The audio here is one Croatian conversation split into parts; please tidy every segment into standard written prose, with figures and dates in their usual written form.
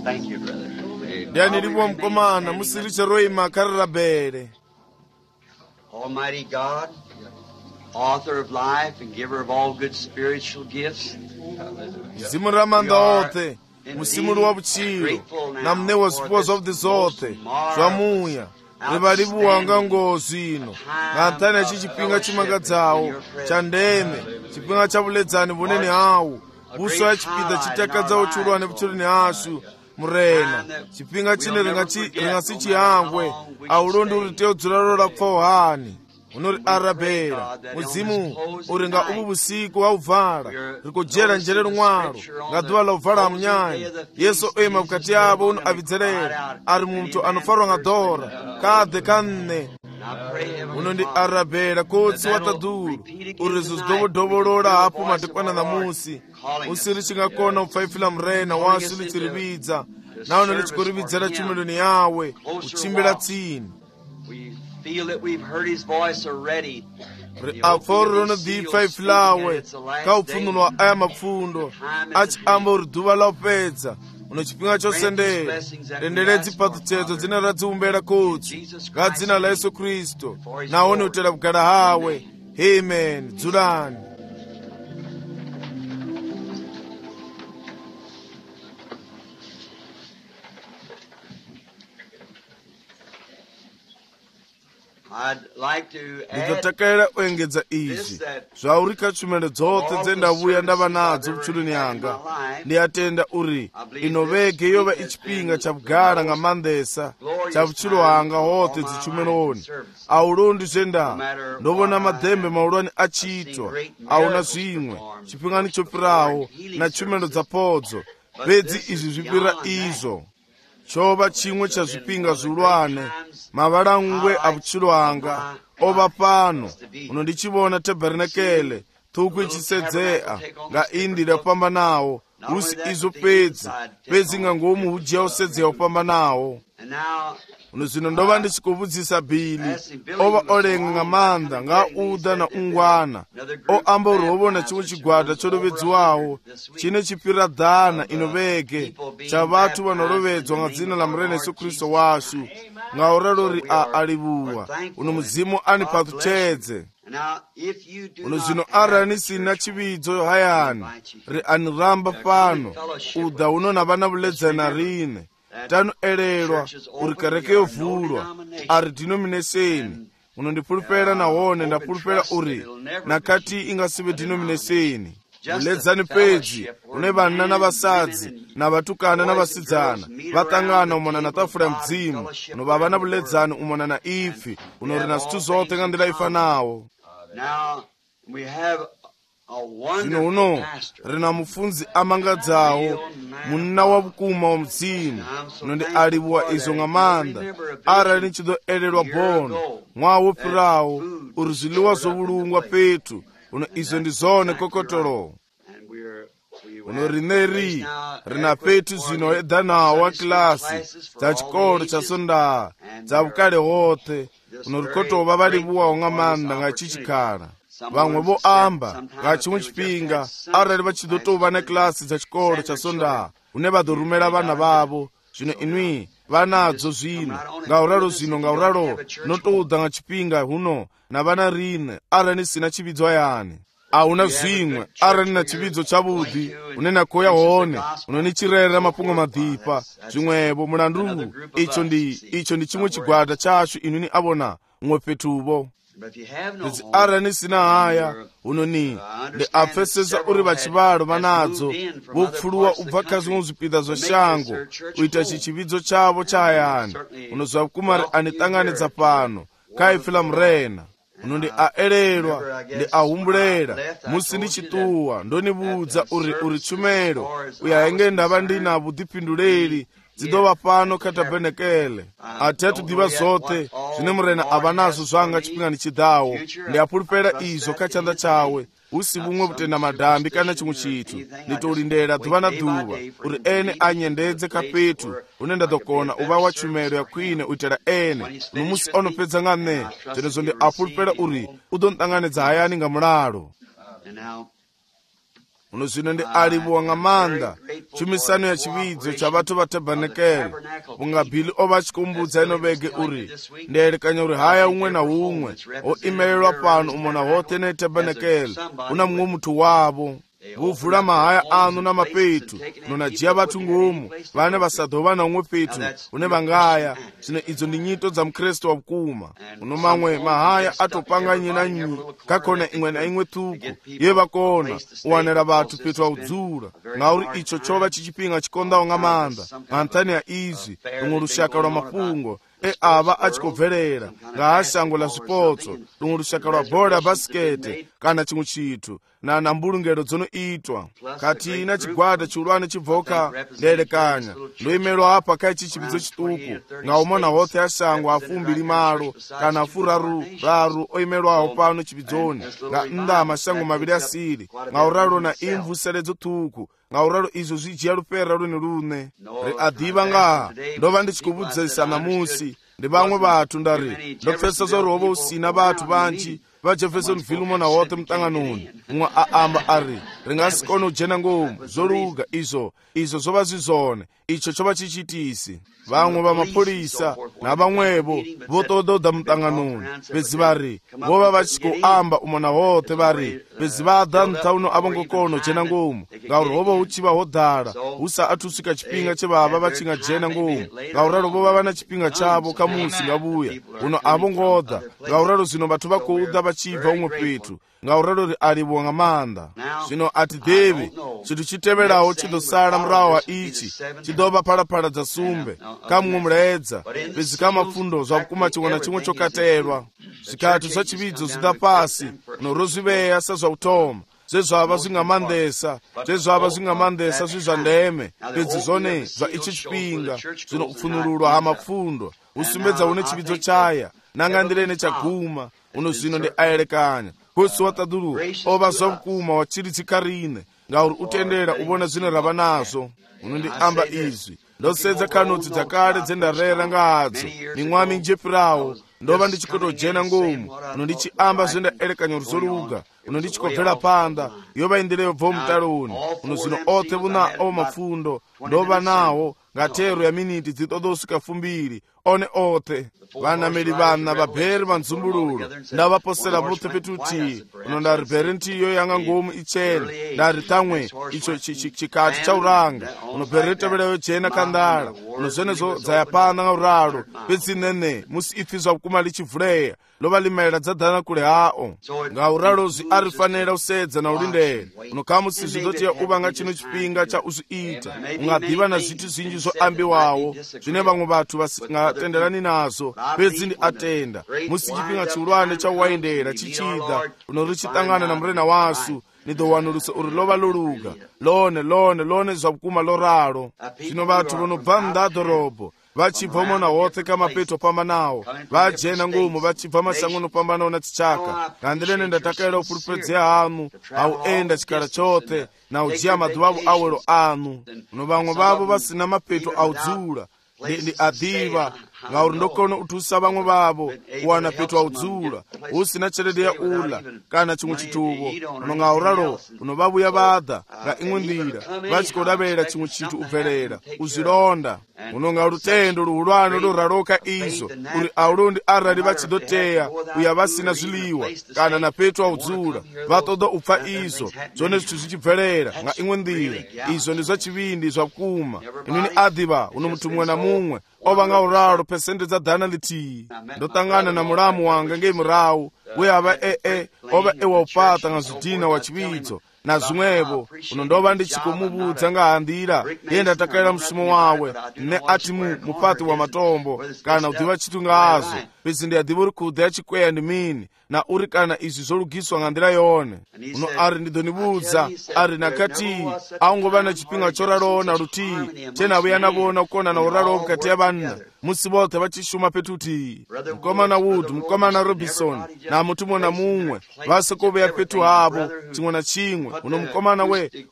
Thank you, brother. Ndiani lipo mkomana musiriche roima karabere. Almighty God, author of life and giver of all good spiritual gifts. Mzimu ramanda ote, musimu wa buchiro, na mne wa spouse of the zote, swamuya, ribaribu wanga ngozi ino, ngantane chichipinga chimagadzawo, chandeme, chipinga chabuledzani buneni hawu, buso ya chipida chitakadzawo chulwane buchulini asu, murena, chipinga chine ringasi chihangwe, aulondi uriteo dzulalola kufawohani. Unori arabera, muzimu, uringa ubu busiku wa uvala, rikojera njere rumwaro, ngaduwa la uvala mnyanyi, Yesu ema bukati yabo unu avidzerera, ari mumtu anufarwa ngadora, kade kanne, unondi arabera, kotsi wataduru, urizus dobo hapu matikwana na musi, usirichi ngakona ufaifila mrena, wasuli chiribidza, na unolichikuribidzera chumiloni yawe, uchimbila tsini. Feel that we've heard his voice already. Aforo di faiflawe ka ufunulwa aya mapfundo achi amba uriduva la upedza unochipinga chosendera renderedzi patuchedzo dzina radziumbera kutsi ngadzina la Yesu Kristu naone utera kugara hawe. Amen. Dzulani. Nditotakaira kuengedza izvi zvaurika tshumelo dzothe dzendavuya ndava nadzo butshuluni yanga ndiyatenda uri inovege yova ichipinga chabugara ngamandesa chabutshilo hanga hothe dzitshumeloni aulondi zvenda ndovona madhembe maulwani achitwa auna zvimwe chipingani chopirawo na tshumelo dzapodzo bedzi izvi zvipira izvo chova chimwe chazvipinga zviulwane mavalangwe abutshilo hanga ova pano unondichivona tabernakele thuku ichisedzea nga indira kupamba nawo usi izo pedzi ngangomu hujiya usedzea kupamba nawo uno zvino ndova ndichikuvudzisa bhili ova olenga ngamanda nga uda na ungwana oamba urovona chimwe chigwada cholovedziwawo chine chipira dhana inovege cha vatu vanorovedzwa nga dzina la murena Yesu Kristu washu nga uralori alivuwa uno muzimu ani patuchedze uno zvino arani sina chividzo hayani ri aniramba pano uda uno na vana vuledzana rine tano elelwa uri kereke yovhurwa ari denomination unondipulupela nahone ndapulupela uri nakati ingasive denomination uledzani pedzi une vana na vasadzi na vatukana na vasidzana vatangana umona na tafula ya mdzimu unova na vuledzani umona na ifi unori na zwithu zothe nga ndila ifanawo. Zvino uno rina mufunzi amangadzawo munna wa vukuma wa mdzimu unondi alivuwa izo ngamanda arali nichidoelelwa bono mwawo pirawo uri ziliwa zovulungwa petu uno izo ndizone kokotolo uno rineri rina petu zvino edanawo wa klasi dza chikolo cha sondaa dza vukale hothe uno rikotova valivuwawo ngamanda nga chichikhala vamwe voamba nga chimwe chipinga arali vachidotova na klasi dza chikolo cha sondaa une vadorumela vana vavo zvino inwi vanadzo zvino ngauralo zvino ngauralo notoudza nga chipinga huno na vana rine arali nisina chividzo yani auna zvimwe arali na chividzo chavudhi une nakoya hone unonichirerera mapungo madhipa zvimwevo mulandu icho ndi chimwe chigwada chacho inuni avona umwe petuvo idzi arali nisina haya unoni ndi apfesesa uri vachivalo vanadzo vopfuluwa ubva kazvimwe zvipida zvashango kuita chichividzo chavo chahayani unozva kumari anitanganidza pano kaifila murena unondi aelelwa ndi ahumbulera musi ndichituwa ndonivudza uri tshumelo uya henge ndava ndina vudhipinduleli dzidova pano katabenekele ati atudiva zothe zvine murena ava nazvo zvanga chipingani chidawo ndi apulupela izo kachanda chawe usi vumwe kutenda madhambi kana chimwe chithu nditolindera dhuva na dhuva uri ene anyendedze kapetu une ndadokona uva wa tshumelo ya kwine uitela ene numusi onopedza nga ne zvenezo ndi apulupela uri udontanganidza hayani nga mulalo. uno zwino ndi alipo nga manda chumisano ya chividzo cha vatu va tabernacle unga bili ova chikumbudza ino vege uri ndiyelekanya uri haya umwe na umwe o imelelwa pano umona hote ne tabernacle una mumwe muthu wavo vuvula mahaya anu na mapetu nonajiya vathu ngumu vane vasadova na umwe petu une vangaya zvino idzo ndi nyito dza mukristu wa vukuma uno mamwe mahaya atopanga nyi na nyi kakona imwe na imwe thuku ye vakona uwanela vathu petu wa udzula ngauri icho chova chichipinga chikondawo nga manda nga nthani ya izwi lumwe lushaka lwa mafungo ava achikobvelera nga hashango la zwipotso lumwe lushaka lwa bola ya basikete kana chimwe chithu na mbulungelo dzonoitwa kati ina chigwada chiulwane chibvoka ndiyelekanya ndoimelwa apa kai chichipidzo chituku nga umona hothe hashango afumbiri malo kana afuraru oimelwawo pano chipidzoni nga nda amashango maviri asiri nga uralo na imvu seledzo thuku nga uralo izo zvijiya lupera lune ri adiva ngaha ndova ndichikuvudzisa namusi ndi vamwe vathu ndari ndopfesa zori hova usina vathu vanji va jeffersonville umona hote mtanganoni umwe aamba ari ringasikone ujena ngomu zoluga izo zova zwizone icho chova chichitisi vamwe va mapholisa na vamwevo votododa mtanganoni bedzi vari vova vachikuamba umona hote vari bedzi vada nthauno avongokono jena ngomu ngauri hova uchiva hodala husa athusika chipinga chevava vachinga jena ngomu ngauralo vova vana chipinga chavo kamusi ngavuya uno avongoda ngauralo zvino vathu vakouda vachibva umwe petu ngauralo ri alivo nga manda zvino atidevi chinthu chiteverawo chidosala murawo wa ichi chidova phalaphala dza sumbe kamwe mulaedza pedzi ka mafundo zvakukuma chimwe na chimwe chokaterwa zvikathu zva chividzo zvida pasi norozviveya sezvautoma zvezvava zvingamandesa zvizva ndeme pedzi zvone zva ichi chipinga zvinopfunurulwa hamafundo usumbedza une chividzo chaya nangandirene chaguma uno zvino ndi ayelekanya kosi watadulu ova zvavukuma wachiritsikarine ngauri utendera uvona zvino rava nazvo uno ndi amba izvi ndosedza kanotsi dzakale dzendarera nga hadzo mimwami njepirawo ndova ndichikotojena ngomu uno ndichiamba zvendaelekanya ruzoluga uno ndichikobvera panda yova indeleyo bvo mutaloni uno zvino othe vunao mafundo ndova nawo ngatero ya miniti dzitodosvika 2 one othe vanameli vana vabheri vanzumbululo ndavaposera vothe petuti uno ndari bheri ntiyo yanga ngomu ichene ndari tamwe icho chikati chauranga uno bheri riteverayo jena kandala uno zvenezo dzayapanda nga uralo pedzinene musi ifi zvakukuma lichivhuleya lova limaira dzadhana kule hao nga uralo zvi arifanira usedza na ulindele uno kamusi zvizotiya uva nga chino chipinga cha uzviita ungadiva na zvithu zvinji zvoambiwawo zvine vamwe vathu vasingatenderani nazvo pedzi ndi atenda musi chipinga chiulwane chauwaendera chichida uno richitangana na murena wasu nidowanulusa uri lova loluga lone zvakukuma loralo zvino vathu vanobva mndadhorobho vachibva umona hothe kamapeto pambanawo vajena ngomu vachibva masango nopambanawo na tichaka ngandilene ndatakaela upulupedzeya hanu auenda chikala chothe na ujiya madhuva avo awelo anu uno vamwe vavo vasina mapeto audzula ndi adiva ngauri ndokona uthusa vamwe vavo uwana petu audzula usina tshelede ya ula kana chimwe chituvo uno ngauralo uno vavuya vada nga imwe ndira vachikodavera chimwe chithu ubvelera uzilonda uno nga lutendo luhulwane loraloka izo uri aulondi arali vachidoteya uya vasina zviliwa kana na petu audzula vatoda upfa izo zvone zvithu zvichibvelera nga imwe ndira izo ndi zvachivindi zvakuma inini adiva uno muthu mumwe na mumwe ova nga uralo pesende dza dana litiyi ndotangana na mulamu wanga ngei murawu we ava ova ewaupata nga zvidhina wa chividzo na zvimwevo uno ndova ndichikumuvudza nga handira iye ndatakaela mushumo wawe ne ati mupati wa matombo kana udiva chithu nga azvo pedzi ndiyadiva uri kudha yachikweya ndi mini na uri kana izvi zolugiswa nga ndira yone uno ari ndidonivudza ari nakati aungova na chipinga choralowo na lutii chenavo yanavona kukona na uralowo mukati ya vanna musi vothe vachishuma petuti mukomana wood mukomana robinson na mutu mwe na mumwe vasekoveya petu havo chimwe na chimwe uno mukomana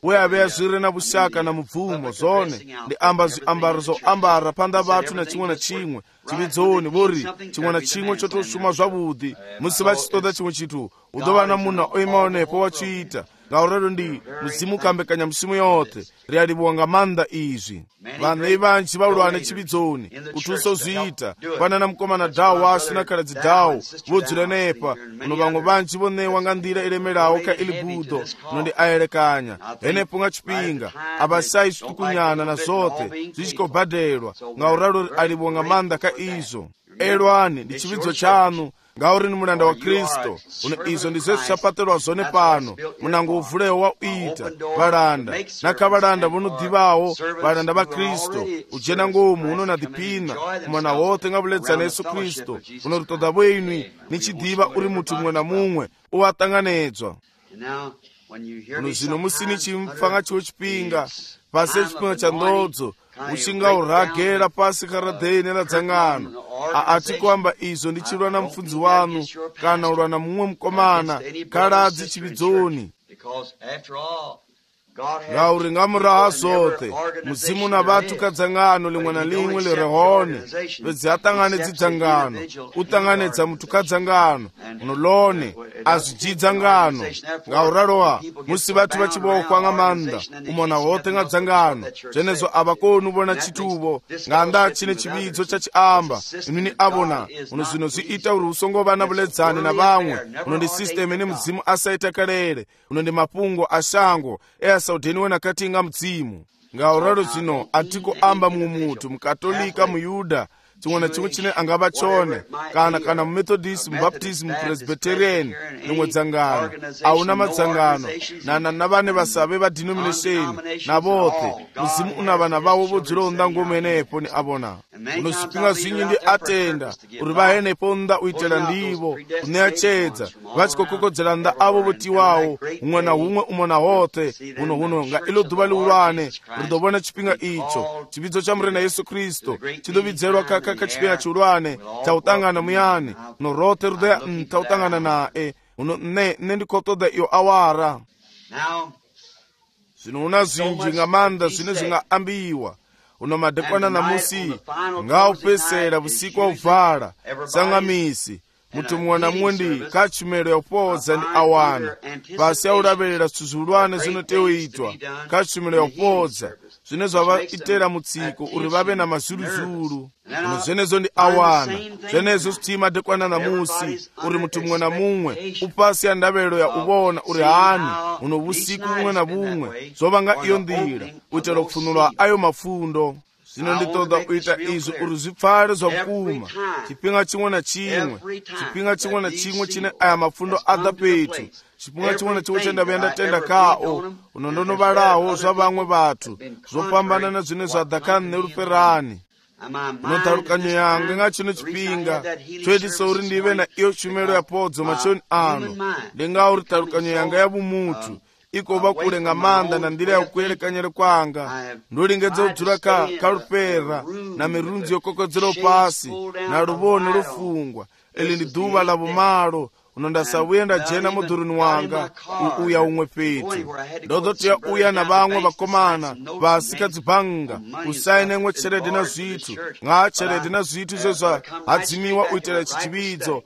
we aveya zviri na vushaka na mubvumo zone ndi amba zviambaro zoambara panda vathu na chimwe na chimwe chividzoni vori chimwe na chimwe chotoshuma zvavudi musi vachitoda chimwe chithu udova na munhu oimaonepo wachiita ngaurero ndi mzimu kambekanya msimu yote rialibuwa nga manda izvi vanhu vanji vaulwane chividzoni kutusa uzviita panana mukomana dhawo wasu nakaradzi dhawo vodzura nepa uno vamwe vanji vonewa nga ndira iremerawo ka ilibudho unondi aerekanya henepo nga chipinga abasai zvitukunyana na zote zvichikobhadherwa ngauraro alibuwa nga manda ka izvo elwani ndi chividzo chanu ngauri ni mulanda wa Kristo uno izo ndizo zvichapatirwa zvone pano munango uvulewo wa uita valanda nakavalanda vonodivawo valanda va Kristo ujena ngomu uno nadipina kumwana wote nga vuledza na Yesu Kristo uno ritoda vwenwi nichidiva uri mutu mumwe na mumwe uwatanganedzwa uno zvino musini chimfanga chiwo chipinga pasi chipinga cha ndodzo uchingauragera pasi karadheni radzangano atikwamba izo ndichirwa na mufudzi wanu kana urwa na mumwe mukomana karadzi chividzoni ngauri ngamuraha zote muzimu na vatu kadzangano limwe na limwe lirehone vedzi atanganedzi dzangano utanganedza mutu kadzangano unolone azvijidza ngano ngaurarowa musi vatu vachibokwa nga manda umona wote nga dzangano zvenezo avakoni uvona chituvo nganda chine chividzo chachiamba inini avona uno zvino zviita uri usongova na vuledzani na vamwe uno ndi sistemu ine mudzimu asaita karere uno ndi mapungo ashango easaudheniwe nakatinga mudzimu ngauraro zvino atiko amba mumutu mukatolika muyuda chimwe na chimwe chine angava chone kana mumethodist mubaptist mupresbyterian limwe dzangano auna madzangano na vane vasave vadenomination na vote muzimu una vana vavo vodzura undango mwenepo ni avona uno zvipinga zvinyi ndi atenda uri vahenepo nda uitela ndivo uneachedza vachikokokodzera nda avo votiwawo umwe na umwe umona wote uno nga ilo dhuva liulwane ridovona chipinga icho chividzo cha murena Yesu Kristo chidovidzerwa kachipinga chiulwane chautangana muyani uno rote rudeya tautangana nae uno ne ndikotoda iyo awara zvino una zvinji nga manda zvine zvingaambiwa uno madekwana na musi ngaupesera vusiku wauvhala sangamisi mutu mumwe na mumwe ndi kachumelo yaupodza ndi awana pasi aulavelela zvithu zviulwane zvinoteoitwa kachumelo yaupodza zvine zvavaitera mutsiko uri vave na mazuluzulu uno zvenezo ndi awana zvenezo zviti madekwana na musi uri mutu mumwe na mumwe upasi ya ndavelo ya uvona uri hani uno vusiku bumwe na bumwe zovanga iyo ndira uitela kufunulwa ayo mafundo zvino nditoda kuita izvo uri zvipfale zvakuma chipinga chimwe na chimwe chine aya mafundo adha petu chipinga chimwe na chimwe chendave ndatenda kao uno ndonovalawo zva vamwe vatu zvopambana na zvine zvadhakani neruperani unotarukanyo yanga nga chino chipinga choitisa uri ndive na iyo shumelo yapodzo machoni ano ndingauri tarukanyo yanga yavumutu ikova kule nga manda na ndira ya kuelekanyere kwanga ndolingedza kudzura karupera na mirunzi yokokodzera pasi na ruvone rufungwa ili ndi dhuva la vumalo unondasauya ndajena mudhuruni wanga uya umwe petu ndozotiya uya na vamwe vakomana vasikadzibhanga usaine mwe cheredi na zvitu nga cheredi na zvitu zvezva hadzimiwa uitela chichividzo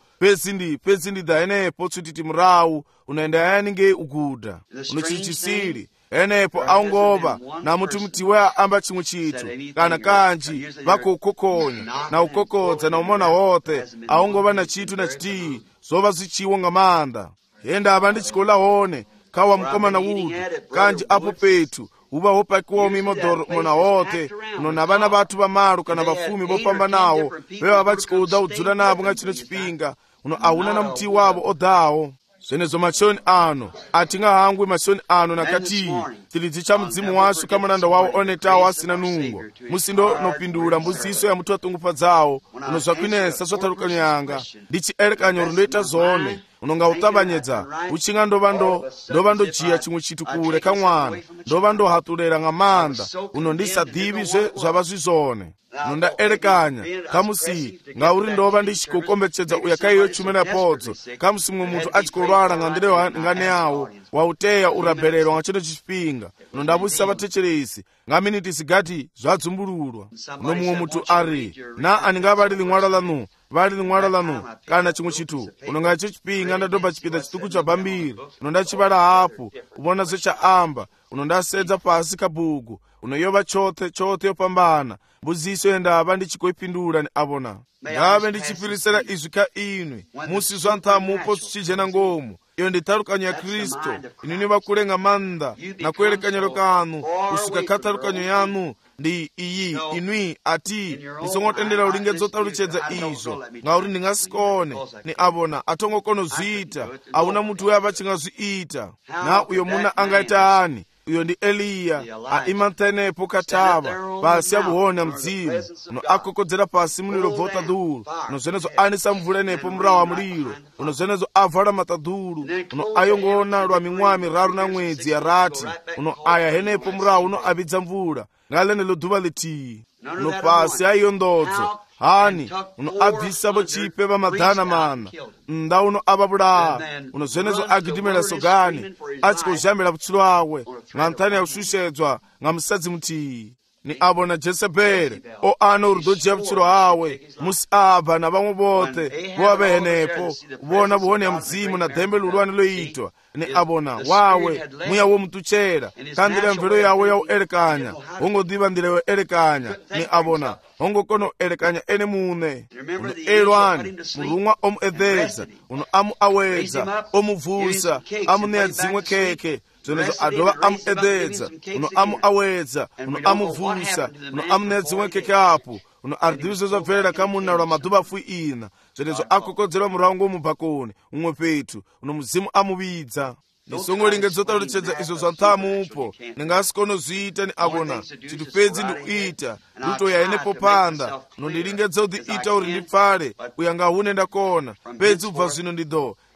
pezi ndi daenepo tsutiti murawu unaenda yaninge uguda unochichisiri enepo aungova na mutu mutiwe amba chimwe chitu kana kanji vakuukokonya na ukokodza na umona wote aungova na chitu na chitii zova zichiwo nga manda yenda ava ndichikola hone kawa mukomana wudu kanji apo petu uva wopakiwa mimodoro mona wote uno na vana vatu vamaru kana vafumi vopambanawo veva vachikoudza udzula navo nga chino chipinga uno auna na mutii wavo odawo zvenezo machoni ano atingahangwi machoni ano nakati tilidzi cha mudzimu wasu kamunanda wawo onetawo asina nungo musindo nopindula mbuziso ya mutu watungupadzawo uno zvakwinesa zvotarukanyo yanga ndichielekanyo rundoita zone unonga utabanyedza uchinga ndova ndojiya chimwe chitu kule kamwana ndova ndohatulera nga manda uno ndisadivi zvava zvizone nondaelekanya kamusi ngauri ndova ndichikokombetsedza uya kaiyo chumena podzo kamusi mwe mutu achikolwala nga ndire ngane yawo wauteya urabhererwa nga chino chipinga unondabusisa vatecheresi nga miniti zigati zvadzumbululwa. Uno mumwe mutu ari na aninga vali limwalo lanu kana chimwe chitu unonga icho chipinga ndadoba chipinda chituku cha bambiri unondachivala hapo ubona zvechaamba unondasedza pasi kabhuku unoyova chothe yopambana mbuziso yendava ndichikoipindula ni avona ngave ndichipirisira izvi ka inwe musi zvanthamupo zvichijena ngomu. Iyo ndi talukanyo ya Kristo inini vakulenga manda na kuelekanyelo kanu kusika ka talukanyo yanu ndi iyi inwi ati nisongotendera ulingedzo taluchedza izvo ngauri ndingasikone ni avona atongokono zviita auna mutu uyo avachingazviita na uyo muna angaita ani. Uyo ndi Eliya aimantenepo katava pasi avuhona mdzimu uno akokodzera pasi muliro votadulu uno zvenezo anisa mvula nepo murawo wa muliro uno zvenezo avala matadulu uno ayongona lwa mimwaha miraru na mwedzi yarati uno aya henepo murawo uno avidza mvula ngalenelo duva litiyi uno pasi aiyo ndodzo hani uno abvisavo chipe vamadhana mana nda uno avavulaa uno zvenezo agidimela sogani achikozhambela vutsulo awe nga nthani ya kushusheedzwa nga musadzi mutiyi ni avona Jezebeli o ana urudojiya vutsulo awe musi abva na vamwe vothe vova henepo vona vuhoni ya mdzimu na dhembe lulwane loitwa ni avona wawe muya womutuchera kandira mvelo yawe ya uelekanya hongodiva ndira yo elekanya ni avona hongokono elekanya ene mune uno elwani mulumwa omuedhedza uno amu awedza omuvusa amuneya dzimwe keke zvenezo adova amuedhedza uno amu awedza uno amuvusa uno amuneya dzimwe keke apo uno ardivizo zvabverera kamuna lwa madhuva fui ina zvenezo akokodzerwa murango womubhakoni umwe petu uno muzimu amuvidza nisongolingedzo taluchedza izvo zvanthamupo ningasikono zviita ni avona chiti pedzi ndikuita lutoya yenepo panda nondilingedza kuti ita uri ndipfale uyanga hune ndakona pedzi ubva zvino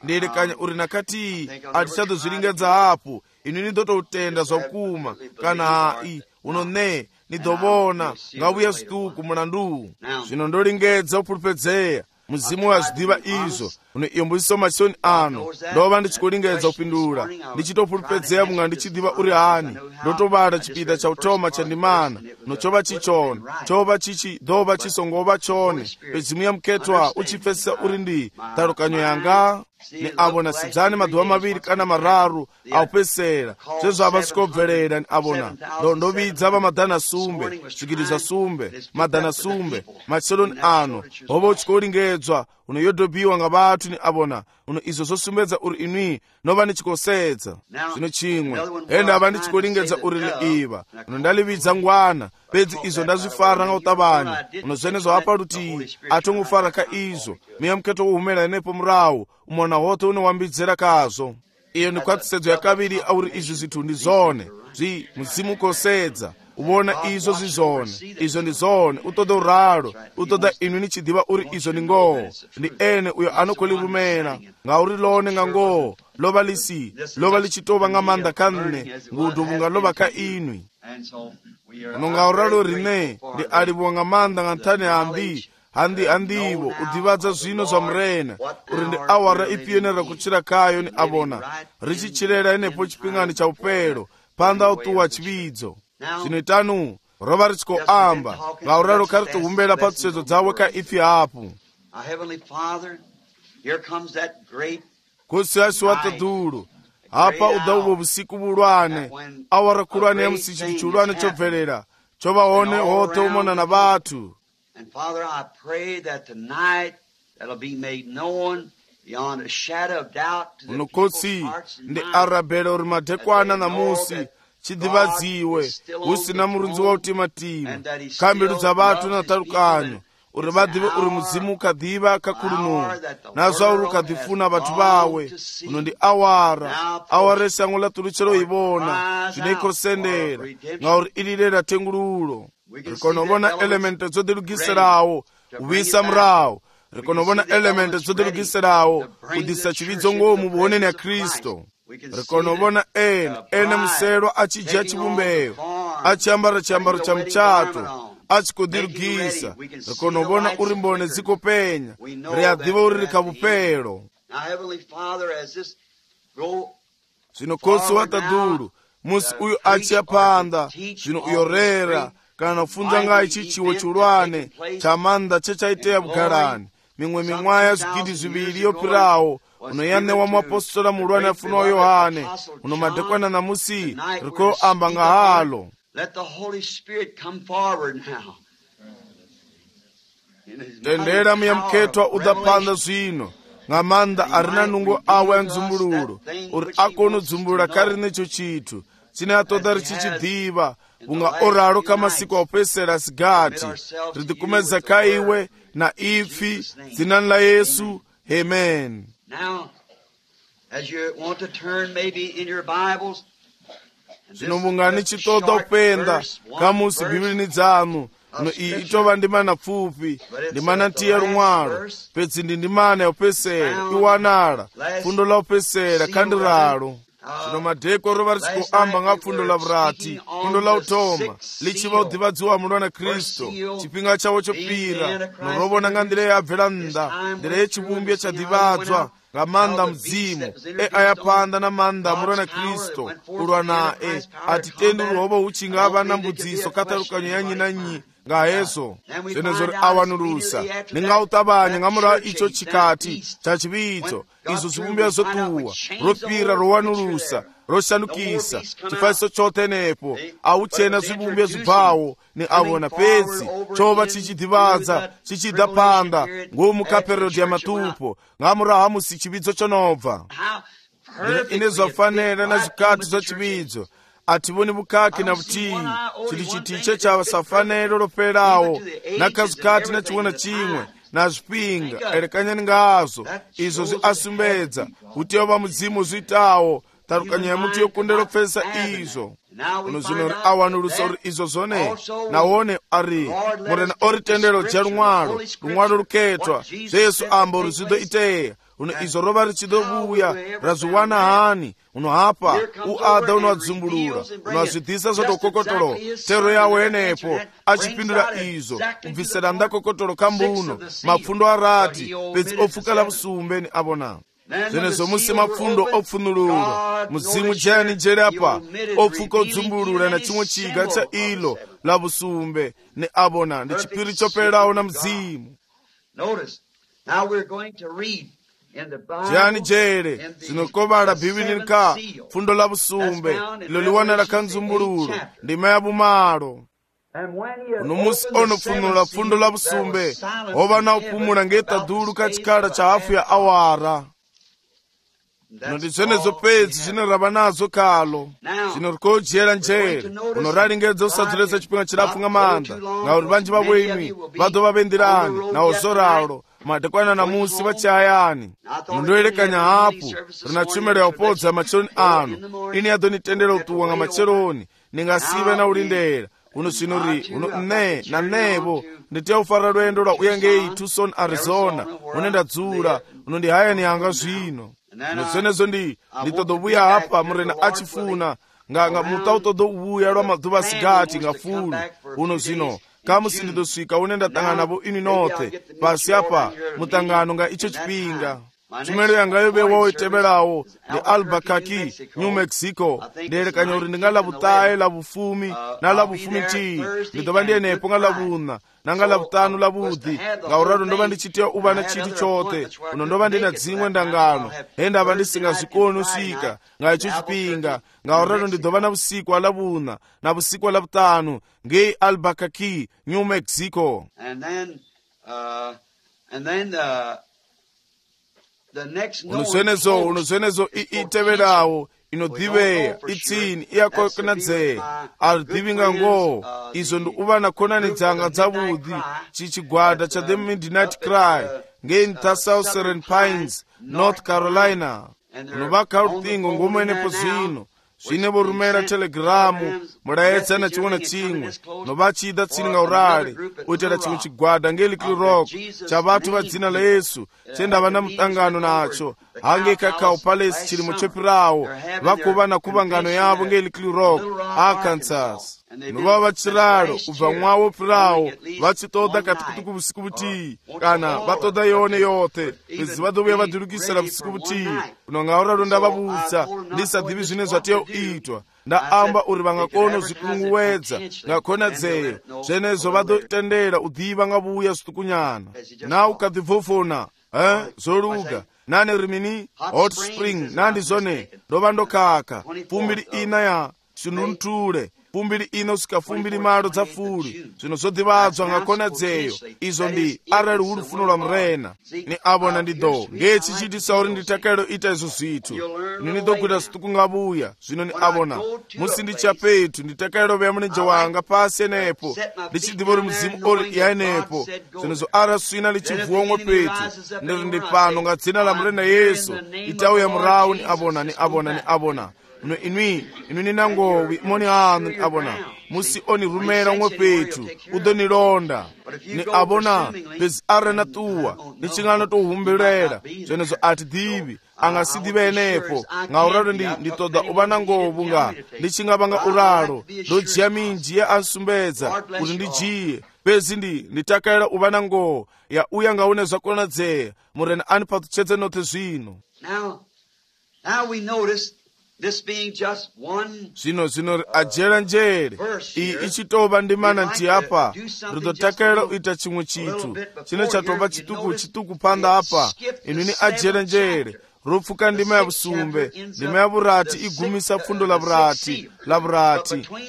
ndiyelekanya uri nakatiyi atichadozvilingedza hapo ini ndototenda zvakuma kana hai uno ne nidovona ngauya zvituku mulandu zvino ndolingedza kupulupedzeya muzimu wazvidiva izvo uno iyo mbuziso machoni ano ndova ndichikolingedza kupindula ndichitopulupedzeya munga ndichidiva uri hani ndotovada chipinda chautoma chandimana nochova chichona chova chichi dhova chisongova chone pedzimu ya muketwa uchipfesesa uri ndi talukanyo yanga ni avona sidzani madhuva maviri kana mararu aupesera zvezvo avasikobverera ni avona ndovidza vamadhana sumbe zvikiriza sumbe madhana sumbe macheloni ano hova uchikolingedzwa uno yodhobiwa nga vatu ni avona uno izvo zosumbedza uri inwi nova nichikosedza zvino chimwe ende ava ndichikolingedza uri liiva uno ndalividza ngwana pedzi izvo ndazvifara nga utavanya uno zvenezo apa rutiyi atongofara ka izvo miya muketo wohumela nepo murawo umona hote unowambidzera kazvo. Iyo ni kwatisedzo yakaviri auri izvi zvithu ndi zone muzimu ukosedza uvona izvo zvizone izvo ndi zone utoda uralo utoda inwi nichidiva uri izvo ndi ngoho ndi ene uyo anokolirumena ngauri lone nga ngoho lova lichitova nga manda kanne ngudu nga lova ka inwi uno nga uralo rine ndi alivuwa nga manda nga nthani handivo udivadza zvino zvamurena uri ndi awara ipiyenera kuchira kayo ni avona richichirera inepo chipingani cha upelo panda utuwa chividzo zvinoitanu rova richikoamba ngauraro karitohumbela patsedzo dzawe ka ifi hapo kosi asi watadulu apa udauvo vusiku vulwane awara kulwane ya musichili chulwane chobverera chovaone hote umona na vatu. And Father, I pray that tonight that'll be made known beyond a shadow of doubt to the people's hearts and minds. Ndi arabela uri madekwana na musi chidivadziwe usina murunzi wa utimatima kambilu dza vatu na talukanyo uri vadive uri muzimu ukadiva kakulunuhu nazva uri ukadifuna vatu vawe uno ndi awara esango latuluchelo ivona zvinoikosendera ngauri ililera tengululo rikonovona elemente dzodilugisirawo uvisa murawo rikonovona elemente dzodilugisirawo udisa chividzo ngomu vuoneni ya Kristo rikonovona ene musero achidya chivumbeyo achiambara chiambaro cha muchato achikodilugisa rikonovona uri mbone dzikopenya riadiva uri rikavupelo zvino kosi watadulu musi uyo achiyapanda zvino uyorera kana kufunza ngai chichiwo chulwane cha manda chechaitea bugalani mimwe mimwaya zvikidi zviviri yopirawo unoyanewa muapostola mulwane afunawo Yohane uno madekwana na musi riko amba nga halo. Let the Holy Spirit come forward now. Tendera miyamketwa udapanda zvino ngamanda arina nungo awe ya nzumbululu uri akono dzumbulula kari necho chitu chine atodari chichidhiva unga oraro kamasiku aupesera sigati ridikumedza kaiwe na ifi zinani la Yesu. Amen. Now, as you want to turn maybe in your Bibles, zvino mungani chitoda upenda kamusi bhibhilini dzanu no itova ndimana pfupi ndimana tiya rumwalo pedzi ndimana yaupesera iwanala fundo la upesera kandiralo. Zvino madheko rova richikoamba nga fundo la vurati fundo la utoma lichiva udhivadziwa mulwana Kristu chipinga chavo chopira norovona nga ndira yabvela nda ndira yechivumbi chadhivadzwa nga manda mdzimu ayapanda na manda mulwana Kristu ulwa nae atitendi ruhovo uchinga ava na mbudziso katarukanyo yanyi nanyi nga hezo zvenezvo awanulusa ningautabanya ngamura icho chikati cha chividzo izo zvibumbia zotuwa ropira rowanulusa roshanukisa chifaiso chote nepo auchena zvibumbia zvibvawo ni avona pedzi chova chichidhivadza chichidapanda ngomukaperodhi ya matupo ngamura hamusi chividzo chonobva ine zvafanira na zvikati zvachividzo ativoni bukaki na butii chili chitiche cha safanero roperawo nakazikati na chiwona chimwe na zvipinga erekanyani ngazo izo zviasumbedza kuti ova mudzimu zviitawo tarukanya yamuti yokundero pfesa izo unozvino awanulusa uri izo zvone naone ari murena ori tendero dya rumwalo ruketwa Jesu ambo ruzido iteya uno izo rova richidovuya razviwana hani unohapa uada unoadzumbulura unoazvidhisa zvotokokotoro tero yawo yenepo achipindura izo kubvisira ndakokotoro kambuno mapfundo arati pedzi opfuka lavusumbe ni avona zvenezvo musi mapfundo opfunurura mudzimu jani jeri apa opfuka odzumbulura na chimwe chiga cha ilo lavusumbe ni avona ndi chipiri choperawo na mudzimu. Now we're going to read jani jere zinokovala bhibhilini ka fundo la busumbe ilo liwana la kanzumbululu ndima ya bumalo uno musi onofunula fundo la busumbe ova na upumula ngeta dulu kachikala cha hafu ya awara ndi zvenezo pedzi zvinorava nazo kalo zvinorikojera njere unoralingedza usadzulesa chipinga chirafu nga manda ngauri vanji vavoimi vadova vendirani nawo zoralo madekwana na musi vachayani mundoerekanya hapu rina tshumelo ya upodza macheloni anu ini yadonitendera utuwa nga macheloni ningasive na ulindera uno zvinori uno ne na nevo nditiya ufara lwendo lwa uyangei Tucson Arizona unenda dzula uno ndi hayani yanga zvino nozvenezo nditodovuya hapa murena achifuna nga mutautodovuya lwa madhuva sigati nga fulu uno zvino kamusi ndidosvika une ndatangana navo ini nothe pasi apa mutangano nga icho chipinga tshumelo yanga yovewawo itevelawo ndi Albuquerque, New Mexico ndiyerekanya uri ndinga lavutaye lavufumi na lavufumi tii ndidova ndiyenepo nga lavuna nanga lavutanu lavudhi ngauralo ndova ndichitiya uva na chiti chote uno ndova ndina dzimwe ndangano hendava ndisingazvikoni usvika nga icho chipinga ngauralo ndidova na vusiku alavuna na vusiku alavutanu ngei Albuquerque, New Mexico. unozvenezo iteverawo inodhiveya itsini iyakokonadzeye aridhivinga ngo izo ndi uva na khonani dzanga dzavudhi chichigwada cha The Midnight Cry ngei South Serene Pines, North Carolina unovaka ruthingo ngomwenepo zvino zvine vorumera telegiramu murayedza na chimwe na chimwe novachida tsini nga urali uitera chimwe chigwada ngei Little Rock cha vatu va dzina la Yesu chendava na mutangano nacho hange Cacao Palace chilimo chopirawo vakuva na kuvangano yavo ngei Little Rock, Arkansas. nova vachiralo ubva mwawo pirawo vachitoda katikutuku vusiku vutii kana vatoda yone yote bezi vadouya vadurukisira vusiku vutii kuno ngauralo ndavavutsa ndisadivi zvine zvatiyoitwa ndaamba uri vangakona zvikunguwedza ngakonadzeyo zvenezvo vadotendera udhiva ngavuya zvitukunyana na ukadhibvofona zvoluga nane rimini hot spring nandi zvone ndova ndokaka fumbiri ina ya shinunture fumbiri ino sika fumbiri malo dza fuli zvino zvodhivadzwa ngakonadzeyo izvo ndi arali uri funo lwa murena ni avona ndido ngechichitisa uri nditakairo ita izvo zvithu nini dokuita zvituku ngavuya zvino ni avona musi ndichapetu nditakairo veya muneje wanga pasi enepo ndichidhiva uri muzimu uri yaenepo zvino zvo ara swina lichivhuomwe petu ndiri ndi pano ngadzina la murena yesu itauya murawu ni avona inwi ninangowi moni anu ni avona musi onirumera umwe petu udonilonda ni avona bezi arena tuwa nichingano tohumbilera zvenezo atidhivi angasidhive enepo ngauralo nditoda uva nangovu nga ndichingavanga uralo ndojiya minji ya ansumbedza kuti ndijiye bezi nditakaira uva nangovu ya uya ngaune zvakonadzeya murena ani patuchedze note zvino. Now we notice this being just one zvino ajera njere iyi ichitova ndimana nti apa ridotakaira uita chimwe chitu chine chatova chituku panda apa inini ajera njere ropfuka ndima ya vusumbe ndima ya vurati igumisa pfundo la vurati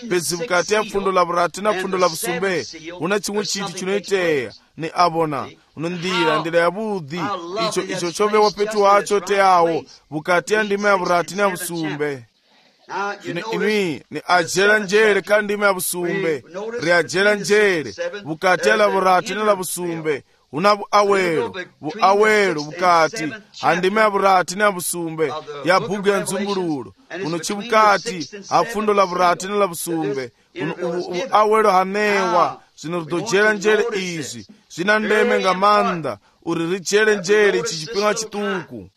pezi vukati ya pfundo la vurati na pfundo la vusumbe una chimwe chitu chinoiteya ni avona unondira ya budhi icho chovewa petu wacho teawo vukati ya ndima ya vurati na vusumbe inwi ni ajera njere ka ndima ya vusumbe ri ajera njere vukati ya la vurati na la vusumbe una vuawelo vukati handima ya vurati na vusumbe ya bhuku ya nzumbululo uno chivukati ha pfundo la vurati na la vusumbe vuawelo hanewa zvino ridojera njere izvi zvina ndeme nga manda uri rijere njere ichi chipinga chituku.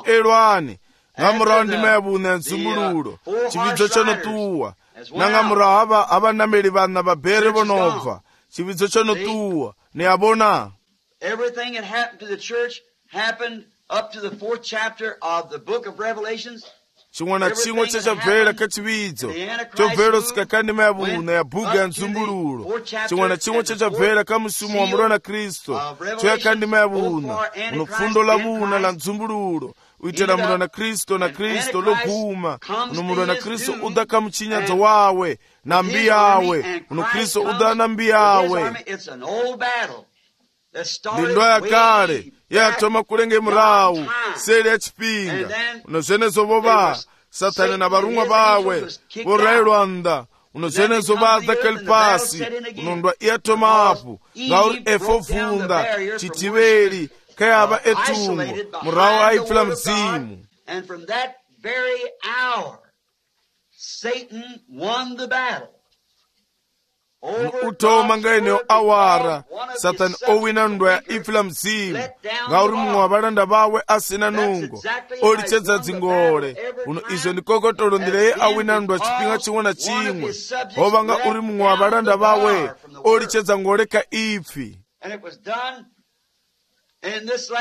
elwani ngamurawo ndima ya vuna ya nzumbululo chividzo chonotuwa nangamurawo havanameli vana vabhere vonobva chividzo chonotuwa ni avona. Everything that happened to the church happened up to the 4th chapter of the book of Revelations. chimwe na chimwe chachabvera kachividzo chobvera sika kandima ya vuna ya bhuku ya nzumbululo chimwe na chimwe chachabvera kamusumo wa murona kristu choya kandima ya vuna uno pfundo la vuna la nzumbululo uitela murona kristu na kristu loguma uno murona kristu uda kamuchinyadzo wawe na mbi yawe uno kristu uda na mbi yawe ndindo ya kale yatoma kulenge murawu seli ya chipinga uno zvenezo vova satani na varumwa vawe vorayilwanda uno zvenezo vadza kelipasi unondwa iyatoma apo ngauri efovhunda chitiveri kayava etumbo murawu aipfila mzimu. And from that very hour Satan won the battle. utoma ngaeneo awara satani owina ndwa ya ipfila mzimu ngauri mumwe wa valanda vawe asina nungo olichedza dzingole uno izvo ndikokotolo ndira ye awina ndwa chipinga chimwe na chimwe hova uri mumwe wa valanda vawe olichedza ngole ka ipfi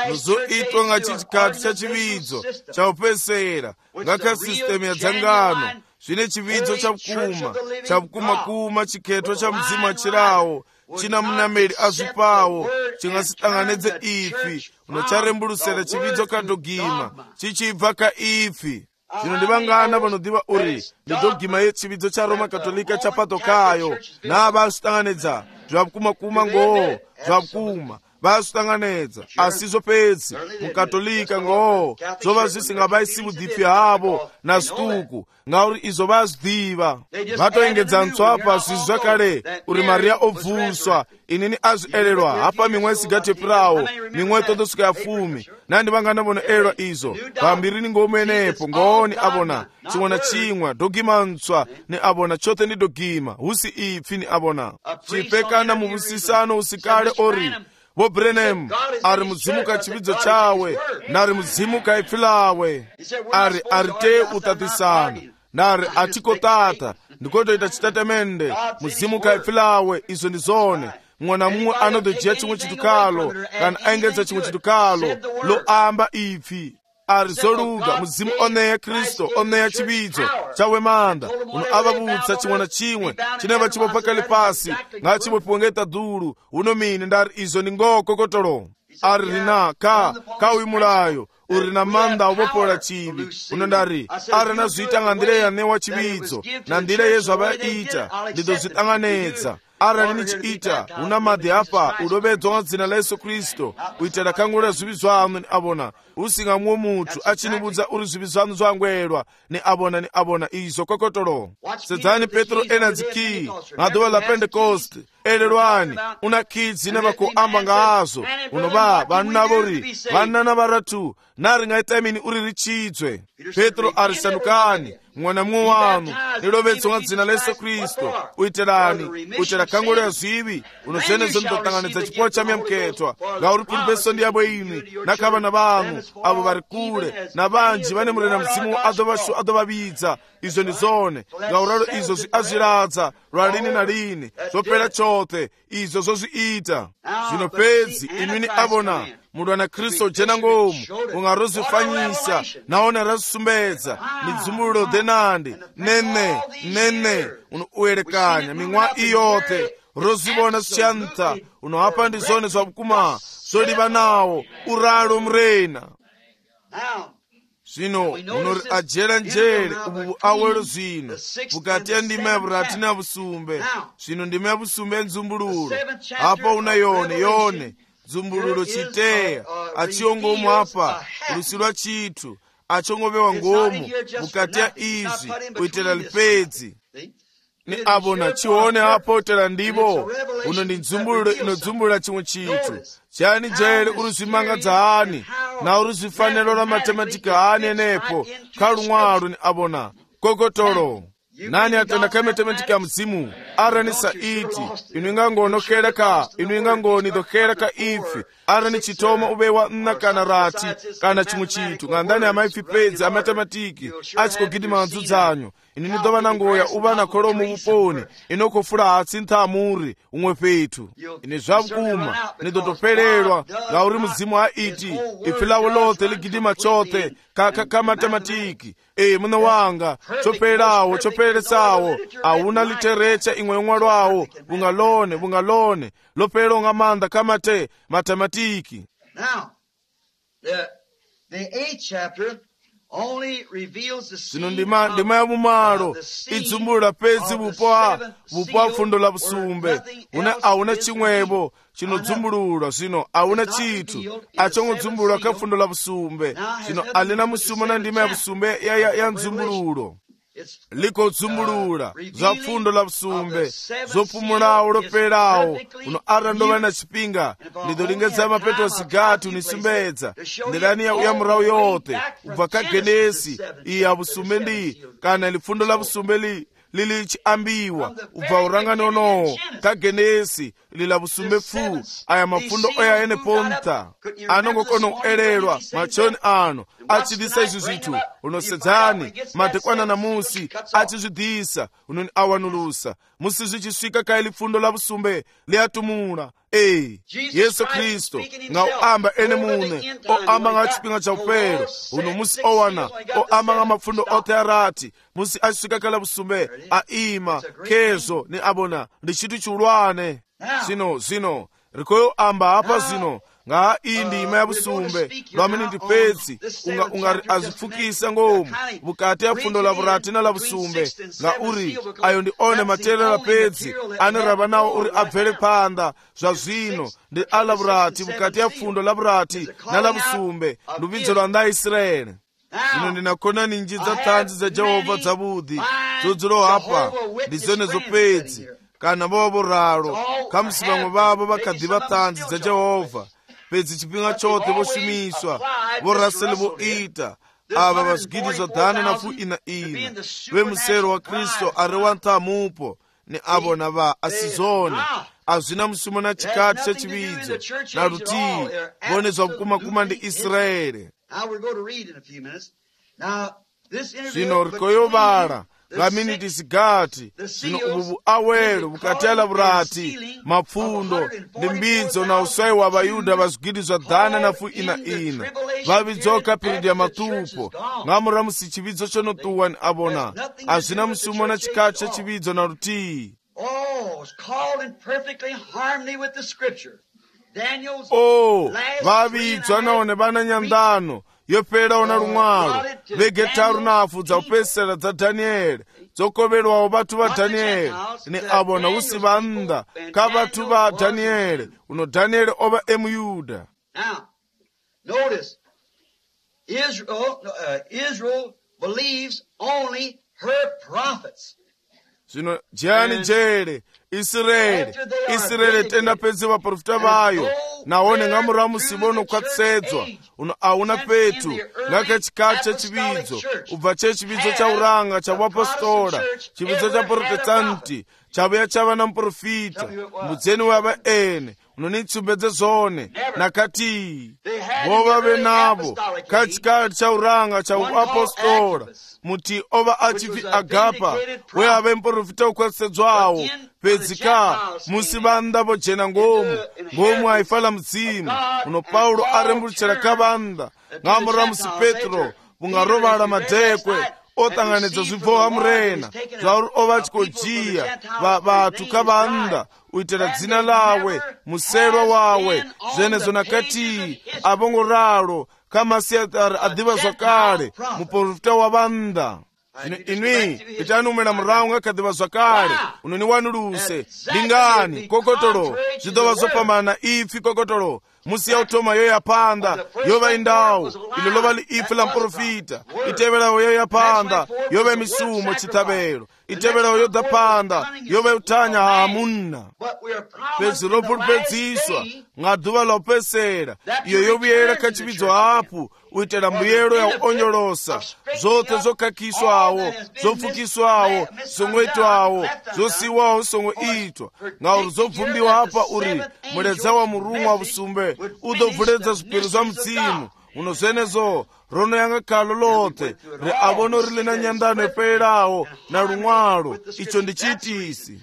nozoitwa nga chichikati cha chividzo chaupesera ngaka sistemu ya dzangano zvine chividzo chavukuma chiketwa cha mzimu achirawo china munameli azvipawo chingasitanganedze ifi unocharemburusera chividzo kadhogima chichibva kaifi. zvino ndivangana vanodhiva uri ndidhogima yechividzo cha Roma Katolika chapatokayo navasvitanganedza zvavukuma ngoo zvavukuma vasvitanganedza asi zvopedzi mukatolika ngoo zvova zvisingavaisi vudhipi havo na zvituku ngauri izvo vazvidhiva vatoengedza ntswapa zvizi zvakale uri mariya obvuswa inini azvielelwa hapa mimwe sigatepurawo mimwe totosvika ya 10 nandivangana vonoelelwa izvo vambiri ningomenepo ngooni avona chimwe na chimwe dhogima ntswa ni avona chote ni dhogima husi ipfi ni avona chipekana muvusisano usikale ori vo Branham ari muzimu ka chividzo chawe nari muzimu ka ipfi lawe ari te utatisana nari atiko tata ndikotoita chitatamende muzimu ka ipfi lawe izo ndi zone mwana mumwe anotojiya chimwe chitukalo kana aengedza chimwe chitukalo lo amba ipfi ari zoluka muzimu oneya Kristo oneya chividzo chawe manda uno avavutsa chimwe na chimwe chineva chipopa kale pasi nga chipopiwengeta dulu uno mine ndari izo ndi ngokokotolo ari rina ka uimulayo uri na manda uvopola chivi uno ndari ari nazviita ndira yanewa chividzo na ndira yezvavaita ndidozvitanganedza ara nichiita una madhi apa udovedzwa dzina la Yesu Kristo uitera kangura zvivi zvanu ni abona usingamwe mutu achinibudza uri zvivi zvanu zvangwerwa ni abona izo kokotolo sedzani Petro enadziki ngaduva la Pentecost elelwani una kidzi nevakuamba ngazo unova vanna na varatu nari ngaitamini uri richidzwe Petro arisandukani mwana mumwe wanu nilovedzwa dzina la Yesu Kristo uitera kangura zvivi unozvenezo ndotanganidza chipo chamyamuketwa ngauri pulpeso ndi yabo ini nakavana vanhu avo vari kule na vanji vane murena muzimu adovavidza izo ndi zone ngauralo izo azviradza lwalini na lini zvopera chote izo zozviita zvino pedzi imini avona munhu ana Kristo jena ngomu ungarozvifanyisa naona razvisumbedza midzumuliro dhenandi nene unoerekanya mimwa iyote rozivona zvichanta unohapa ndi zone zvavukuma zoliva nawo uralo murena zvino unori ajera njere ubu awero zvino bukati ya ndima yavurati na vusumbe zvino ndima yavusumbe yenzumbuluro apa una yone zumbuluro chiteya achiongomu apa rusi rwa chitu achongovewa ngomu bukati ya izvi kuitira lipedzi ni abona chione apo utera ndivo uno ndi nzumbuluro inodzumbulura chimwe chitu chani jere uri zvimangadza hani na uri zvifaniro ra matematika hani enepo kalumwalo ni abona kokotolo nani atenda ka matematika mzimu arani saiti inungangonokera inungangonidokera ka ifi arani chitoma ubewa nna kana rati kana chimwe chitu ngandani amaifi pedzi amatematiki achikogidima manzudzanyo inini dova nangoya uva na kolomo vuponi inokofula hatsi nthamuri umwe petu ine zvavukuma nidotopererwa ngauri muzimu haiti ifi lavo lote ligidima chote ka matematiki muna wanga choperesawo auna literecha imwe yomwalwawo bungalone lopero nga manda kamate matematiki. Now, the 8th chapter only reveals the sino ndima ya mumalo idzumbulula pedzi vupo fundo la busumbe auna chimwebo chinodzumbululwa sino auna chitu achongodzumbululwa ka fundo la busumbe sino alina musuma na ndima ya busumbe ya nzumbululo liko dzumbulula za fundo la busumbe zopumulawo loperawo uno arandova na chipinga ndidolingedza mapeto asigati unisumbedza ndilani ya murawo yote ubva ka Genesi iya busumbe ndi kana lifundo la busumbe lili chiambiwa ubva urangani onowo ka Genesi lila busumbe fu aya mafundo oya ene ponta anongokono kuelelwa machoni ano achidisa izi zitu unosedzani madekwana na musi achizvidisa unoni awanulusa musi zvichisvika ka lifundo la busumbe liatumula Yesu Kristo ngauamba ene mune oamba nga chipinga cha upero uno musi owana oamba nga mafundo ote arati musi achisvika kala busumbe aima kezo ni abona ndi chitu chulwane zino rikoyo amba apa zino nga indi ima ya busumbe lwamini ndi pedzi ungari azifukisa ngomu bukati ya fundo la burati na la busumbe nga uri ayo ndi one matera la pedzi aniraba nawo uri abvere panda zwa zvino ndi ala burati bukati ya fundo la burati na la busumbe lubidzo lwa nda Israeli. Zino ndinakona ninji za tanzi za Jehova dzabudi dzodzolo hapa ndi zone zopedzi kana bobo raro kamusibamwe babo bakadiba tanzi za Jehova pedzi chipinga chote vosumiswa vorasele voita ava vaswigidizwa dhana na fu ina vemusero wa Kristo ari wa ntamupo ni avo na va asizone azvina musimo na chikati chechividzo na rutii vone zvakukuma ndi Israeli. Zvino rikoyovara ngaminiti zigati zvino ubu awelo bukati ala burati mapfundo ndi mbidzo na usai wa Vayuda vazwigidizwa dhana na fu ina vabidzoka piridi ya matupo ngamura musi chividzo chonotuwa ni abona azvina musimo na chikati chechividzo na rutii. Vabidzwa naone vana nyandano yopera na rumwaro vegetaru nafu dza upesera dza Danieli dzokoverwawo vatu va Danieli ni abona usi vanda ka vatu va Danieli uno Danieli ova Muyuda. Now notice Israel believes only her prophets. Zvino jani jere Israeli tenda pedzi vaprofita vayo naone ngamura musibono kwatsedzwa uno auna petu ngaka chikati chechividzo ubva chechividzo cha uranga cha vapostola chividzo cha protestanti chabuya chava na muprofita mudzeni wava ene unonitsumbedze zvone nakati vova venavo kachikati cha uranga cha vapostola muti ova achifi Agapa weave muprofita ukwatsedzwawo pedzika musi vanda vojena ngomu haifala mudzimu uno Paulo aremburuchira kavanda ngamura musi Petro vungarovala madhekwe otanganidza zvibvoha murena zvauri ova chikojiya vatu kavanda uitira dzina lawe muserwa wawe zvenezo nakati avongoralo kamasiatari adhiva zvakare muprofita wavanda. Zvino inwi itanumira murau ngakadhiva zvakare unoniwanuluse lingani kokotolo zvidova zvopamana ifi kokotolo musi yautoma yo yapanda yova indau ilo lova liifi la muprofita iteverawo yo yapanda yova misumo chitavelo iteverawo yo dzapanda yova utanya hamunna pezi ropulupedziswa ng'adhuva la upesera iyo yovuyera kachividzo hapu uitela mbuyelo ya onyolosa zote zokakiswawo zofukiswawo zong'oitwawo zosiwawo song'oitwa ngauri zobvumbiwa apa uri muledza wa murumwa wa vusumbe udobvuledza zvikwiro zva mudzimu uno zvenezo rono yanga kalo lote re avono rile na nyandano eperawo na rumwalo icho ndichitisi.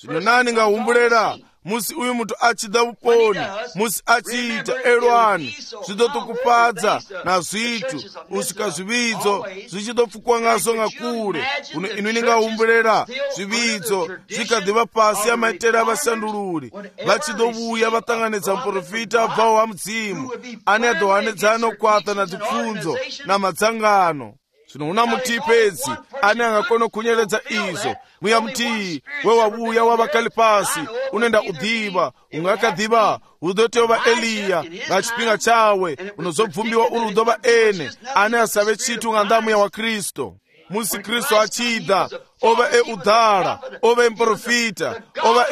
Zvino nani ngahumbulera musi uyu mutu achida uponi musi achiita elwani zvidotokupadza na zvitu usika zvividzo zvichidopfukwa ngazo ngakure uno inini ngahumbulera zvividzo zvikadhiva pasi amaitero avashandururi vachidovuya vatanganidza muprofita abvawo wa mudzimu ane adohanedzana okwata na dzipfunzo na madzangano. Zvino una mutii pedzi ane angakona kunyeredza izvo mwiya mutii wewavuya wavakali pasi unenda udhiva ungakadhiva udoteva Eliya ngachipinga chawe unozobvumbiwa uri udova ene ane asave chitu ng'andamuya wa Kristo. Musi Kristo achida ova udhara ova muprofita ova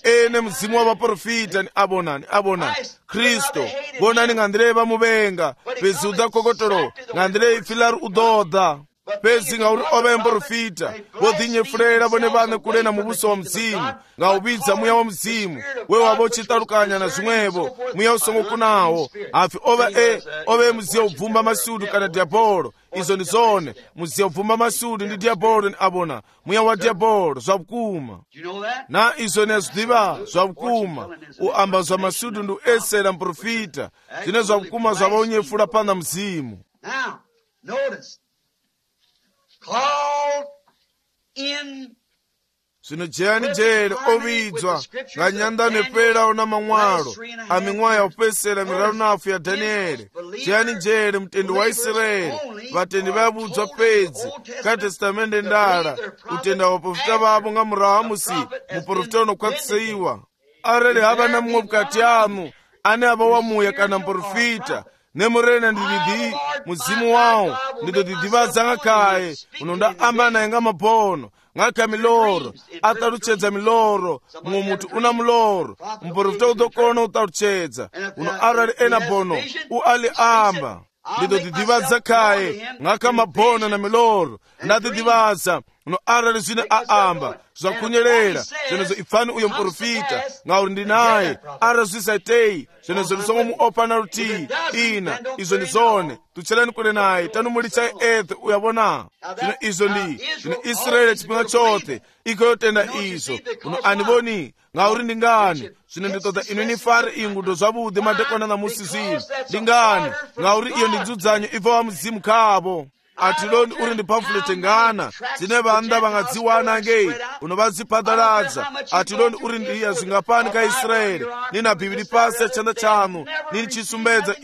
ene muzimu wa vaprofita ni abonani Kristo bonani ng'andireva muvenga pezi uda kokotolo ng'andire ifilari udoda pezi ngauri ova muprofita vodhinyefurera vone vane kulena mubuso wa mudzimu ngaubidza muya wa mudzimu wewavo chitarukanya na zvimwevo muya usongokunawo hafi ova muziya ubvumba masudu kana diabolo izo ndi zone muziya ubvumba masudu ndi diabolo ni abona muya wa diabolo zvakukuma na izo ni azvidiva zvakukuma uamba zva masudu ndi uesera muprofita zvine zvakukuma zvavaonyefula pana muzimu. Called in zvino jeyani jere ovidzwa nganyandano eperawo na mamwalo aming'wayo ya upesera miraru nafu ya Danieli jeyani jere mutendi wa Israeli vatendi vayavudzwa pedzi katestamende ndala utenda vaprofita vavo ngamurawu musi muprofita unokwatsiwa arali hava na mumwe bukati anu ane ava wamuya kana muprofita nemurena ndididi muzimu wawo ndidodidivadza ng'akaye unonda amba naye ng'amabono ng'aka miloro ataruchedza miloro mumwe mutu una muloro muprofita udokona utaruchedza uno arali ena bono uali amba ndidodidivadza kaye ng'aka mabono na miloro ndadidivadza uno arali zwine aamba zvakunyerera zvenezo ipfani uyo muprofita ngauri ndi naye. arali zvisaitei zvenezo lisongo muopa na rutii ina izo ndi zone tuchelani kule naye tanumulicha ethe uyabona. zvino izo ndi zvino Israeli chipinga chote ikoyotenda izo uno andivoni ngauri ndi ngani zvino nditoda inu nifare ingudo zvavudhi madekwana namusi zvino ndi ngani ngauri iyo ndi dzudzanyo ibva wa muzimu khavo. atiloni uri ndi pamfulete ngana dzine vanda vangadziwana ngei unovadzipadaladza. atiloni uri ndiya zvingapani ka Israeli nina bhibhiri pasi yachanda chanu nini chisumbedza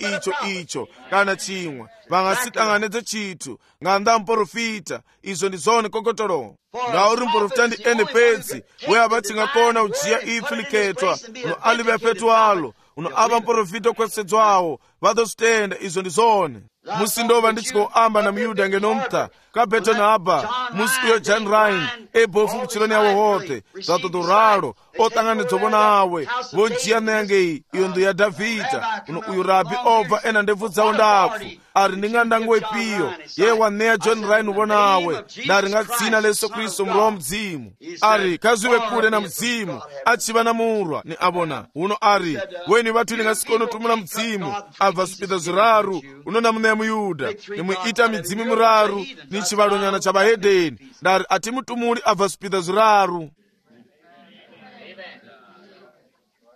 icho kana chimwe vangasitanganedze chithu nganda muprofita. izo ndi zone kokotolo ngauri muprofita ndi ene pedzi we avatingakona ujiya ipfi likhetwa uno alive petu alo uno ava muprofita okwesedzwawo vadositenda. izo ndi zone musi ndova ndichikoamba na muyuda ngenomta kabeto na aba musi uyo John Ryan ebofu kuchiloni yawo hote zatodoralo otanganedzovona awe vonjiya nengei iyo ndo ya Davida uno uyu rabi obva ena ndebvu dzawo ndafu ari ndingandango ipiyo ye waneya John Ryan uvona awe ndari ngatsina leso Kristo mroho mdzimu ari kaziwe kule na mdzimu achiva na murwa ni abona uno ari weni vatu ningasikono tumula mdzimu abva spita ziraru uno namuneya muyuda nimwiita midzimu miraru ni chivalonyana cha vahedheni ndari atimutumuli abva spita ziraru.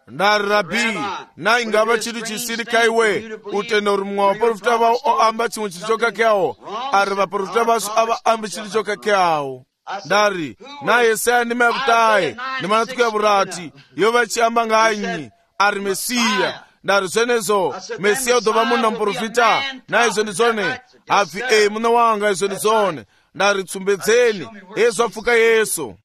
ndari rabi na ingava chitu chisiri kaiwe utenda uri mumwe vaprofita vavo oamba chimwe chitu chokakeawo ari vaprofita vasu avaambi chitu chokakeawo. ndari na Yesaya ndima yakutaye ndimanatuku ya vurati yo vachiamba nganyi ari Mesiya. ndari zvenezo Mesiya udova munhu na muprofita na izo ndi zone habvi muna wanga izo ndi zone ndari tsumbedzeni yesu apfuka Yesu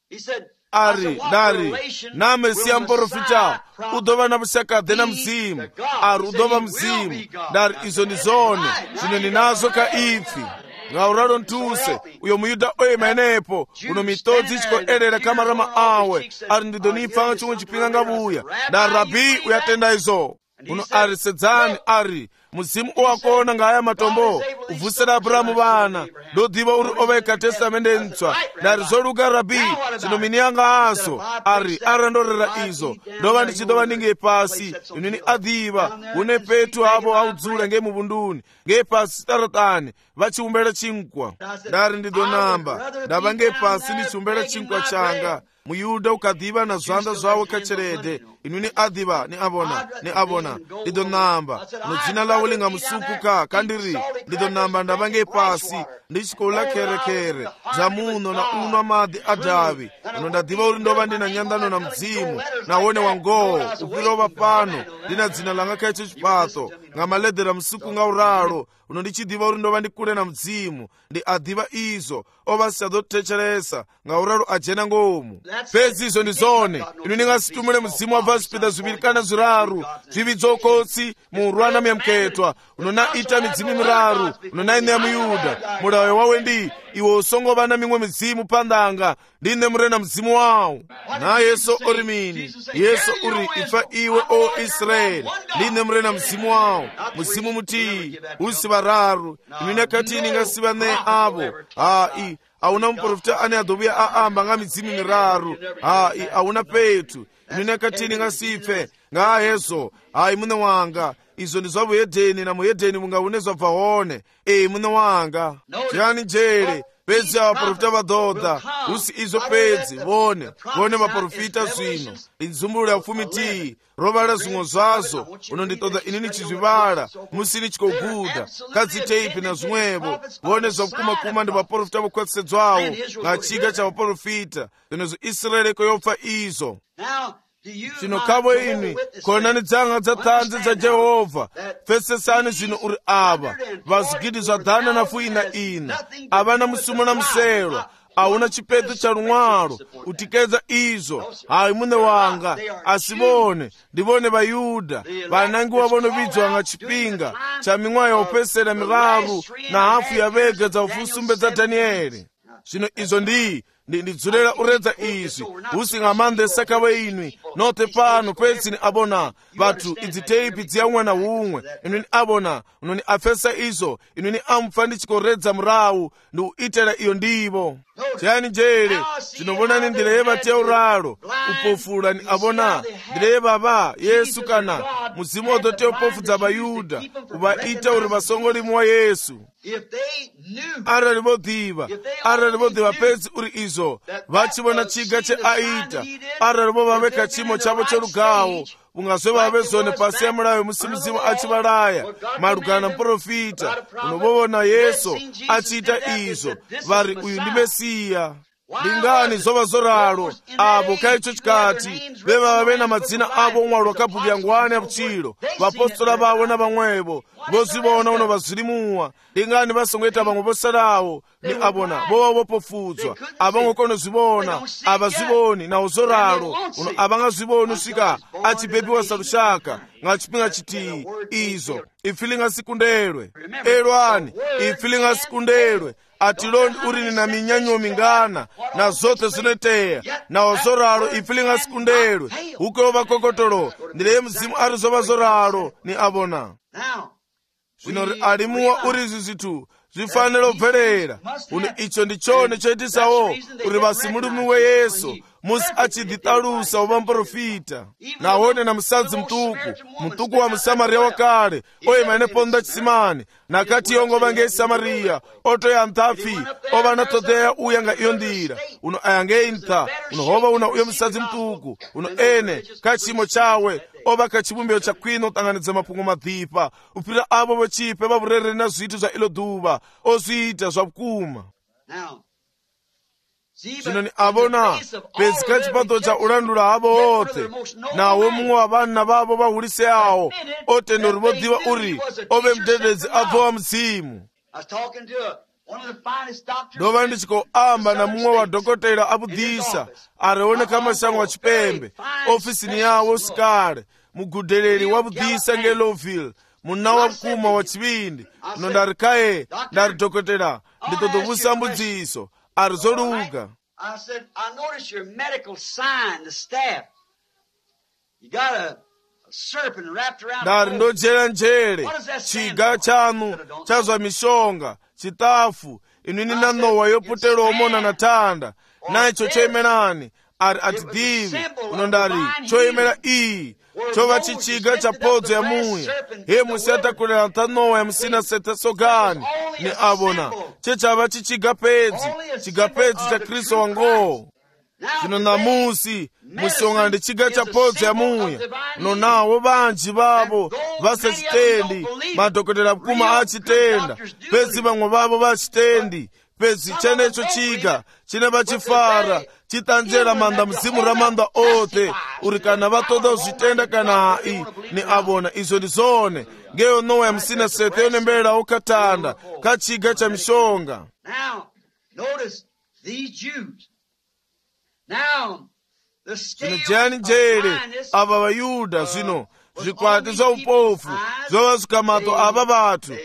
ari ndari na Mesiya muprofita udova na vushakadhe na mzimu ari udova mzimu ndari izo ndi zone zvino ndinazo ka ipfi ngauralo ntuse uyo muyuda oyema enepo uno mitodzi ichikoerera kamarama awe ari ndidonipfanga chomwe chipinga ngavuya ndari rabi uyatenda izo uno ari sedzani ari muzimu owakona ngaya matombo uvusira Aburahamu vana ndodiva uri oveka testamende ntswa ndari zoluka rabi zvino mini yanga aso ari arandorera izo ndova ndichidova ndinge pasi inini adhiva une petu avo audzula ngemuvunduni ngepasi taratani vachiumbera chinkwa ndari ndidonamba ndava ngepasi ndichiumbera chinkwa changa. muyuda ukadhiva na zvanda zvawo kacherede inini adhiva ni abona ndidonamba nodzina lawo lingamusukuka kandiri ndidonamba ndavange pasi ndichikola kerekere dzamuno na unwa madhi adhavi uno ndadhiva uri ndova ndina nyandano na mdzimu nawone wangowo upirova pano ndina dzina langa kaicho chipato ngamaledhera msuku ngauralo uno ndichidhiva uri ndova ndikule na mdzimu ndi adhiva izo ova siadotecheresa ngauralo ajena ngomu pezi izo ndi zone inu ndingasitumule mzimu wabva zvipida zviviri kana zviraru zvividzokotsi muurwana myamketwa unonaita midzimu miraru unonaine muyuda mulayo wawe ndi iwe usongova na mimwe midzimu pandanga ndine murena mzimu wawo na Yesu uri mini Yesu uri ifa iwe o Israeli ndine murena mzimu wawo muzimu mutii usi vararu inine kati ningasiva ne avo auna muprofita ane adobuya aamba nga midzimu miraru auna petu inine kati ningasife nga Yesu mune wanga izo ndi zvamuhedheni na muhedheni mungaune zvabvaone mune wanga chiyani njere pedzi avaprofita vadhodha usi izo pedzi vone vaprofita zvino linzumbulula upfumiti rovala zvimwe zvazvo unonditoda inini chizvivala musini chikoguda kadziteipi na zvimwevo vone zvakukuma ndi vaprofita vokwesedzwawo ngachiga chavaprofita zvinozvo Israeli koyopfa izo. Zvino kavo ini konani dzanga dzatanzi dza Jehovha pfesesani zvino uri ava vazvigidi zvadhana na fuina ina avana musumo na muselwa auna chipeto cha rumwaro utikedza izo mune wanga asivone ndivone vayuda vanangiwa vonovidzwa nga chipinga cha mimwayo yaupesera miraru na hafu ya vega dza ufusumbe dza Danieli. Zvino izo ndidzulera uredza izvi usingamandesa kave inwi note pano petsini abona vatu idziteipi dziyamwe na umwe inwini abona unoni afesa izo inwini amupfa ndichikoredza murawu ndi uitera iyo ndivo chiyani njere tinobonani ndireva teuralo upofulani abona ndireva ba Yesu kana muzimu odote upofudza bayuda uvaita uri vasongolimi wa Yesu. Arali vodhiva pedzi uri izvo vachivona chiga cheaita, arali vo vaveka chimo chavo chorugawo ungazve vave zone pasi ya mulayo musi muzimu achivalaya malugana muprofita unovovona Yesu achiita izvo vari uyu ndi Mesiya. Ndingani zova zoralo avo kaicho chikati veva vave na madzina avo umwalo wakabhuku ya ngwani ya kuchilo vapostola vavo na vamwevo vozivona uno vazilimuwa. Ndingani vasongeta vamwe vosalawo ni avona vova vopofudzwa avangokono zivona avazivoni na uzoralo uno avangazivoni usika achibebiwa salushaka ngachipinga chiti izo ifilinga sikundelwe elwani ifilinga sikundelwe atiloni urini na minyanyo mingana na zote zinoteya na ozoralo ifilinga sikundelwe uko vakokotolo ndile mzimu arizova zoralo ni abona. Zvino alimuwa urizi zitu zvifaniro bverera uni icho ndichone choitisawo uri vasimulimi we Yesu musi achidhitalusa uva muprofita nahone na musadzi mtuku wa musamariya wakale oima neponda chisimani nakati yongo vange isamariya otoya nthafi ova natoteya uya nga iyo ndira uno ayange intha uno hova una uyo musadzi mtuku uno ene kachimo chawe ova kachibumbiro chakwino utanganidza mapungo madhipa upira avo vochipe vavurereri na zvitu zva ilo dhuva ozviita zvakuma. Zvino ni avona pedzi kachipato cha ulandula havo ote nawo mumwe wa vana vavo vahulise awo otendori vodhiva uri ove mudededzi abva wa muzimu. Ndova ndichikoamba na mumwe wa dhokotera abudhisa arioneka mashango wa chipembe ofisini yawo usikale mugudheleri wa budhisa ngeloville muna wa mkuma wa chivindi uno ndari kaye ndari dhokotera nditotovusa mbudziso arizoluka. I said, I noticed your medical sign, the staff. You got a serpent wrapped around ndari ndojera njere chiga chanu chazwa mishonga chitafu inwini na nowa yoputela omona na tanda naicho choyemerani ari atidhivi uno ndari choyemera iyi chova chichiga cha podzo ya muya he musi atakulera ntanowa ya musina sete sogani ni avona chechava chichiga pedzi cha Kristo wangowo. Zvino namusi musonga ndi chiga cha podzo ya muya uno nawo vanji vavo vasachitendi madhokotera mkuma achitenda pedzi vamwe vavo vachitendi pedzi chenecho chiga chine vachifara chitanjera manda mzimu ramanda ote uri kana vatoda uzvitenda kana hai ni avona izvo ndizone ngeyo nowa ya musina sete yonemberera ukatanda kachiga cha mishonga. Now notice these Jews. Now the zvino jani njere ava vayuda zvino zvikwati zva upofu zvova zvikamato ava vatu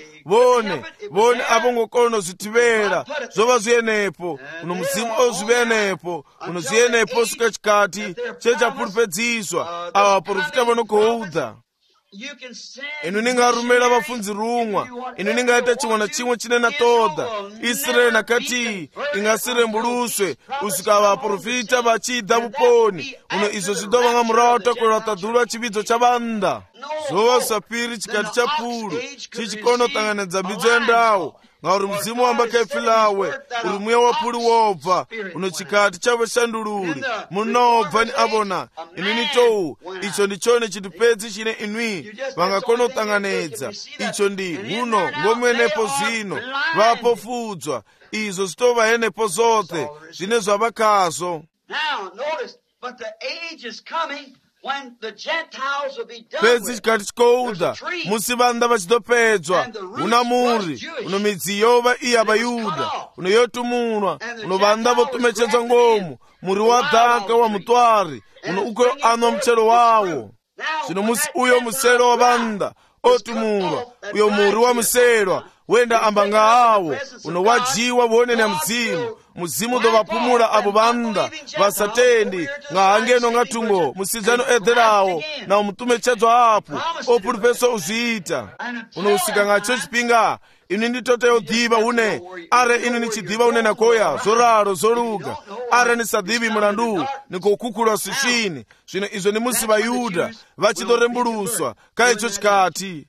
vone avongokono zvitivera zvova zviyenepo uno muzimu ozvivenepo uno zviyenepo suka chikati chechapuripedziswa ava vaprofita vanokoudha. Inu ningarumira vafunzi rumwa inu ningaita chimwe na chimwe chine natoda Israeli nakati ingasirembuluswe usika vaprofita vachidha vuponi uno izvo zvidova nga murawo takwera tadhulwa chividzo chavanda zova sapiri chikati cha pulu chichikonotanganidza mbidzo yendawo ngauri muzimu wamba kaifilawe uri muya wapuli wobva uno chikati chavoshandululi munobva ni avona inini tou icho ndichone chitipedzi chine inwi vangakona kutanganidza icho ndi uno ngomwenepo zvino vapofudzwa izvo zvitovahenepo zote zvine zvavakazo. Pedzi chikati chikoudha musi vanda vachitopedzwa una muri uno midzi yova iya vayuda uno yotumunwa uno vanda votumechedzwa ngomu muri wa dhaka wa mutwari uno uko anwa muchero wawo. Zvino musi uyo musero wa vanda otumunwa uyo muri wa muserwa wenda ambanga awo uno wajiwa vuoneni ya muzimu dovapumula abo vanda vasatendi ngahangeno ngatungo musidzano edherawo na umutumechedzwa apo opulipeso uzviita uno usika ngacho chipinga inu nditote yodziva une are inu nichidziva une nakoya zoraro zoluga are nisadhivi mulandu nikukukhulwa swixini zwino izo ni musi vayuda vachitorembuluswa ka icho chikati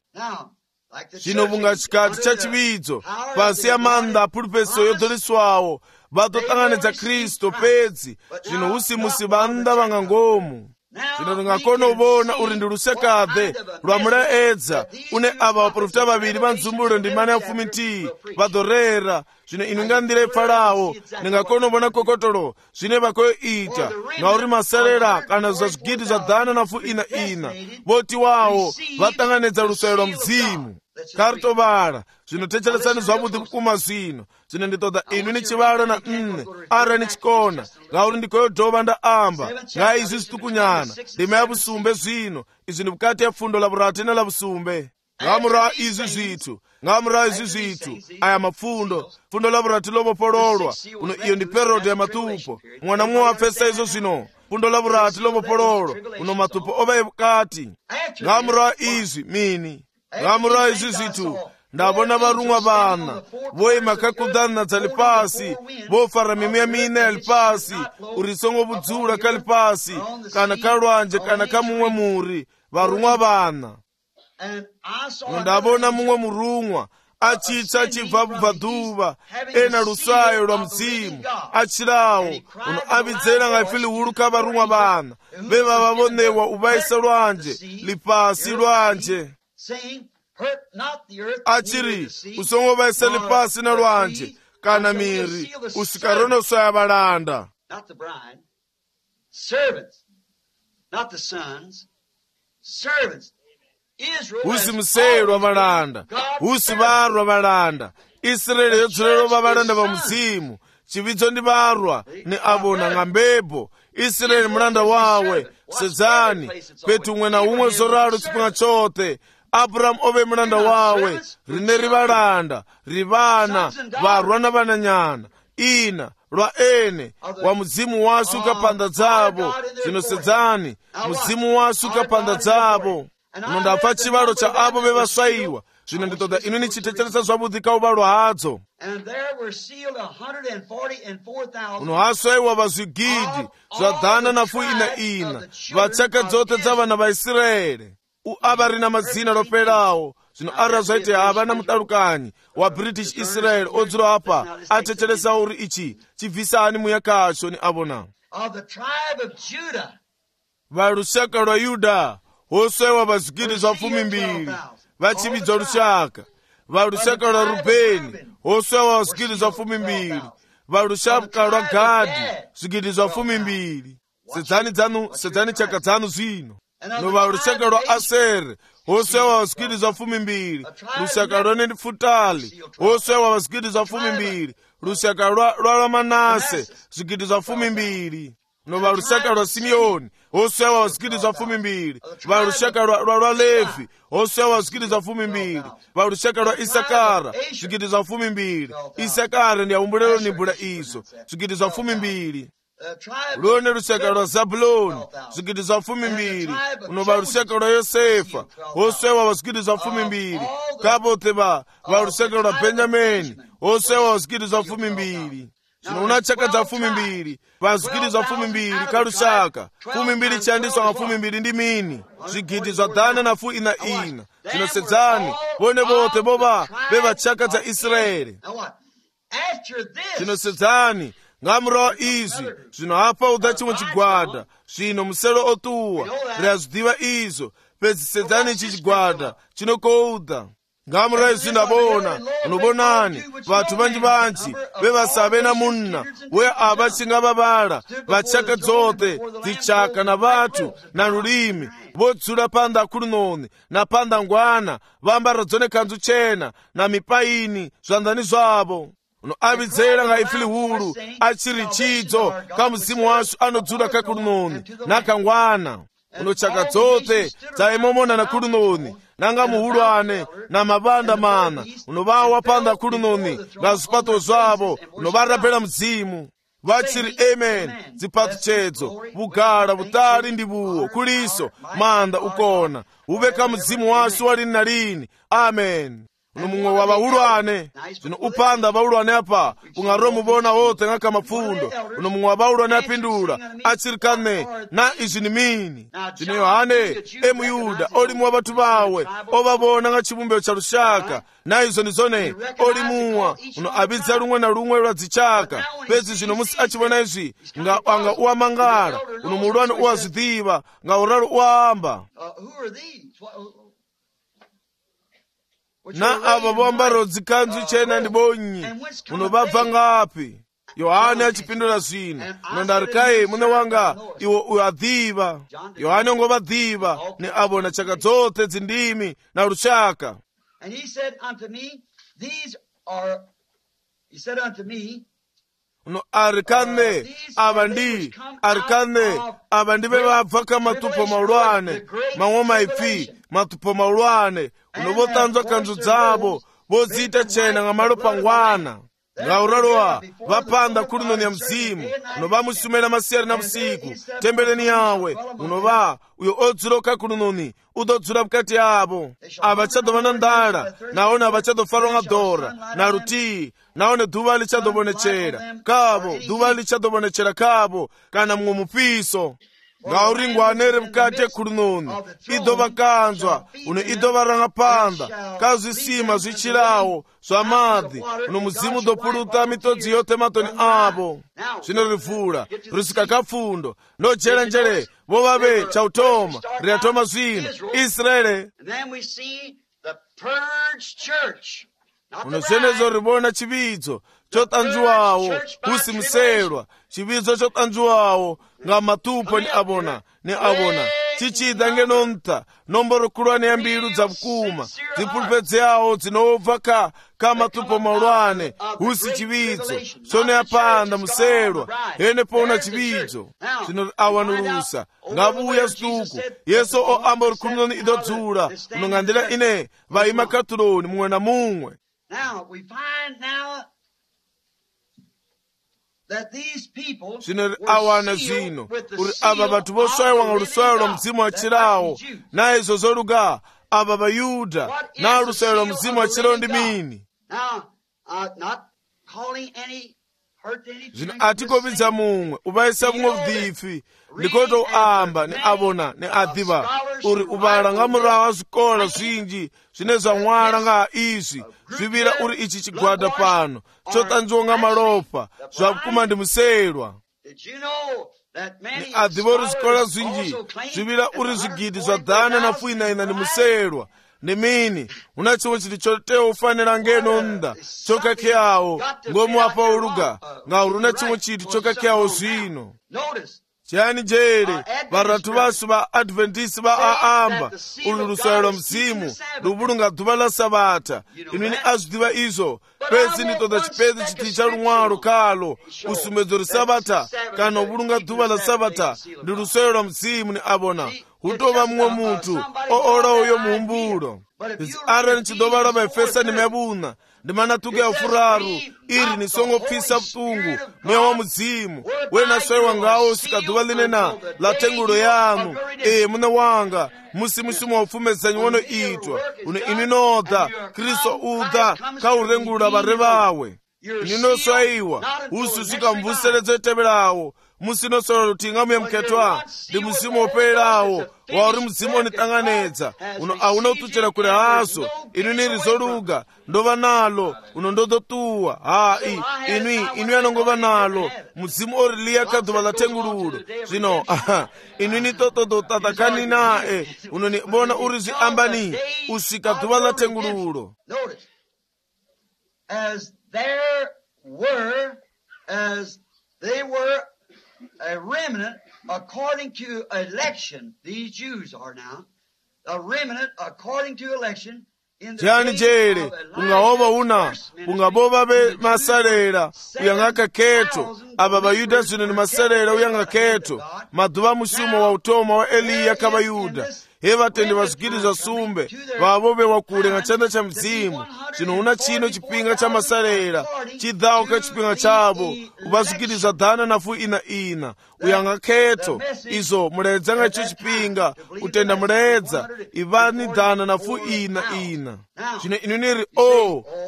zvino vunga chikati cha chividzo pasi ya manda apulpeso yodzoliswawo vatotanganidza kristu pedzi zvino usimusi vanda vanga ngomu zvino ringakona uvona uri ndi lusekade lwa mulaedza une ava vaprofita vaviri va ndzumbulo ndi mana ya 12 vadorera zvino inu nga ndira ipfalawo ningakona uvona kokotolo zvine vakoyoita ngauri maserera kana za zwigidi zwa 104 voti wawo vatanganidza luswayo lwa mzimu kari tovala zvino techeresani zwavudhi kukuma zvino nditoda inu ni chivala na nne ara ni chikona ngauri ndikoyodhova ndaamba nga izvi zvitukunyana ndima ya vusumbe zvino izvi ni vukati ya pfundo la vurati na la vusumbe ngamura izvi zvitu aya mapfundo pfundo la vurati lovopololwa uno iyo ndi perodi ya matupo mwana mumwe wapfesa izo zvino pfundo la vurati lovopololwa uno matupo ova evukati ngamura izvi mini ngamura izvi zvitu ndabona varumwa vana voima kakudhana dza lipasi vofara mimiya mine ya lipasi urisongo vudzula ka lipasi kana ka lwanje kana ka mumwe muri varumwa vana ndabona mumwe murumwa achitsa achibva bvaduva ena luswayo lwa mzimu achirawo uno avidzera nga ifili hulu ka varumwa vana veva vavonewa uvaisa lwanje lipasi lwanje achiri usongo vaisa lipasi na lwanje kana miri usikarona uswaya valanda usi museyelwa valanda usi varwa valanda Israeli yodzulelo va valanda va muzimu chividzo ndi varwa ni avona nga mbepo Israeli mulanda wawe sedzani petu umwe na umwe zoralo chipunga chote Abrahamu ove mulanda wawe rine rivalanda rivana varwa na vananyana ina lwa ene wa muzimu wasu ukapanda dzavo zinosedzani muzimu wasu ukapanda dzavo uno ndapfa chivalo cha avo vevaswayiwa zvino nditoda inu nichitecheresa zvavudhi ka uvalo hadzo uno haswayiwa vazvigidi zva 104 vachaka dzote dza vana va Israeli ava rina madzina lopelawo zvino ara zvaiti havana mutalukanyi wa British Israel odzula apa atecheresa uri ichi chibvisani muya kacho ni avona valushaka lwa Yuda hoswewa vazvigidi zva 12 vachividzwa lushaka valushaka lwa Rubeni hoswewa vazvigidi zva 12 valushaka lwa Gadi zvigidi zva 12 sedzani chaka dzanu zvino nova lushaka lwa Aseri hoswewa vazvigidi zva 12 lushaka lwa Nefutali hoswewa vazvigidi zva 12 lushaka lwa Manase zvigidi zva 12 nova lushaka lwa Simeoni hoswewa vazvigidi zva 12 valushaka lwa Levi hoswewa vazvigidi zva 12 valushaka lwa Isakara zvigidi zva 12 Isakara ndi aumbulelo nimbula izo zvigidi zva 12 lwone lushaka lwa Zabuloni zvigidi zva 12 unova lushaka lwa Yosefa hoswewa vazvigidi zva 12 kapote valushaka lwa Benjamini hoswewa vazvigidi zva 12 zvino una chaka dza 12 vazvigidi zva 12 kalushaka 12 chandiswa nga 12 ndi mini zvigidi zva 104 zvinosedzani vone vote vova veva chaka dza Israeli zvinosedzani ngamurawa izvi zvino apa uda chimwe chigwada zvino muselo otuwa riazvidiva izvo pedzisedzani ichi chigwada chinokouda ngamurawa izvi ndabona unobonani vathu vanji vevasave na munna we ava chingavavala vachaka dzote dzichaka na vathu na lulimi vodzula panda akulunoni na panda ngwana vambara dzone kanzu chena na mipaini zvanzani zvavo uno avidzera nga ifili hulu achiri chidzo ka muzimu wasu anodzula kakulunoni na kangwana uno chaka dzote dzaimomona na kulunoni nanga muhulwane na mavanda mana unovawa panda kulunoni nga zipato zvavo unovarapela mzimu vachiri amen zipato chedzo vugala vutali ndi vuwo kuliso manda ukona uveka mzimu wasu walini na lini amen uno mumwe wa baulwane zvino upanda baulwane apa ungaro mubona wote ngaka mapfundo uno mumwe wa baulwane apindula achirikane na izvi ni mini zvino Yohane emuyuda oli muwa batu bawe obabona nga chibumbiro cha lushaka na izo nizone oli muwa uno abidza lumwe na lumwe lwa dzichaka pezi zvino musi achibona izvi nga anga uamangala uno mulwane uwazidhiva nga uralo uamba na ava vambaro dzikanzu chena ndi bonyi uno babva ngapi Yohane achipindula zvino nondarikaye mune wanga iwo uyadhiva Yohane ongovadhiva ne abona chaka dzote dzindimi na lushaka. And he said unto me, uno arikane abandi bebabva kamatupo maulwane mamwe maipfi matupo maulwane uno votanzwa kanzu dzavo vozita chena nga malo pangwana nga uralowa vapanda kulino ya mzimu uno vamusumela masiyari na vusiku tembeleni yawe uno uyo odziloka kulinoni udodzula bukati yavo avachadova na ndala naone avachadofalwa nga dora na rutii naone dhuva lichadobonechera kavo dhuva lichadobonechera kavo kana mumwe mupiso nga uringwanere bukati ekulinoni idova kanzwa uno idova rangapanda kazwisima zvichirawo zva madhi uno muzimu dopuluta mitodzi yote matoni avo zvino rivula risika kapfundo nojera njere vovave chautoma riatoma zvino Israele uno zvenezo rivona chividzo chotanzviwawo kusimuserwa chividzo chotanzviwawo nga matupo ni abona chichida ngenonta nomboro kulwane ya mbilu dza vukuma dzipulupedze yawo dzinobva ka matupo maulwane husi chividzo sone apanda muserwa ene pona chividzo zvino awanulusa ngavuya situku Yesu oamba rikulunoni idodzula unongandira ine vaima katuloni mumwe na mumwe. Now we find zvino awana zvino uri ava vatu voswayiwa nga luswayo lwa mzimu wachirawo na izo zoluga ava vayuda na luswayo lwa mzimu wachirawo ndi mini zvino atikopidza mumwe uvaisa vumwe vudhifi ndikoto uamba ni abona ni adhiva uri uvala nga murawo wa zwikola zwinji zvine zva nwala nga izvi zvivira uri ichi chigwada pano chotanzviwa nga malopa zvakuma ndi muserwa ni adhiva uri zwikola zwinji zvivira uri zvigidi zva dhana na fuinaina ndi muserwa ni mini una chimwe chiti chotewa ufanira ngenonda chokakeyawo ngomu apa uluga nga uri una chimwe chiti chokakeyawo zvino chiyani jere varatu vasu va adventisi va aamba ulu luswayo lwa mzimu luvulunga dhuva la sabata inwini azwidiva izo pesi nditoda chipezi chiti cha lumwalo kalo usumedzo ri sabata kana uvulunga dhuva la sabata ndi luswayo lwa mzimu ni abona hutova mumwe mutu oola uyo muhumbulo izi ara nichidova la vaefesa ni mevuna ndi manatuku ya ufuraru iri ni songo pfisa vutungu mweya wa muzimu wena swayiwa ngawo usika dhuva linena la tengulo yanu mune wanga musi musimo wa ufumezanyi wono itwa uno ininodha Kristo udha kaurengulula vare vawe ininoswayiwa usi usika mvuseredzo etevelawo musi noswala lutinga muye mketwa ndi muzimu operawo wauri muzimu onitanganedza uno auna utuchera kule haso inwini rizoluga ndova nalo uno ndodotuwa inwi anongova nalo muzimu oriliya kadhuva la tengululo zvino inwini totodotatakani nae unoni bona uri zviambani usvika dhuva la tengululo. They were a remnant according to election. These Jews are now a remnant according to election. Chiyani jere ungahova una ungabova be masalera uyanga keto aba bayuda zvino ni masalera uyanga keto madhuva mushumo wa utoma wa Eliya kabayuda he vatendi vasukiliza sumbe vavo vewakule nga chanda cha mzimu chinoona chino chipinga cha masalela chidhawo ka chipinga chavo uvasukiliza dhana nafu ina uyanga khetho izo muledza nga icho chipinga utenda muledza ivani dhana nafu ina zvino inuniri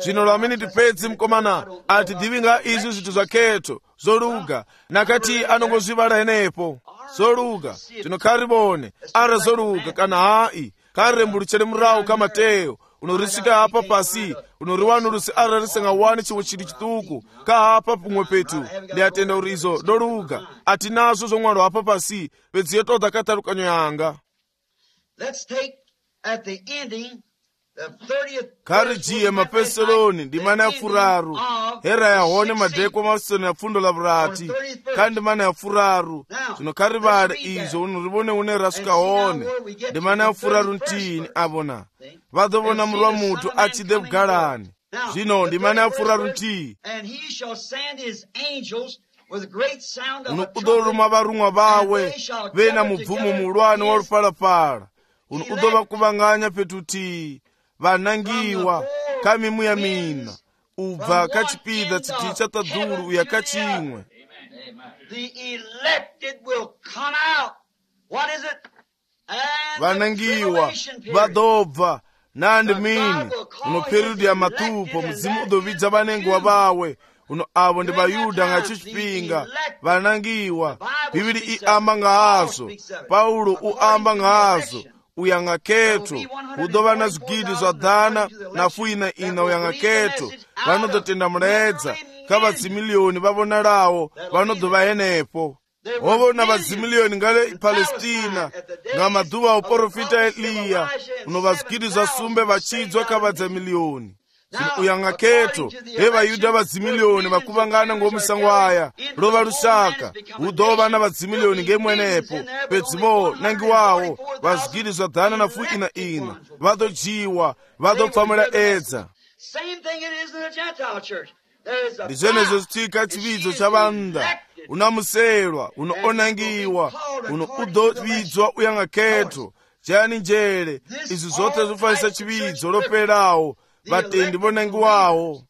zvino lwamene tipedzi mkomana atidhivi nga izi zvitu zva khetho zoluga nakati anongozvivala enepo zoluga zvino karibone ara zoluga kana hai karembuluchere murawo kamateo unorisvika apa pasi unoriwanurusi ara risingawani chimwe chili chituku kahapa pumwe petu ndiatenda uri izo doluga atinazvo zvomwano apa pasi pedziyo todza katarukanyo yanga. Let's take at the ending karijiye mapeseloni ndimana ya furaru hera yahone madhekwa masoni ya fundo la vurati kandi mana ya furaru zvino karivale izo unurivone une rasuka hone ndimana ya furaru ntini avona vadovona murwa mutu achide bugalani zvino ndimana ya furaru ntii unokudoruma varumwa vawe vena mubvumo mulwane wa rupalapala unokudova kuvanganya petutii vanangiwa kamimu ya mina ubva kachipidza chiti chatadhuru uya kachimwe vanangiwa vadobva nandi mini uno periodu ya matupo muzimu udovidza vanengiwa vawe uno avo ndi vayudha nga chipinga vanangiwa bhibili iamba ngahazo paulo uamba ngahazo uyanga khetho udova na zwigidi zwa dhana nafu ina uyanga khetho vanodotenda muledza ka vadzimiliyoni vavonalawo vanodova henepo wovona vadzimiliyoni ngale palestina nga madhuva a uprofita eliya unova zwigidi zwa sumbe vachidzwa ka vadzamiliyoni uyanga khetho he vayudha vadzimiliyoni vakuvangana ngomusango aya lova lusaka udova na vadzimiliyoni ngemwenepo pedzimo nangiwawo vazwigidi zwa dhana nafu ina vadojiwa vadopfamula edza ndi zvenezo zitika chividzo cha vanda unamuselwa unoonangiwa uno udovidzwa uyanga khetho chani njere izi zote zifanisa chividzo lopelawo vatendi vonangiwawo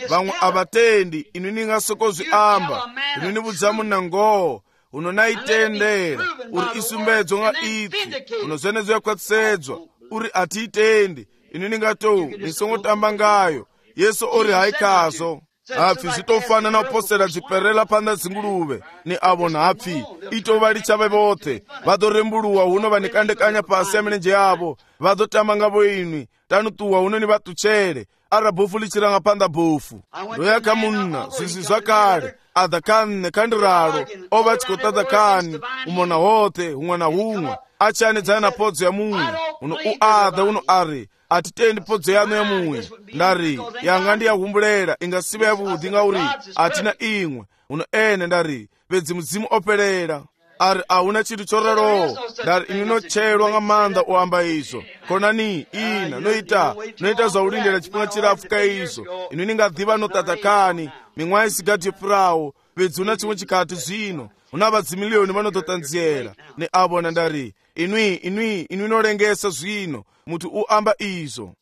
vamwe avatendi inu ningasokozwi amba inu nivudzamu nangoho unonaitendera uri isumbedzo nga iti unozvenezo yakwatitsedzwa uri atiitendi inu ningatou nisongotamba ngayo yesu ori haikazo hapfi zvitofana na uposera dziperela panda dzinguluve ni avo nhapfi itovali chave vothe vadorembuluwa huno vanikandekanya pasi ya milenje yavo vadotamba ngavo inwi tanutuwa huno ni vatuchere ara bofu lichiranga panda bofu ndoyaka munna zvizi zvakale adhakanne kandiralo ova chikotadhakani umona hothe humwe na humwe achanedzana na podzo ya mumwe uno uadha uno ari atitendi podzo yano ya mumwe ndari yanga ndiyahumbulela ingasive yavudhi ngauri atina imwe uno ene ndari pedzi mudzimu opelela ari ahuna chinthu chorero ndari inu nochelwa nga manda oamba izo konani ina noita zvaulindela chipinga chirafu ka izo inu ningadhiva notadhakani mimwayi isigati yepurawo pedzi una chimwe chikati zvino una vadzimiliyoni vanototanziyela ne avona ndari inwi inolengesa zvino mutu uamba izo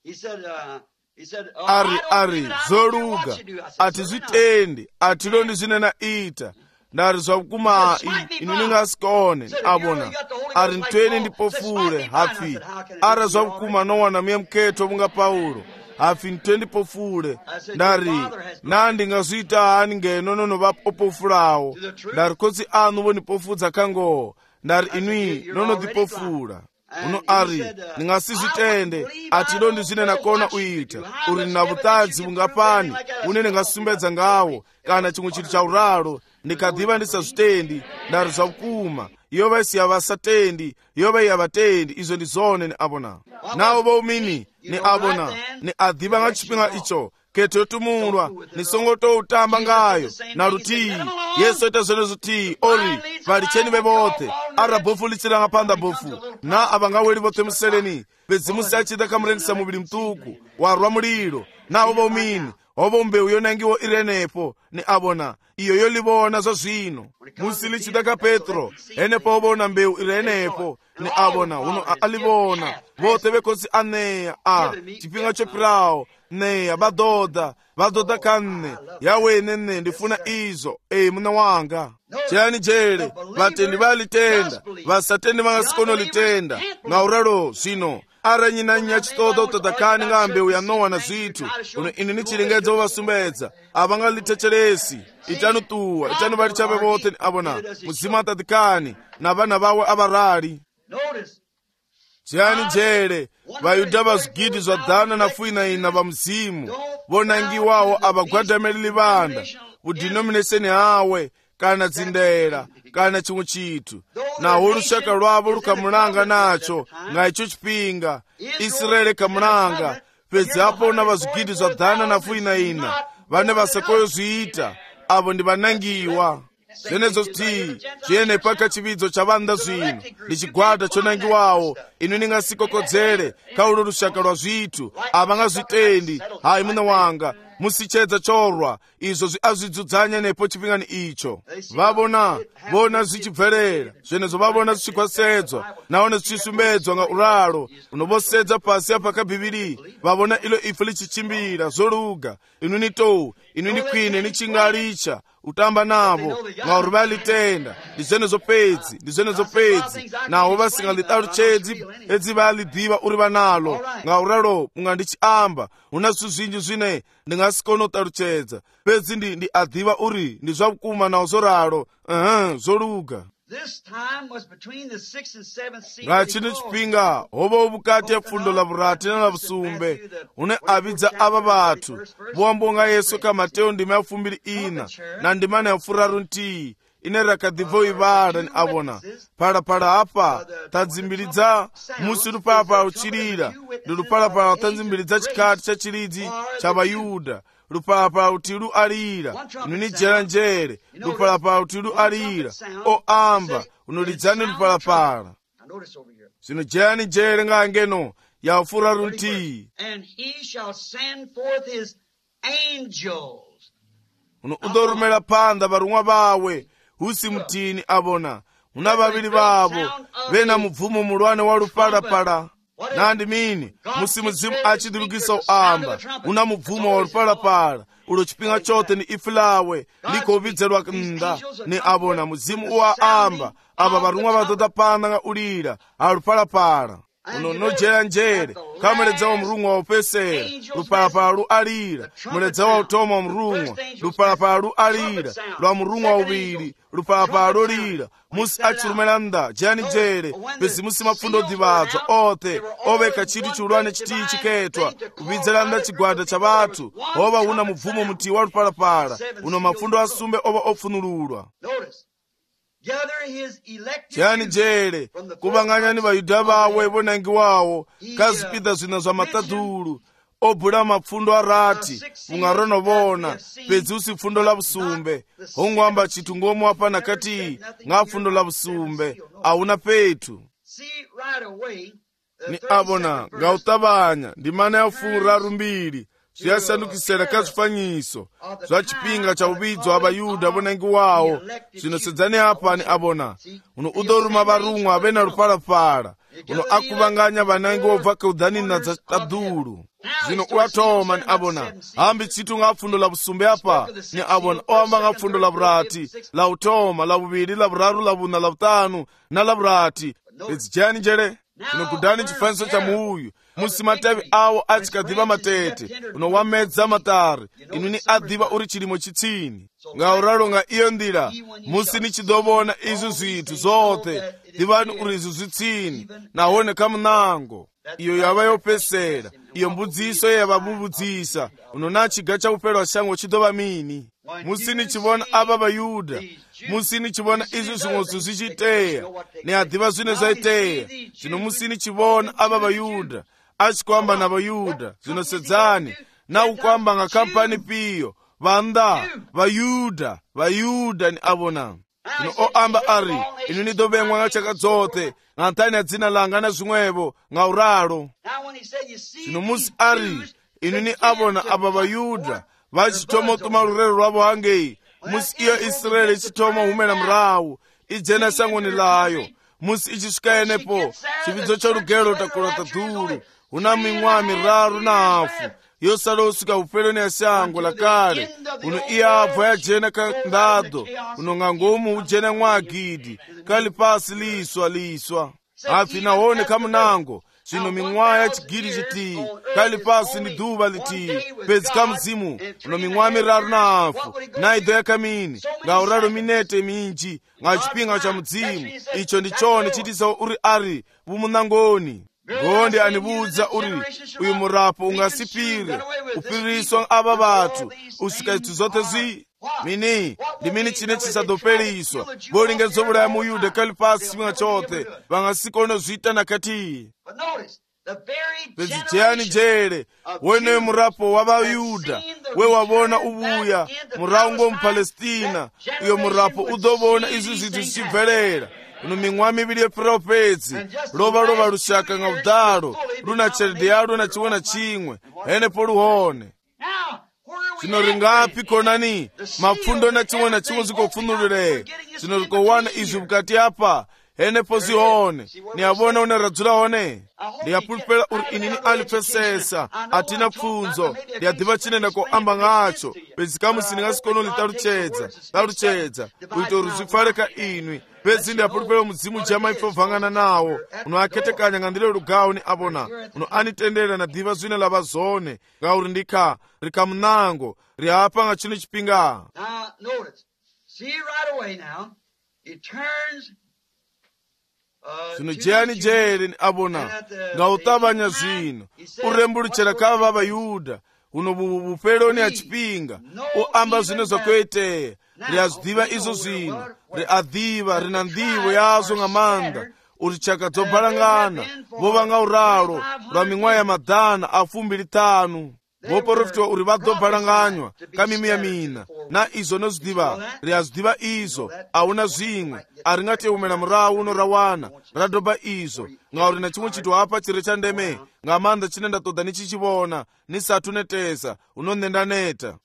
ari zoluga atizvitendi atilondi zvinena ita ndari zvakuma inu ningasikone avona ari ntweni ndipofule hapfi ara zvakuma nowana miye muketho munga paulo hapfi ntwe ndipofule ndari nandingazviita hani ngeno nonovapopofulawo ndari kotsi anu vonipofudza kangoho ndari inwi nonodhipofula uno ari ningasizvitende atilo ndizvinena kona uita uri nina vutadzi vungapani une ningasumbedza ngawo kana chimwe chinthu cha uralo ndikadhiva ndisazvitendi ndari zvakuma iyo vaisiya vasatendi iyo vaiya vatendi izo ndizone ni avona navo voumini ni avona ni adhiva nga chipinga icho ketho yotumulwa nisongotoutamba ngayo na rutii yesu ita zvenezo tii ori valicheni vevothe ara bofu lichiranga panda bofu na avangaweli vothe museleni pedzimusi achida kamurengisa muvili mtuku warwa mulilo navo voumini ovo mbewu yonangiwa irenepo ni abona iyo yolivona zwa zwino musi lichidaka Petro enepo obona mbewu irenepo ni abona uno alivona vote vekosi aneya chipinga chopirawo neya vadoda kanne yawene ndifuna izo muna wanga chiyani jere vatendi valitenda vasatendi vangasikono litenda ngauralo zvino aranyinanya chitoda utadakani nga mbewu ya Nowa na zwithu uno ini nichilingedza uvasumbedza avangalitecheresi itanutuwa itanu vali chave vote ni abona muzima atadikani na vana vawe avarali chiyani jere vayuda vazwigidi zwa dana na fuina va mzimu vonangiwawo avagwadameleli vanda udenomination hawe kana dzindera kana chimwe chithu naho lushaka lwavo lukamulanga nacho nga icho chipinga Israeli kamulanga pedzi apo na vazwigidi zwa dana na fuina vane vasakoyo zviita avo ndi vanangiwa zvenezo kuti chiyene paka chividzo cha vanda zvino ndi chigwada chonangiwawo inu ningasikokodzere kaulo lushaka lwa zvithu avangazvitendi hayi muna wanga musichedza chorwa izvo azvidzudzanya nepo chipingani icho vona zvichibverera zvenezo vavona zvichikwasedzwa naone zvichisumbedzwa nga uralo unovosedza pasi apa kabhibhiri vavona ilo ife lichichimbira zoluga inu ni kwine nichingalicha utamba navo ngauri valitenda ndizvenezo pedzi naho vasingalitauchedzi edzi validiva uri vanalo ngauralo mungandichiamba una zvithu zvinji zvine ndingasikono taruchedza pedzi ndi adhiva uri ndi zvakukuma nawo zoralo zoluga ngachini chipinga hovo vukati ya fundo la vurati na la vusumbe une avidza ava vathu voambonga Yesu ka Mateo ndima ya 24 na ndima ya 30 ine rakadhivo ivada ni avona phalaphala apa tadzimbilidza musi lupalapala uchilira ndi lupalapala tandzimbilidza chikati cha chilidzi cha Vayuda lupalapala uti lualira inu ni jeranjere lupalapala uti lualira oamba unolidzani lupalapala zino jerani jere ngangeno yafura runti uno udorumela panda varumwa vawe husi mutini abona una vavili vavo vena mubvumo mulwane wa lupalapala nandi mini musi muzimu achidilukisa uamba una mubvumo wa lupalapala ulo chipinga chote ni ifi lawe liko uvidzelwa nda ni abona muzimu uwaamba ava varumwa vadoda panda nga ulira alupalapala uno nojeranjere kamuledza wa murungwa wa upesera lupalapala lualira muledza wa utoma wa murungwa lupalapala lualira lwa murungwa wa uviri lupalapala lolira musi achilumela nda jani jere pezi musi mafundo divadzwa ote oveka chiti chiulwane chiti chiketwa uvidzela nda chigwada cha vathu ova una mubvumo muti wa lupalapala uno mafundo asumbe ova ofunululwa chiyani jere kuvanganyani Vayuda vawe vonangiwawo kazipida zvina zva matadhulu obhula mapfundo arati ungaronovona pedzi usi pfundo la vusumbe hongwamba chithu ngomu apana kati nga pfundo la vusumbe auna petu ni abona ngautavanya ndimana ya fura rumbiri zviyasandukisera kazvifanyiso zva chipinga cha uvidzo wa Vayuda vonangiwawo zvinosedzani apa ni abona uno udoruma varumwa vena lupalapala uno akuvanganya vanangi wobva keudhanina dza tadhulu zvino uatoma ni abona hambi chitu nga pfundo la vusumbe apa ni abona oamba nga pfundo la vurati la utoma la vuviri la vuraru la vuna la vutanu na la vurati pedzi jani jere uno kudhani chifaniso cha muuyu musi matavi awo achikadhiva matete uno wamedza matari inu ni adhiva uri chilimo chitsini ngauralo nga iyo ndira musi nichidovona izo zvithu zote dhivani uri izo zvitsini nahone kamunango iyo yava yopesera iyo mbudziso yavamubudzisa uno nachiga cha upelwa shango chidova mini musi nichivona ava Vayuda musi nichivona izo zvimwezo zvichiteya ni adhiva zvine zvaiteya zvino musi nichivona ava Vayuda achikwamba na Vayuda zvinosedzani na ukwamba nga kampani piyo vanda Vayuda ni abona zvino oamba ari inu nidovengwa nga chaka dzote nga ntani ya dzina langa na zvimwevo nga uralo zvino musi ari inu ni abona ava Vayuda vachitoma utuma rurero rwavo hangei musi iyo Israeli ichitoma humela mrawu ijena sangoni layo musi ichisvika enepo chividzo chorugero takurota dhuru una mimwa miraru na hafu yosala usvika upeloni ya shango la kale uno iyabva yajena kandado unonga ngomu ujena mwagidi kali pasi liswa afi naone kamunango zvino mimwa yachigiri chitii kali pasi ni dhuva litii pedzi kamuzimu uno mimwa miraru na hafu naidho yakamini ngauraro minete minji ngachipinga cha mudzimu icho ndichone chitisa uri ari vumunangoni ngondi anibudza uri uyu murapo ungasipire upiriswa ava vatu usika itu zote zvi mini ndimini chine chisadoperiswa volingedzovulaya muyuda kali pasi chimwe chote vangasikone zviita nakati pedzijeyani njere wenewe murapo wavayuda wewavona uvuya muraungo mupalestina iyo murapo udovona izvi zvinhu zvichibvelela uno mimwa miviri yepfirawo pedzi lova rushaka nga udaro runa cheredhe yaro na chimwe na chimwe henepo ruhone zvino ringapi konani mapfundo na chimwe zvikopfunurire zvino rikowana izvi mukati apa henepo zihone niyavona une radzura hone ndiyapulupela uri inini alipesesa atina pfunzo ndiyadhiva chinenda koamba ng'acho pedzi kamusi ndingasikono taruchedza kuita uri zvifareka inwi pedzi ndiyapulupela mudzimu jama ipfovhangana nawo unoaketekanya ngandire rugawo ni avona uno anitendera nadhiva zvine lava zone ngauri ndika rikamunango riapa nga chino chipinga. Zvino jeyani jere ni abona ngautavanya zvino urembuluchera kava vayuda uno vupeloni achipinga uamba zvino zvakueteya riazvidiva izvo zvino riadhiva rina ndivo yazvo ng'amanda uri chaka dzobhalangana vova ngauraro rwa mimwa ya madhana afumbiri tanu voprofitiwa uri vadobhalanganywa kamimiya mina na izvo nozvidiva riazvidiva izvo auna zvimwe aringateumela murawu uno rawana radoba izvo ngauri na chimwe chito apa chiri chandeme ng'amanda chine ndatoda nichichivona nisatu netesa unonendaneta.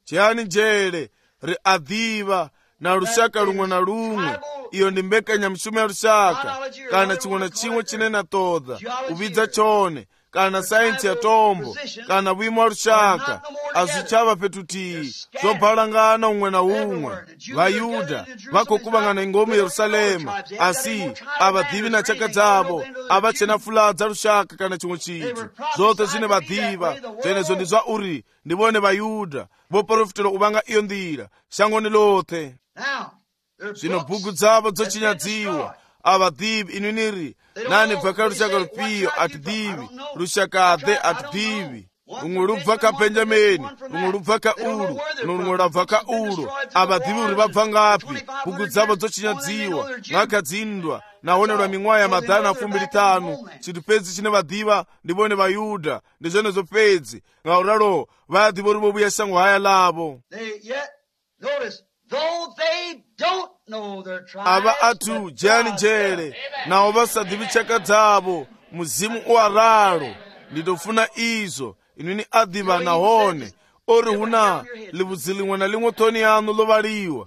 Chiyani njere riadhiva na rushaka rumwe na rumwe iyo ndi mbekanyamushumo ya rushaka kana chimwe na chimwe chine natoda uvidza chone kana sayensi ya tombo kana vimo wa rushaka azvichava petutii zobhalangana umwe na umwe vayuda vakokuvangana ingomu yerusalema asi avadhivi na chaka dzavo avachena fuladza rushaka kana chimwe chitu zote zvine vadhiva zvenezo ndi zva uri ndivone vayuda voprofitira uvanga iyo ndira shangoni lothe. Zvino bhuku dzavo dzochinyadziwa avadhivi inwiniri nani bvaka rushaka rupiyo atidhivi rushakadhe atidhivi rumwe rubva kabenjamini rumwe rubva kauru norumwe rabva kauro avadhivi uri vabva ngapi bhuku dzavo dzochinyadziwa ngakadzindwa naonerwa mimwa ya madhana afumbiri tanu chitu pedzi chine vadhiva ndivone vayuda ndizvenezo pedzi ngauraro vadhivo rivovuya shango haya lavo ava atu jeyani njere nawo vasadhivi chaka dzavo muzimu uwararo nditofuna izvo inini adhiva nahone ori huna livudzi limwe na limwe toni yanu lovaliwa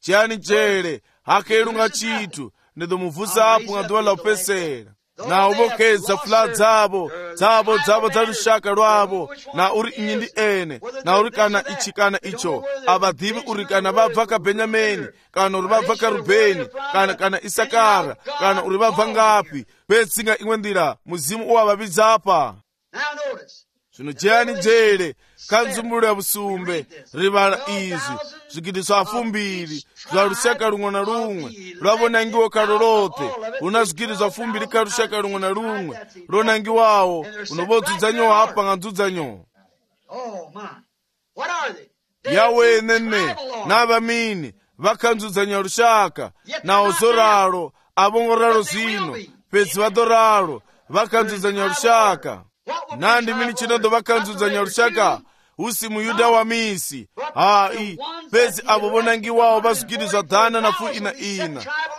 jeyani njere hake irunga chitu nditomuvhusa apo ngaduva laupesera nawo vokeza fula dzavo dza rushaka rwavo na uri inyi ndi ene na uri kana ichi kana icho avadhivi uri kana vabva kabenjamini kana uri vabva karubheni kana isakara kana uri vabva ngapi petsinga imwe ndira muzimu uwavavidzapa. Zvino jeyani njere kanzumbululo ya vusumbe rivala izvi zvigidiso afumbiri zva rushaka rumwe na rumwe rwavonangiwa kalo lote una zvigidiso afumbiri ka rushaka rumwe na rumwe ronangiwawo unovodzuzanyowa apa nganzudzanyowa yawe nene navamini vakanzudzanya rushaka nawo zoraro avongoraro zvino pedzi vadoraro vakanzudzanya rushaka nandi mini chinondo vakanzudzanya rushaka usi muyuda wa misi hai pedzi avo vonangiwawo vazvigirizwa dhana na fu ina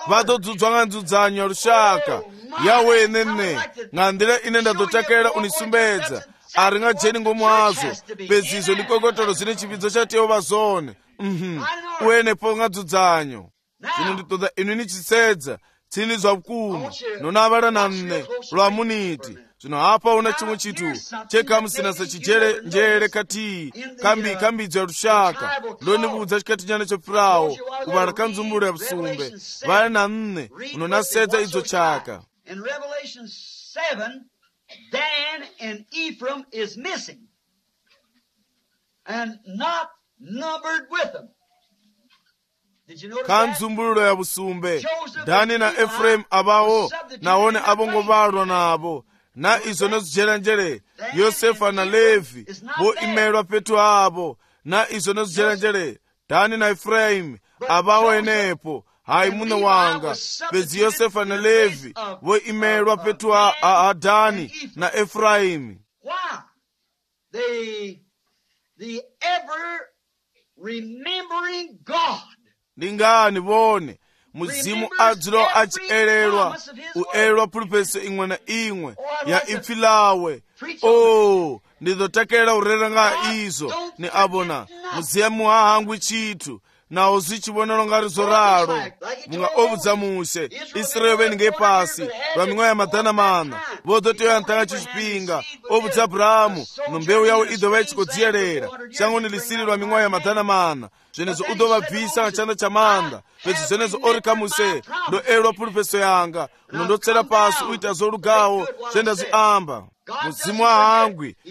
vadzodzwa nganzudzanyo rushaka yawe nene nga nḓila ine nda ḓo takalela unisumbedza a ri nga dzheni ngomu hazwo fhedzi izwo ndi kokotolo zwine tshivhidzo tsha tea u vha zwone u henefho nga dzudzanyo. Zwino ndi ṱoḓa inu ni tshi sedza tsini zwa vhukuma no navhala na nne lwa muniti. Zwino hafha huna tshiṅwe tshithu tshe khamusi na sa tshijele njele khathihi kha mbidzo ya lushaka ndo ni vhudza tshikhathi nyana tsho fhiraho u vhala kha nzumbulo ya vhusumbe vhale na nne uno na sedza idzo tshaka. In Revelation 7, Dan and Ephraim is missing and not numbered with them. Did you notice kha that? nzumbululo ya vhusumbe Dani na Ephraim avaho nahone avongo vhalwa navo na izo no zwidzhelanzhele Yosefa na Levi vho imelwa fhethu havho na izo no zwidzhelanzhele Dani na Ephraim avaho henefho. Hayi muṋe wanga fhedzi Yosefa na Levi vho imelwa fhethu ha Dani na Ephraim. Why? The ever remembering God. Ndi ngani vhone muzimu adzilo a tshi elelwa u elwa phulupheso iṅwe na iṅwe ya ipfi lawe. Ndi ḓo takalela u rera nga izo ni avhona muzimu ha hangwi tshithu naho zwi tshi vhonala nga ri zwo ralo munga o vhudza Muse Israeli vhe ngei fhasi lwa miṅwaha ya maḓana maṋa vho ḓo tea u nṱha nga tshifhinga o vhudza Abrahamu no mbeu yawe i ḓo vha i tshi khou dzielela shangoni ḽisili lwa miṅwaha ya maḓana maṋa zwenezwo u ḓo vha bvisa nga tshanḓa tsha maanḓa fhedzi zwenezwo o ri kha Muse ndo elwa phulupheso yanga no ndo tsela fhasi u ita zwo lugaho zwe nda zwi amba. Muzimu ha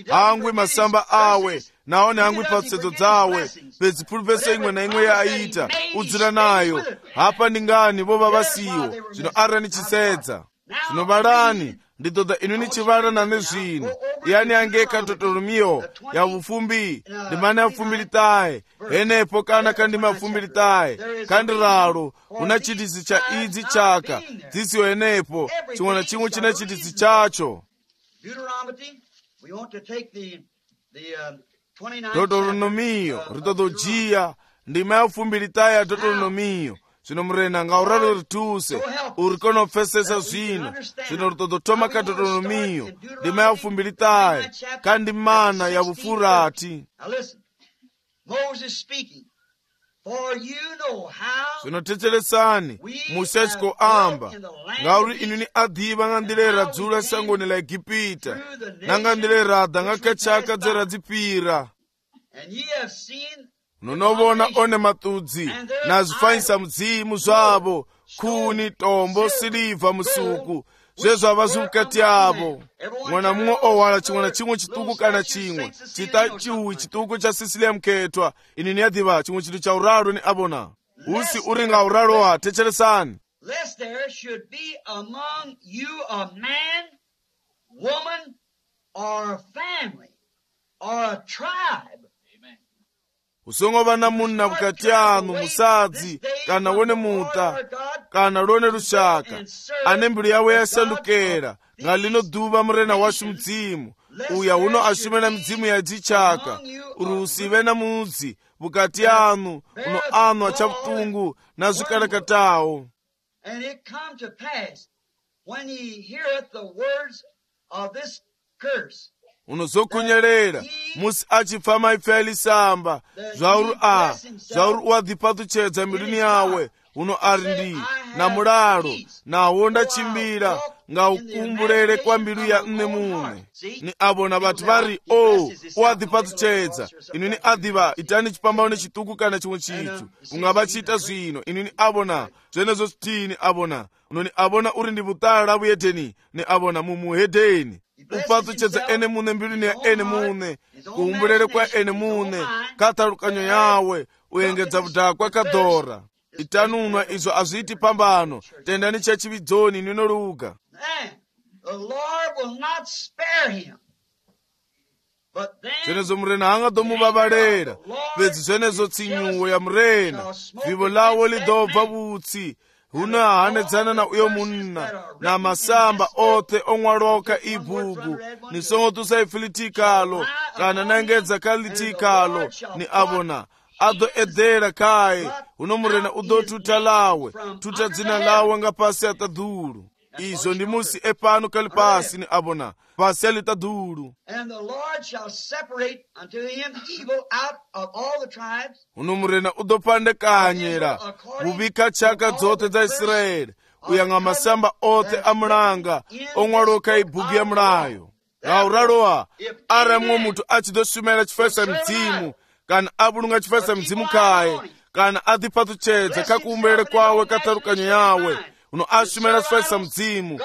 hangwi masamba awe nahone hangwi phasedzo dzawe fhedzi phulupheso iṅwe na iṅwe ya aita u dzula nayo. Hafha ndi ngani vho vha vhasiho. Zwino arali ni tshi sedza zwino vhalani ndi ṱoḓa inu ni tshi vhala na nṋe zwino yani hangei kha Deuteronomy ya vhufumbi ndimana ya 29 henefho kana kha ndima ya 29 kha ndiralo huna tshiitisi tsha idzi tshaka dzi siho henefho tshiṅwe na tshiṅwe tshina tshiitisi tshatsho. Deuteronomy, we want to take the 29th Deuteronomy ri ṱoḓa u dzhia ndima ya 29 ya Deuteronomy. Zwino murena nga u ralo ri thuse uri kone u pfesesa zwino ri ṱoḓa u thoma kha Deuteronomy ndima ya 29 kha ndimana ya vhufurathi. Now listen, Moses speaking, for you know how zwino thetshelesani Muse a tshi khou amba ngauri inu ni a ḓivha nga nḓila ye ra dzula sangoni ḽa Egipita na nga nḓila ye ra ḓa nga kha tshaka dze ra dzi fhira. and ye have seen no vhona one maṱudzi na zwifanyisa mudzimu zwavho khuni tombo siliva musuku zwe zwa vha zwi vhukati havho. Muṅwe na muṅwe o hwala tshiṅwe na tshiṅwe tshiṱuku kana tshiṅwe tshiṱatshuwi tshiṱuku tsha sisili ya mukhethwa. Ini ni a ḓivha tshiṅwe tshithu tsha uralo ni a vhona hu si uri nga uraloha thetshelesani. lest there should be among you a man, woman, or a family, or a tribe. hu songo vha na munna vhukati hanu musadzi kana wone muṱa kana lwone lushaka ane mbilu yawe ya shandukela nga lino ḓuvha murena washu mudzimu uya huno a shumela midzimu ya dzitshaka uri hu si vhe na mudzi vhukati hanu uno anwa tsha vhuṱungu na zwikalekataho. And it come to pass, when he heareth the words of this curse, unozokhunyelela musi a tshi pfa maipfi a lisamba zwauri u a ḓiphaṱutshedza mbiluni yawe uno ari ndi na mulalo naho nda tshimbila nga u kumbulele kwa mbilu ya nne muṋe. Ni a vhona vhathu vha ri u a ḓiphaṱutshedza. Inu ni a ḓivha itani tshipambano tshiṱuku kana tshiṅwe tshithu u nga vha tshi ita zwino. Inu ni a vhona zwenezwo zwithihi ni a vhona uno ni a vhona uri ndi vhuṱala vhuhedeni ni a vhona mumuhedeni. U phaṱutshedza ene muṋe mbiluni ya ene muṋe kuhumbulele kwa ene muṋe kha ṱhalukanyo yawe u engedza vhudakwa kha ḓora. Itani unwa izwo a zwi iti phambano tendani tsha tshivhidzoni ni no luga. the Lord will not spare him. But then zwenezwo murena ha nga ḓo mu vhavhalela fhedzi zwenezwo tsinyuwo ya murena vivho ḽawo ḽi ḓo bva vhutsi hune ha hanedzana na uyo munna na masamba othe o ṅwalwaho kha ibugu. Ni songo ṱusa ipfi ḽithihi khaḽo kana na engedza kha ḽithihi khaḽo. Ni a vhona a ḓo eḓela khae huno murena u ḓo thutha ḽawe thutha dzina ḽawe nga fhasi ha ṱaḓulu. izo ndi musi epano kali pasi ni abona pasi alitadulu. And the Lord shall separate unto him evil out of all the tribes. Unumurena udopandekanyera bubika chaka zote za Israeli uyanga masamba ote amulanga ongwaroka ibugi ya mulayo. Gauraloa aramwo mutu achidosumela chifesa mzimu kana abulunga chifesa mzimu kaye kana adipatu chedza kakumbele kwawe katarukanyo yawe uno asumela chifesa mzimu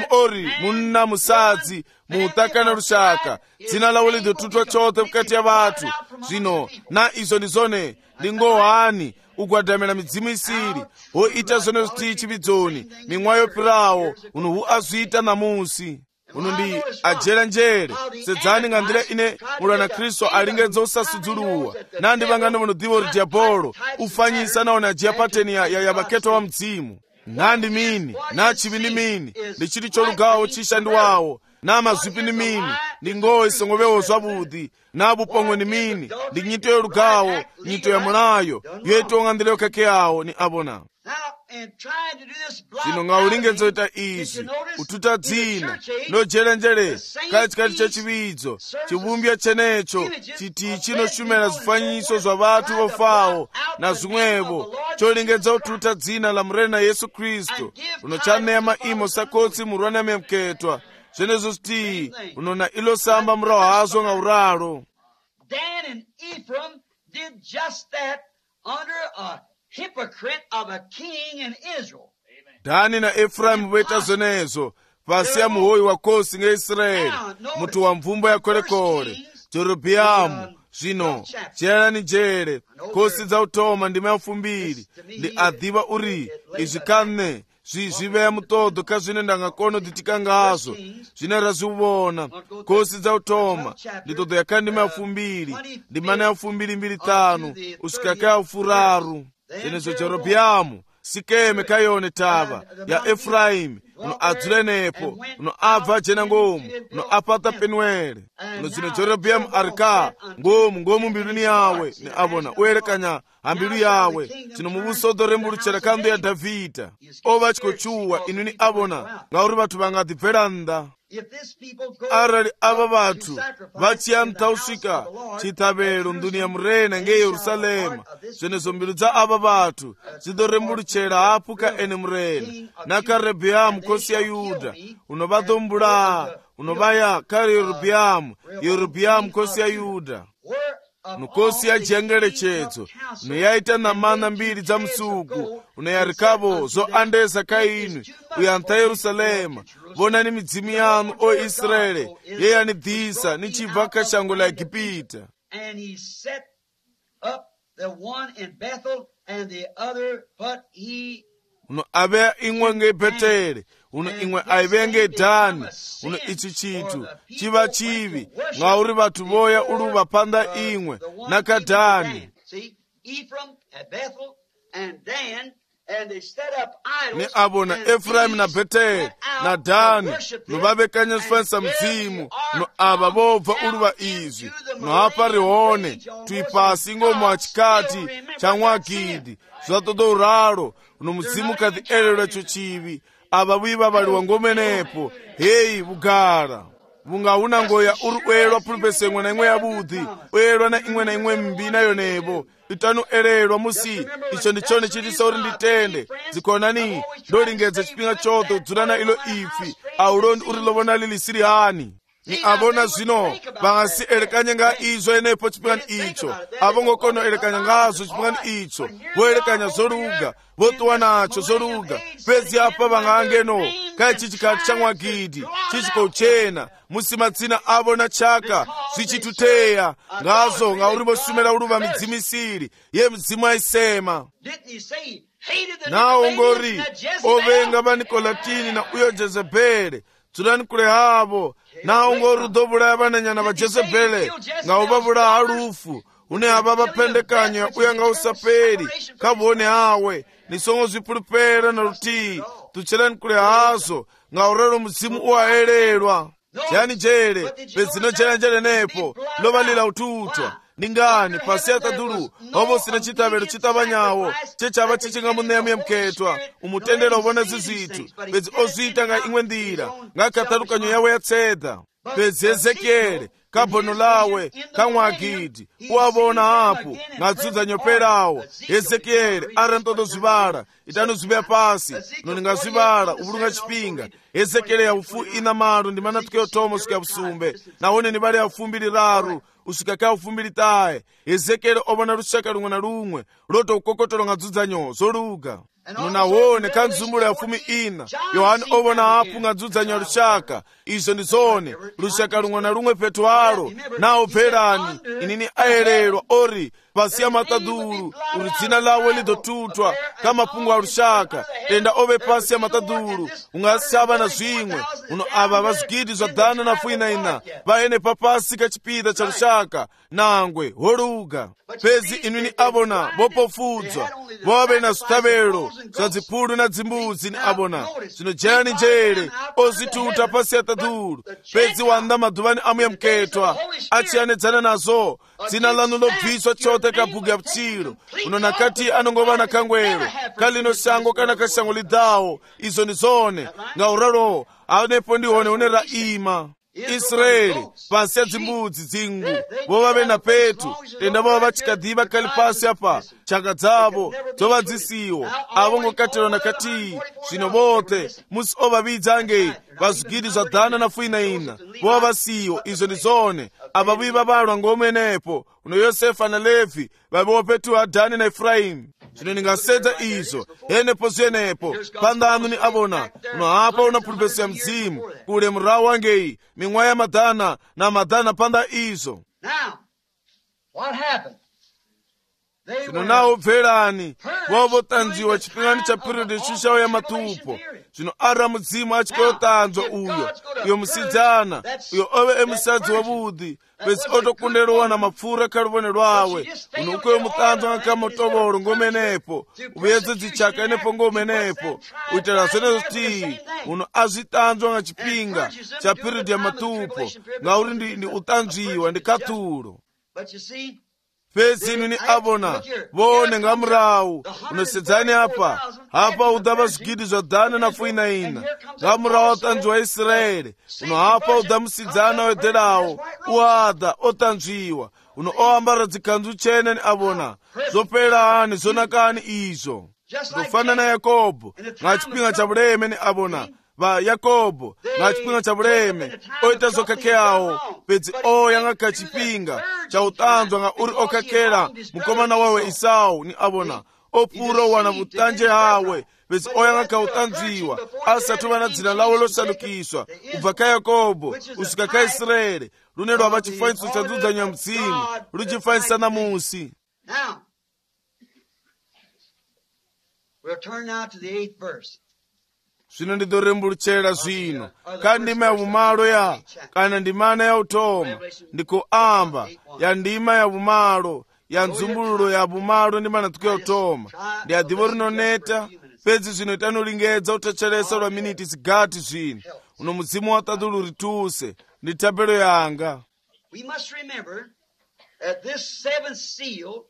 ori munna musadzi muutakana lushaka dzina lawo lidotutwa chote mukati ya vatu zvino na izo ndizone ndingohani ugwadamela midzimu isiri hoita zone ziti chividzoni mimwa yopirawo uno hu azvita namusi uno ndi ajera njere sedzani ngandira ine mulwana Kristo alingedza usasudzuluwa nandi vangano vanodiva uri diabolo ufanyisa naona ajiya pateni ya vaketo wa mdzimu nandi mini na chivi ndi mini ndi chiti cholugawo chishandiwawo na mazwipi ndi mini ndi ngowe isongovewo zwavudi na bupongwe ndi mini ndi nyito yolugawo nyito ya mulayo yoitonga ndile kake yawo ni abona. Zino nga ulingedzo ita izi ututa dzina nojelenjere kachikati cha chividzo chivumbya chenecho chiti chinoshumela zifanyiso zwa vatu vofawo na zimwevo cholingedza ututa dzina la mrena Yesu Kristo uno chanema imo sakotsi murwana memketwa zenezo sti unona ilo samba mrawo hazo nga uralo. Dan and Ephraim did just that under a hypocrite of a king in Israel. Dani na Ephraim weta zonezo pasi ya muhoi wa kosi nga Israeli mutu wa mvumba ya kore Jerobiamu zvino chera ni jere kosi za utoma ndima ya 2 ndi adhiva uri izvikane zviveya mutodo kazvine ndangakono ditika ngazo zvine razivona kosi za utoma nditodo yakandima ya 2 ndimana ya 225 usikaka ya 4 zenezo Jerobiamu sikeme kayone tava ya Efraimu uno adzulenepo uno abva jena ngomu uno apata penwele uno zino Jerobiamu arika ngomu mbiluni yawe ni abona uelekanya ambilu yawe zino mubusodo rembuluchera kandu ya Davida ova chikochuwa inu ni abona ngauri vatu vangadibveranda. Arali ava vatu vachiyanthausika chitabelo mduniya murena nge Yerusalema zenezo mbilu za ava vatu zidorembuluchera apuka ene murena naka Rehobowamu kosi ya Yuda unovadombula unovaya kari Yerobiamu kosi ya Yuda nukosi ya jengelechedzo unoyaita na mana mbiri za msuku unoyarikavo zo andesa kainu uyantha Yerusalema vona ni midzimu yanu o Israeli yeyani dhisa ni chibva kashango la Egipita. And he set up the one in Bethel and the other but he uno aveya imwe nge Beteli uno imwe aiveya nge Dani uno ichi chitu chiva chivi ngauri vatu voya uluva panda imwe naka Dani. Ni abona Efraimu na Beteli na Dani no vavekanya zifanisa mzimu no ava vobva uluva izvi no hapa rihone tuipasi ngomu achikati cha Mwagidi zvatodo uralo uno muzimu kathi elelwa cho chivi ava viva valiwa ngomenepo heyi vugara vungauna ngoya uri uelwa pulupesengwe na imwe yavudhi uelwa na imwe mbina yonevo itanu elelwa musi icho ndichone chitisa uri nditende zikonani ndolingedza chipinga choto udzulana ilo ifi aulondi uri lovona lili siri hani ni abona zvino vangasi elekanya nga izo enepo chipingani icho avongokono elekanya ngazo chipingani icho voelekanya zoluga votuwa nacho zoluga pezi apa vangangeno kaya chichikati cha Mwagidi chichikouchena musi madzina avo na chaka zvichituteya ngazo ngauri vosumela uluva midzimu isiri ye midzimu aisema nawo ngori ovenga vanikolatini na uyo Jezebeli dzulani kule havo nawo ngorudovulaya vananyana va Jezebeli ngauvavula halufu une hava vapendekanya uya nga usapeli kavone hawe nisongo zwipulupela na lutii tuchelani kule hazo ngaurelo muzimu uwaelelwa chani jele pezino jele nepo lovalila ututwa ndi ngani pasi atadulu ovo sina chitabelo chitabanyawo chechava chichingamuneya mketwa umutendera ubona zizithu pezi ozita nga imwe ndira nga katalukanyo yawe yatseda pezi Ezekieli kabono lawe kamwagidi uwabona apo ngadzudza nyoperawo Ezekieli arantodo zibala itano zibya pasi noni ngazibala ubulunga chipinga Ezekieli ya ufu ina malu ndi mana tukeo tomo suka busumbe naone ni bali ya ufumbili raru usikaka ufumbili tae Ezekieli obona rushaka lumwe na lumwe loto ukokotolo ngadzudza nyo zoluga nunawone kanzumbula ya fumi ina Yohani obona apu ngadzudza nyo rushaka izo ndizone rushaka lumwe na lumwe petwalo nao perani inini aererwa ori pasi ya mataduru uri dzina lawe lidotutwa kama pungu wa rushaka tenda ove pasi ya mataduru ungasaba na zwimwe uno ava vazwigidi zwa dana na fuina ina vaene papasi kachipida cha rushaka nangwe holuga pezi inini abona vopofudzwa vove na zitabelo za zipulu na zimbuzi ni abona zino jani jere ozituta pasi ya taduru pezi wanda maduvani amu ya mketwa achianedzana nazo dzina lanu lobviswa chote kabuga ya pchiro uno nakati anongovana kangwero kalino shango kana kashango lidawo izo nizone nga uraro anepo ndihone unera ima Israeli pasi ya zimbudzi zingu vova vena petu tenda vova vachikadhiva kali pasi apa chaka dzavo dzova dzisiwo avo ngokatelo nakati zvino vote musi ovavidzange vazwigidi zwa dana na fuina ina vova vasiwo izo ndizone ava viva valwa ngomenepo uno Yosefa na Levi vaviwo petu Adani na Efraimu zvino ningasedza izo yenepo zvenepo pandanu ni abona uno apa una pulpeso ya mzimu kule murawo wangeyi ming'wa ya madana na madana panda izo zvino nawo bverani vovotanziwa chipingani cha periodi shushawo ya matupo zvino ara mudzimu achikoyotanzwa uyo musidzana uyo ove emusadzi wavudi pesi otokunderowa na mapfura kaluvone lwawe uno ukoyo mutanzwa ngakamotovolo ngomenepo uvyedze dzichaka enepo ngomenepo uitela zvenezo tii uno azvitanzwa nga chipinga cha periodi ya matupo ngauri ndi utanzwiwa ndi katulo pezi inini abona vone nga murawu unosedzani apa udava zwigidi zwa dana na fuina ina nga murawu otanzwiwa Israeli uno apa uda musidzana wederawo uada otanzwiwa uno oambara dzikanzu chene ni abona zopelani zonakani izo ndofana na Yakobo nga chipinga cha buleme ni abona va Yakobo nga chipinga cha buleme oita zokakheawo pedzi oyanga kachipinga cha utanzwa nga uri okakela mukomana wawe Isau ni abona opuro wana vutanje hawe pedzi oyanga ka utanzwiwa asatuva na dzina lawo losalukiswa ubva ka Yakobo usika ka Israeli lune lwava chifanyiso cha nzudzanyo ya mzimu luchifanyisa na musi. Now we'll turn now to the 8th verse. Zvino ndidorembuluchera zvino ka ndima ya vumalo ya kana ndimana ya utoma ndikuamba ya ndima ya vumalo ya nzumbululo ya vumalo ndimana tuke utoma ndi adivo rinoneta pedzi zvino itanolingedza utachelesa lwa miniti zigati zvino uno mudzimu wa tadulu rituse ndi tabelo yanga. We must remember that this seventh seal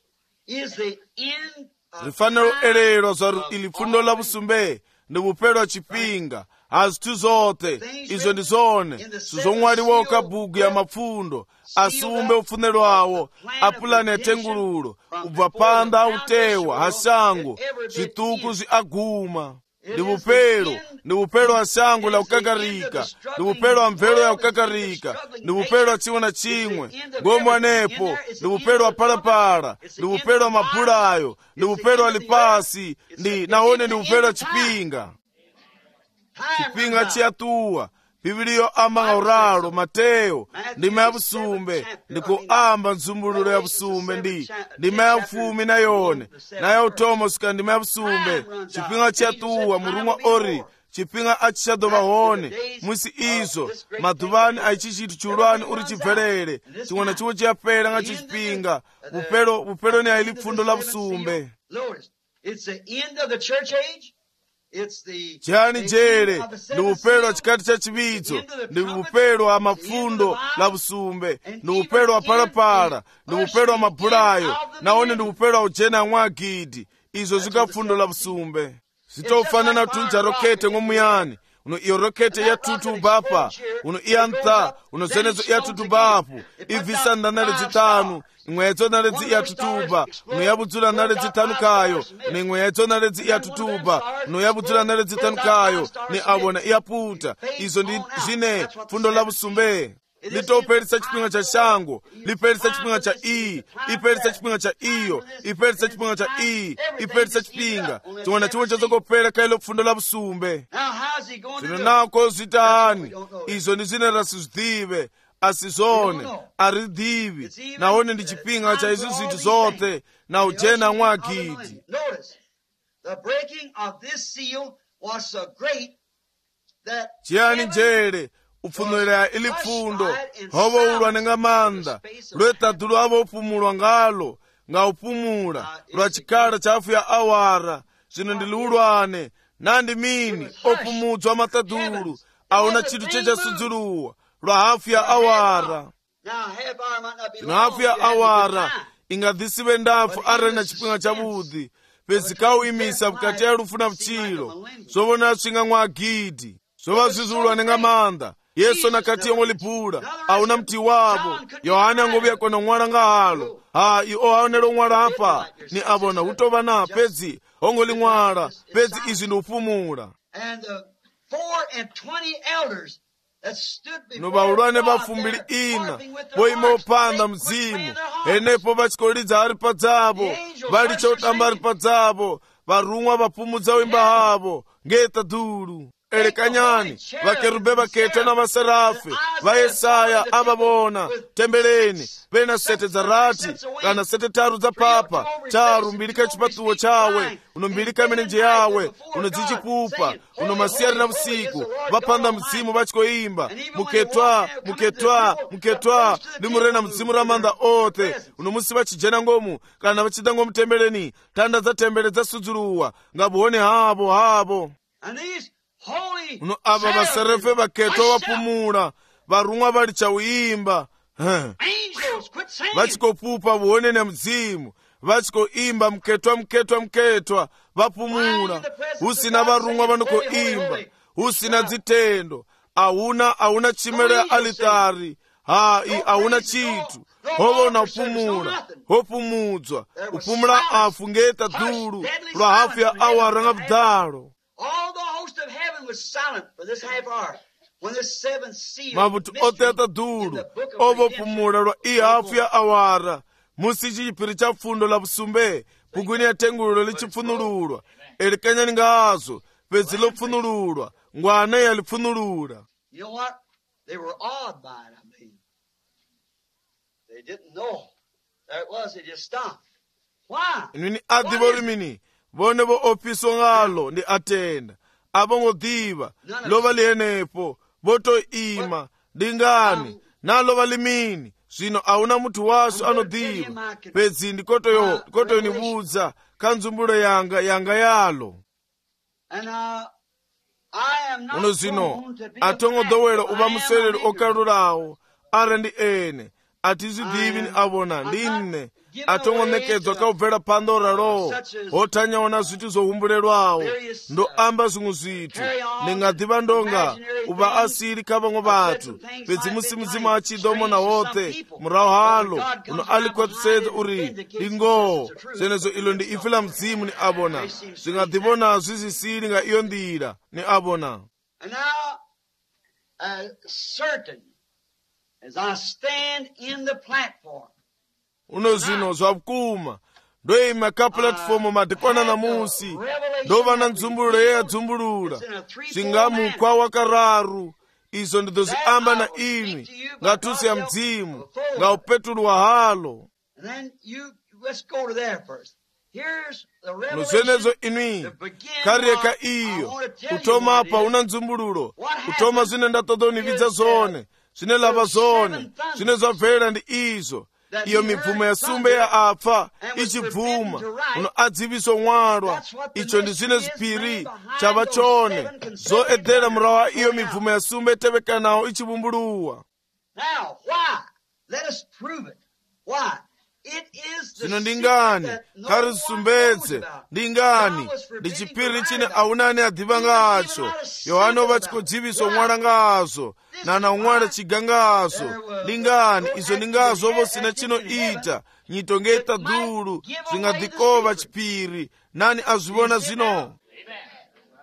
is the end of rifanelo elelo zwa ili fundo la busumbe ndi bupelo chipinga azithu zote izo ndizone sizomwaliwa kabugu ya mapfundo asumbe ufunelo awo apulani etengululo ubva panda autewa hasango zvituku zviaguma ndi bupelo hasango la ukakarika ndi bupelo wa mvelo ya ukakarika ndi bupelo wa chimwe na chimwe ngomo anepo ndi bupelo wa palapala ndi bupelo wa mapulayo ndi bupelo wa lipasi ndi naone ndi bupelo wa chipinga chiyatuwa Bibiliyo amanga uralo Mateo ndima ya busumbe ndikuamba nzumbululo ya busumbe ndima ya ufumi na yone na ya utomo suka ndima ya busumbe chipinga chiyatuwa murumwa ori chipinga achishadova hone mwisi izo maduvani aichi chitu chulwani uri chibvelele chimwe na chimwe chiyapela nga chipinga bupelo ni aili pfundo la busumbe. It's the end of the church age. chiyani njere ndi upelo wa chikati cha chiwitso, ndi upelo wa mafundo la busumbe, ndi upelo wa palapala, ndi upelo wa mabulayo, nawone ndi upelo wa ujena mwagidi. Izo zika fundo la busumbe zitofanana tunja rokete ngomuyani uno iyo rokete ya tutu bapa uno iantha uno zenezo ya tutu bapu ivisa ndanale zitanu imwezo naledzi ya tutuba uno yabudzula naledzi zitanu kayo ni imwezo naledzi ya tutuba uno yabudzula naledzi zitanu kayo ni abona iyaputa. Izo ndi zine fundo la busumbe litopelisa chipinga cha shango, lipelisa chipinga cha ipelisa chipinga cha iyo, ipelisa chipinga cha ipelisa chipinga chimwana chimwe chazokopela kailo fundo la busumbe. Zino nako zitani izo ndi zine rasizidhive asizone aridhivi naone ndi chipinga cha izo zinthu zote na ujena mwagidi. Chiyani njere upfunulira ili fundo hobo ulwa nenga manda lwetadulu abo upumulwa ngalo nga upumula lwa chikala chafu ya awara zino ndiliulwane nandi mini opumudzwa matadulu auna chitu checha sudzuluwa lwa hafu ya awara. Zino hafu ya awara ingadhisiwe ndafu arena chipinga cha budhi pezikau imisa bukati ya lufu na mchilo zobona swinga mwagidi zoba zizulwa nenga manda. Yesu nakati yongo lipula auna mti wabo Yohana angobia kona mwara nga halo iyo aonelo mwara hapa ni abona utoba na pezi ongo li mwara pezi izi nupumula. Nuba ulwane bafumbili ina boima upanda mzimu enepo bachikolidza hari padzabo bali chotamba hari padzabo barumwa bapumudza wimba habo ngeta dulu elekanyani vakerube vaketa na maserafi va Yesaya ababona tembeleni pena sete za rati kana sete taru za papa taru mbilika chipatuwo chawe uno mbilika menenje yawe uno zichipupa uno masiyari na usiku vapanda mzimu vachikoimba muketwa muketwa muketwa limurena mzimu ramanda ote uno musi vachijena ngomu kana vachida ngomu tembeleni tanda za tembele za sudzuluwa ngabuhone habo uno aba baserefe baketwa wapumula barumwa bali chawimba vachikopupa buonene mzimu vachikoimba mketwa vapumula usina barumwa vanoko imba usina zitendo auna chimere ya alitari auna chitu hovona upumula hopumudzwa upumula afu ngeta dulu lwa hafu ya awara nga vdalo. All the host of heaven was silent for this half hour when the seventh seal mabutu oteta dulu ovo pumula lwa hafu ya awara musi chipiri cha fundo la busumbe pugwini ya tengulo lichifunululwa elikanya ningazo pezi lopfunululwa ngwane ya lifunulula. You know what? They were awed by it, I mean. They didn't know there it was, they just stopped. Why? Nini adivori mini bone bo opiso ngalo ndi atenda abongo diva lova lienepo boto ima dingani na lova limini zvino auna mutu waso anodiva pedzi ndikoto nibuza kanzumbulo yanga yalo. Uno zino atongo dowelo uba muselelo okalulawo ara ndi ene atizidhivi ni abona ndinne atongo nekedzwa kaubvera pandora lo otanyaona zvitu zohumbulelwawo ndo amba zimwe zvitu ningadhiva ndonga uba asiri kavamwe vatu pedzi musi mudzimu achidomona wote murawo halo uno alikwatusedza uri ingo zenezo ilo ndi ife la mdzimu ni abona zvingadhivona zvizisiri nga iyo ndira ni abona. And now, certain as I stand in the platform, uno zino zvakuma ndoima ka platform madekwana na musi ndova na nzumbululo yeya dzumbulula zvingamukwa wakararu izo ndidzo ziamba na imi ngatusi ya mdzimu nga upetulwa halo. Nozenezo inwi kareka iyo utoma apa una nzumbululo utoma zine ndatodonividza zone zine lava zone zine zvabvera ndi izo iyo mibvumo ya sumbe ya apfa ichibvuma uno adziviso mwalwa. Icho ndi zine zipiri chava chone zoedera murawa iyo mibvumo ya sumbe tevekanawo ichivumbuluwa. Now, why? Let us prove it. Why? Zino ndingani kari zisumbedze ndingani ndi chipiri chine aunani adhiva ngacho. Yohana ova chikodziviso mwala ngazo nana umwala chiga ngazo ndingani izo ndingazo ovo sina chino ita nyitongeta dhulu zingadhikova chipiri nani azivona zino.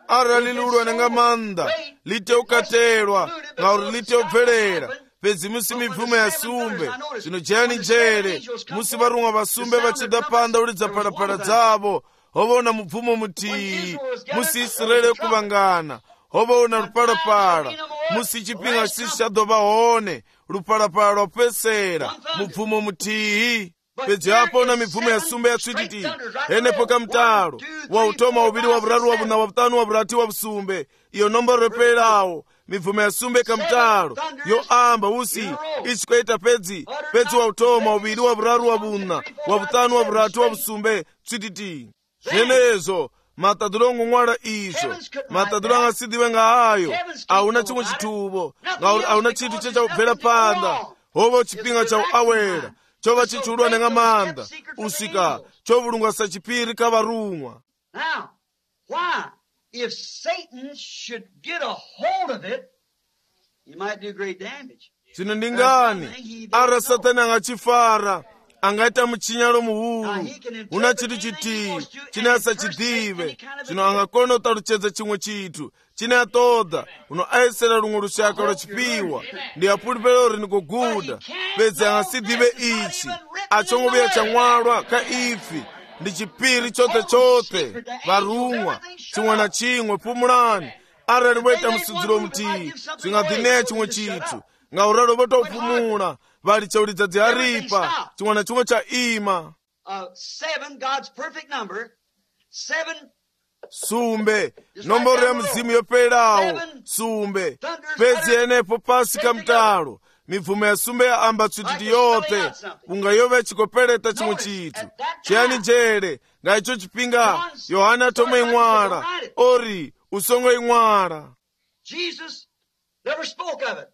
Ara lilulwa nenga manda lite ukatelwa ngauri lite ubvelera pedzi musi mibvumo ya sumbe zvino jani njere musi varumwa vasumbe vachida panda ulidza parapara dzavo hovaona mubvumo mutiyi musi Israeli kuvangana hovaona ruparapara musi chipinga chisi chadova hone ruparapara rwapesera mubvumo mutiyi. Pedzi apaona mibvumo ya sumbe yatsvititi enepo kamutaro wautoma uviri wavuraru wavuna wavutanu wavurati wavusumbe iyo nomboro reperawo mibvumo ya sumbe kamutaro yoamba usi ichikoita pedzi wautoma uviri wavuraru wavuna wavutanu wavurati wavusumbe tsvititi. Zvenezo matadhulo ngomwala izvo matadhulo angasidhiwe ngahayo auna chimwe chituvo ngauri auna chintu chechakubvera panda hova chipinga chauawera chova chichulwa nenga manda usika chovulungwa sachipiri kavarumwa. Now, why? If Satan should get a hold of it, he might do great damage. Zvino ndingani ara Satani angachifara angaita muchinyalo muhuru una chitu chitiyi chine asachidhive zvino angakona kutaruchedza chimwe chitu chine atoda uno aisera rumwe rushaka rwachipiwa ndi apulipero rinikoguda pedzi angasidhive ichi achongoveya chamwalwa kaifi ndi chipiri chote varumwa chimwe na chimwe pumulani arali voita musidziro mutiyi zvingadhineya chimwe chitu ngauralo votoupumula vali chaulidza dziharipa chimwe na chimwe chaima. 7, God's perfect number. 7 sumbe nomboro ya mzimu yoperawo sumbe pedzi enepo pasi kamutalo mibvumo ya sumbe ya amba tsvititi yote kunga yove chikopereta chimwe chitu chiyani njere ngaicho chipinga Yohana tome imwala ori usongo imwala. Jesus never spoke of it.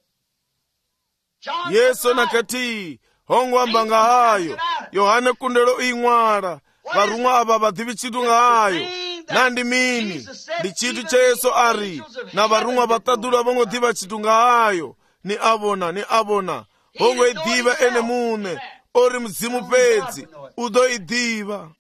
Yesu nakati hongo amba ngahayo Yohana kundelo imwala varumwa ava vadhivi chitu ngahayo nandi mini ndi chitu cha Yesu ari na varumwa vatadhula vongodhiva chitu ngahayo ni avona hongo idhiva ene mune ori mzimu pedzi udo idhiva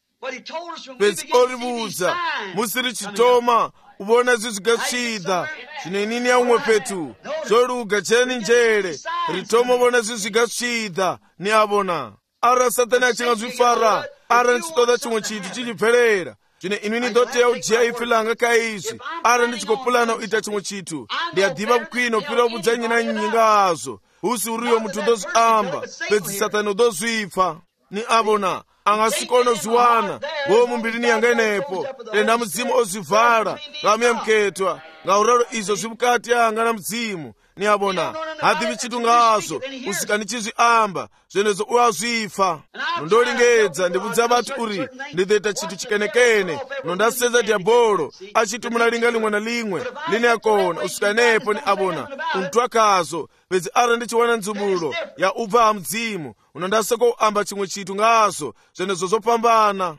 pedzi ori vudza musiri chitoma uvona zvizigasvida zvine nini yaumwe petu zvoruga cheni njere ritoma uvona zvizigasvida ni avona. Ara Satani achingazvifara ara ndichitoda chimwe chitu chichibverera zvine inini ndoteya ujiya ifi langa kaizvi ara ndichikopulana uita chimwe chitu ndiyadhiva kukwina upira ubudza nyina nyinga azo usi uriyo mutu ndozviamba pedzi Satani udozvipfa ni avona angasikona zviwana wo mumbirini yanga inepo enda mudzimu ozvivhara ngamiya muketwa ngauraro izvo zvimukati yanga na mudzimu ni avona hadhivi chitu ngazo usika ndichizviamba zvenezo uazvifa nondolingedza ndibudza vati uri ndideta chitu chikenekene nondasenza diabolo achiti munalinga limwe na limwe lini yakona usika nepo ni avona umtwakazo pedzi ara ndichiwana nzumulo ya ubva ha mudzimu unondaseko amba chimwe chitu ngazo zvenezo zopambana.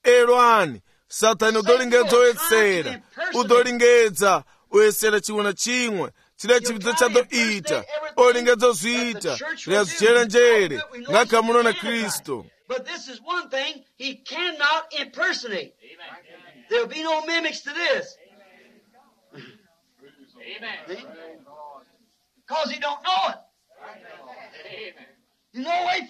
Elwani Satani udolingedza oyetsera udolingedza oyesera chimwe na chimwe chida chividzo chadoita olingedza zviita zviyazichera njere ngakamuno na Kristo. But this is one thing he cannot impersonate. There'll be no mimics to this. Amen. Because he don't know it.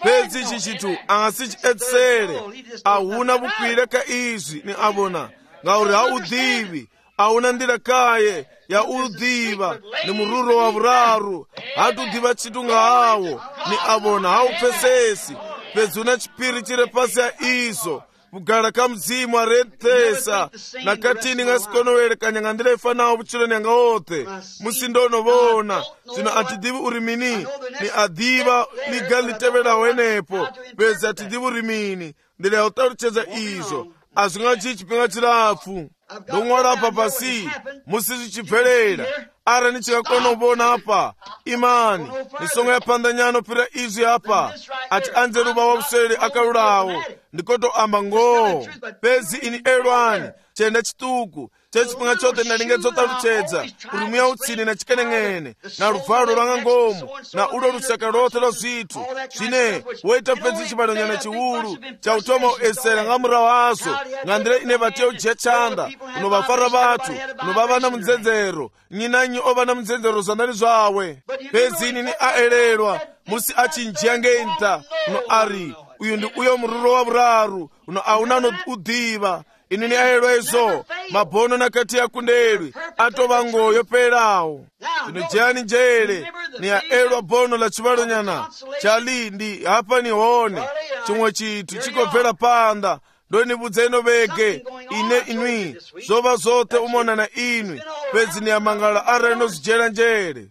pedzi ichi chitu angasichietsere ahuna vukwira ka izvi ni avona ngauri haudhivi ahuna ndira kaye ya udhiva ni mururo wa vuraru hatudhiva chitu ngahawo ni avona haupesesi pedzi una chipiri chiri pasi ya izvo kugala ka mzimu arethesa nakatini ngasikonowelekanya ngandira ifanawo vuchiloni yanga othe musindonovona zvino atidhivi uri mini ni adhiva liga litevelawo enepo pezi atidhivi uri mini ndira ya utaluchedza izvo azvingachi chipinga chirapfu ndomwara apa pasi musi zvichibvelela ara nichikakona kuvona apa imani nisongo yapandanyano pira izvi apa ati anze ruva wavuswele akalulawo ndikotoamba ngoo pezi ini elwani chenda chituku chechipinga chothe ndalingetsotaluchedza uri muya utsini na chikeneng'ene na luvalo lwanga ngomu na ulo lusaka lothe lwa zwithu zwine woita pezi chibalonyana chiwulu cha utoma uesera nga mura wazo ngandire ine vatiya ujiya chanda unovafara vathu unovavana munzenzero nyinanyi ovana munzenzero zandali zvawe pezi inini aelelwa musi achinjiya ngenta uno ari uyu ndi uyo mururo wa vuraru uno aunano udhiva inini aelwa izo mabono nakati yakundelwi atova ngoyo pelawo ino jeyani njele ni aelwa bono la chivalonyana chalindi hapa nihone chimwe chithu chikobvera panda ndonibudza ino vege ine inwi zova zothe umona na inwi pezi ni amangala ara inozijela njele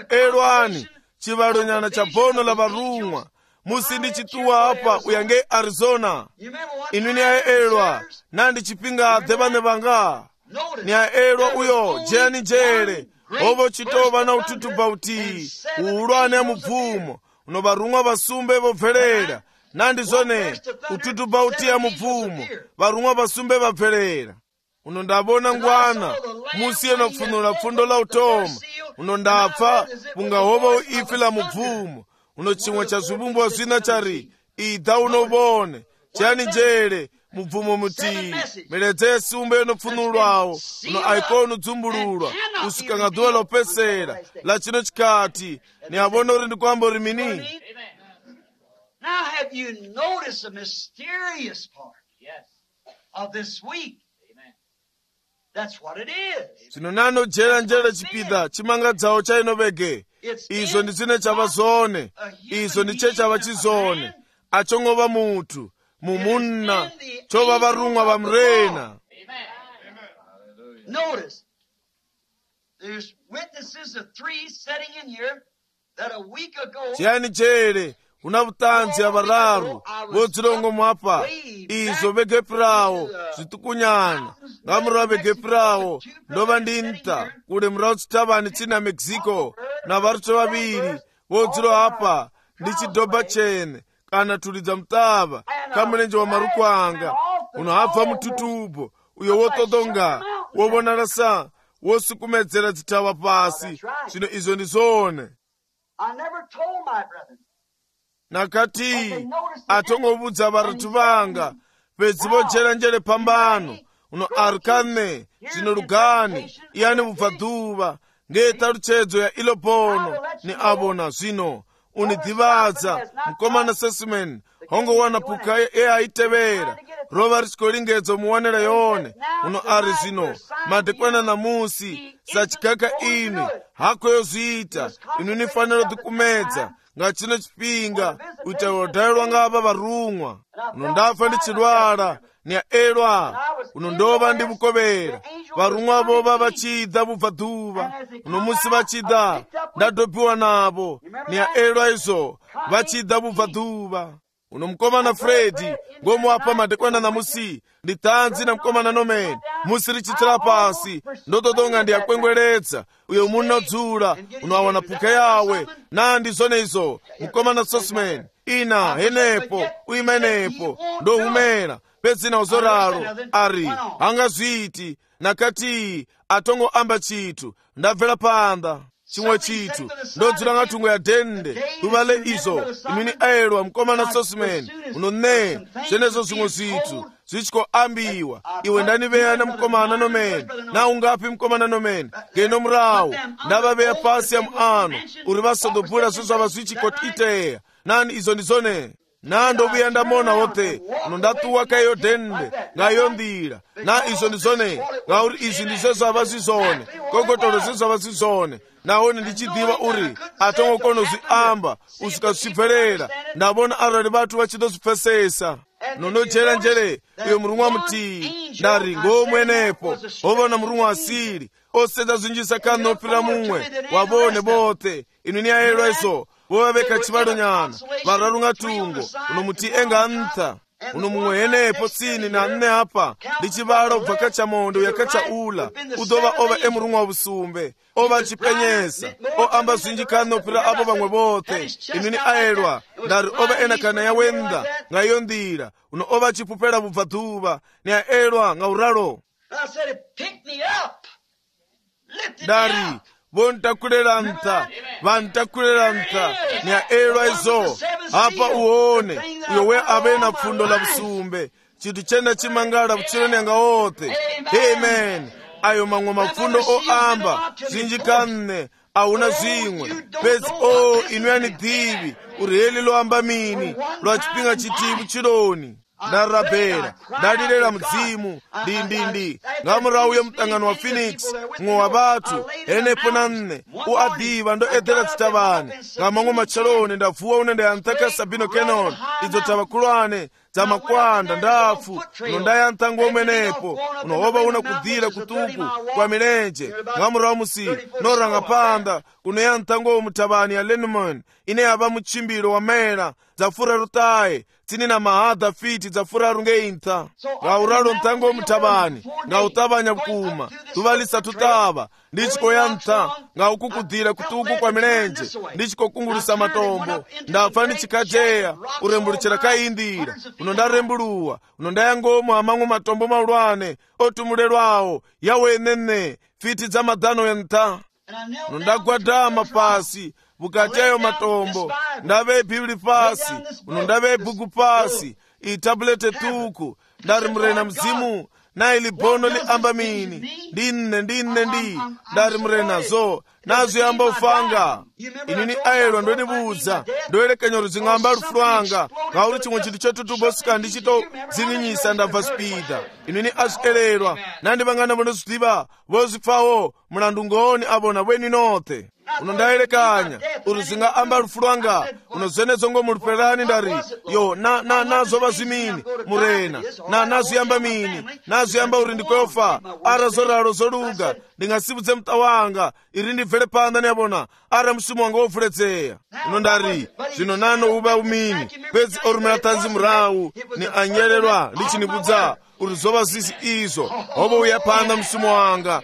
elwani chivalonyana cha bono la varumwa musi ndi chituwa apa uyange Arizona inwi ni aelwa nandi chipinga dhevane vanga ni aelwa uyo jeyani njele ovo chitova na ututu bauti uulwane ya mubvumo uno varumwa vasumbe vobvelela nandi zone ututu bauti ya mubvumo varumwa vasumbe vabvelela uno ndavona ngwana musi yeno kufunula pfundo la utoma uno ndapfa pungahova uifi la mubvumo uno chimwe cha zvivumbwa zvina chari idha unovone chiyani njele mubvumo muti miledza yesumbe yonopfunulwawo uno aikonu dzumbululwa kusvika nga dhuva lopesera la chino chikati ni avona uri ndikwamba uri mini. Now have you noticed the mysterious part of this week? That's what it is. Zvino nanojera njere chipida chimangadzawo chainovege izvo ndizine chava zone izvo ndiche chava chizone achongova mutu mumunna chova varumwa vamurena. Notice there's witnesses of 3 sitting in here that a week ago chiyani jere una vutanzi ya vararu vodzirongo mwapa izvo vegepirawo zvitukunyana ngamura vegepirawo ndova ndinta kule murawo chitavani china Mexico na varucho vaviri vodziro apa ndichidhobha chene kana tulidza mutava kamurenje wa maruku anga unohabva mututubo uyo wotodonga wovonala sa wosukumedzera dzitava pasi zvino izvo ndizone. Nakati atongovudza varatu vanga pedzi vojera njere pambano uno arkane zvino lugani iyani vubva dhuva ngetaluchedzo ya ilo bono ni avona zvino unidhivadza mukomana Sesman hongowana puka eaitevera rova richikolingedzo muwanela yone uno ari zvino madekwana namusi sachikaka ini hako yozviita inu nifanira dhikumedza ngachino chipinga uita wodhailwa ngava varumwa uno ndafa ndichilwala ni aelwa uno ndova ndivukovera varumwa vova vachidha vubva dhuva uno musi vachidha ndadhobhiwa navo ni aelwa izvo vachidha vubva dhuva uno mukomana Fredi ngomuapa madekwana namusi nditanzi na mukomana Nomeni musi richitira pasi ndotodonga ndiyakwengweredza uyo munodzula unoawana puka yawe nandi zone izo mukomana Sosman ina henepo uimenepo ndohumera pedzina uzoraro ari hangazviti nakati atongo amba chitu ndabvela panda chimwe chitu ndodzula ngatungo ya dende kuvale izo imini aelwa mukomana Sosman unone zvenezo zvimwe zvitu zvichikoambiwa iwe ndaniveya na mukomana Nomeni na ungapi mukomana Nomeni ngeno murawo ndavaveya pasi ya muano uri vasodobhura zvozvava zvichikoiteya nani izo ndizone nandovuya ndamona wothe uno ndatuwa kaiyo dende ngaiyo ndira na izo ndizone ngauri izvi ndizvo zvava zvizone kokotolo zvezvava zvizone nahone ndichidhiva uri atongokona zviamba usvika zvichibverera ndavona arali vatu vachidozvipfesesa nonojera njere uyo mulungu amuti ndari ngomwenepo ovona mulungu asiri oseza zinjisa kanopira mumwe wabone bote inu ni aelwa iso vovaveka chivalo nyana vararunga tungo uno muti enga ntha uno mumwe enepo tsini na nne apa ndi chivalo bvaka cha mondo yakacha ula udova ova emurungu wa busumbe ova chipenyesa oamba zinjikanopira apo vamwe bote inu ni aelwa ndari ova enakana yawenda ngayo ndira uno ova chipupela bubva dhuva ni aelwa ngauralo ndari vontakulera ntha vantakulera ntha ni aelwa izo apa uone uyo we ave na pfundo la busumbe chinthu chena chimangala vuchiloni anga ote. Amen. Ayo mang'wa mapfundo oamba zinjikanne auna zimwe pezi inu yani dhivi uriheli loamba mini lwa chipinga chitivu chiloni ndarabhera ndalirera mudzimu ndindindi ngamurawu yomutangano wa Phoenix mwe wa vatu enepo na nne uadhiva ndo edhera zitavani ngamang'wa machaloni ndavuwa unende yantaka Sabino Canyon idzo tavakulwane za makwanda ndafu uno ndayantangwa umenepo unohova una kudhira kutuku kwa milenje ngamurawu musi noranga panda uno yantangwa umutavani ya Lenormand ine yava muchimbiro wa mera zafura rutaye tini na mahadha fiti zafura rungeintha ngauralo ntango mutabani ngautabanya bukuma tuvalisa tutava ndichiko yantha ngaukukudhira kutuku kwa milenje ndichiko kungulusa matombo ndapfa ndichikajeya urembuluchira kaindira uno ndarembuluwa uno ndayangomo amang'wa matombo maulwane otumulelwawo yawenene fiti za madhano yantha uno ndagwadama pasi bukati ayo matombo ndave bibli pasi uno ndave buku pasi itabulete tuku ndari murena mzimu na ili bono li amba mini ndinne ndari murena zo nazo yamba ufanga inini aelwa ndo nibuza ndoelekanya ruzing'amba rufuranga ngauri chimwe chinthu chotutubosika ndichito zininyisa ndabva spida inini azvielelwa nandi vangana vonozvidiva vozvipfawo mulandu ngoni avona weni note uno ndaelekanya uruzinga amba rufuranga unozvenezongo muriperani ndari yo nazova zvimini murena nazviyamba mini nazviyamba uri ndikweofa ara zoraro zoruga ndingasivudze muta wanga iri ndibvere panda neyavona ara mushumo wanga wovhuredzeya uno ndari zvino nano uva umini pedzi orumira tanzi murawu ni anyerelwa ndichinibudza uri zova zisi izvo hovo uya panda mushumo wanga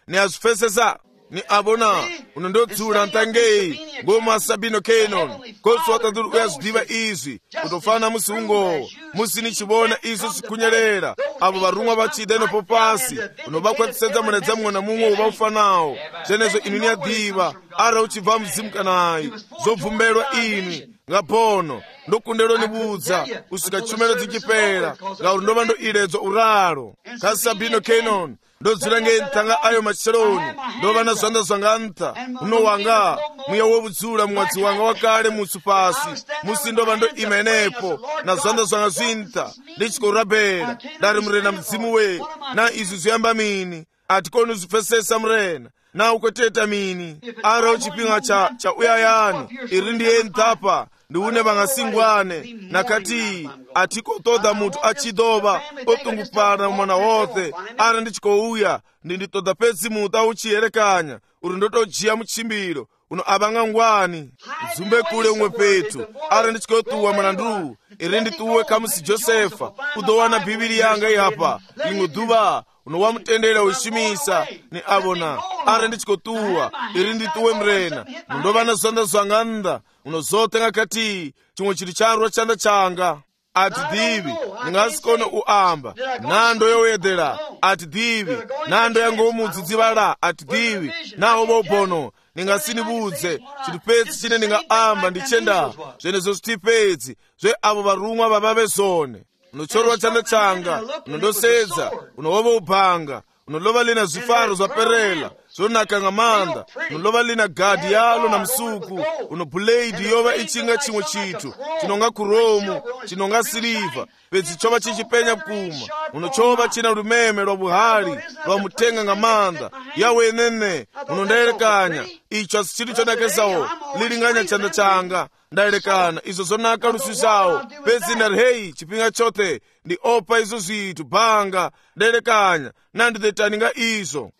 ni azvifesesa ni abona unondodzula ntangei ngoma Sabino Canyon kosi watanduru uyazvidiva izvi kutofana musi ungowo musi nichivona izvo zvikunyerera avo varumwa vachida inopo pasi unovakwatisedza muredza mumwe na mumwe uva ufanawo zvenezvo inu niyadhiva ara uchibva muzimu kanayi zobvumbelwa inwi ngapono ndokundelo nibudza usvika chumelo dzichipera ngauri ndova ndo iledzo uralo ka Sabino Canyon ndodzula ngentanga ayo macheloni ndova na zvanda zvanga ntha uno wanga mwiya wovudzula mumwadzi wanga wakale musu pasi musi ndova ndo imenepo na zvanda zvanga zvintha ndichikorabhera ndari murena mudzimu we na izvi zviyamba mini atikoni uzvipfesesa murena na ukweteta mini ara uchipinga cha uyayani iri ndiye nthapa ndiune vangasingwane nakati atikotoda mutu achidova otungupana mwana wothe ara ndichikouya ndinditoda pedzi mutu auchiyerekanya uri ndotojiya muchimbiro uno avanga ngwani zumbe kule umwe petu ara ndichikotuwa mwanandu iri ndituwe kamusi Josefa udowana bhibili yanga ihapa limwe dhuva uno wamutendera uishimisa ni avona ara ndichikotuwa iri ndituwe mrena mundovana zvanda zvanga nda uno zote ngakati chimwe chiri charwa chanda changa ati dhivi ndingasikone uamba nando yowedhera ati dhivi nando yangomudzidzivala ati dhivi nawo vobono ndingasinibudze chiri pedzi chine ndingaamba ndichenda zvenezvo zviti pedzi zve avo varumwa vavave zone unochorwa chanda changa unondosedza unohova ubhanga unolova lina zvifaro zvaperela zonaka ng'amanda, nolova lina gadi yalo na msuku, uno buledi yova ichinga chimwe chitu, chinonga kuromu, chinonga siliva, pedzi chova chichipenya bkuma, uno chova china lumeme lwa buhali, lwa mutenga ng'amanda, yawe enene, uno ndaelekanya, icho asichitu chodakesawo, lilinganya chanda changa, ndaelekana, izo zonaka lusisawo, pedzi nari hei, chipinga chote, ndi opa izo zitu, banga, ndaelekanya, nandidetaninga izo.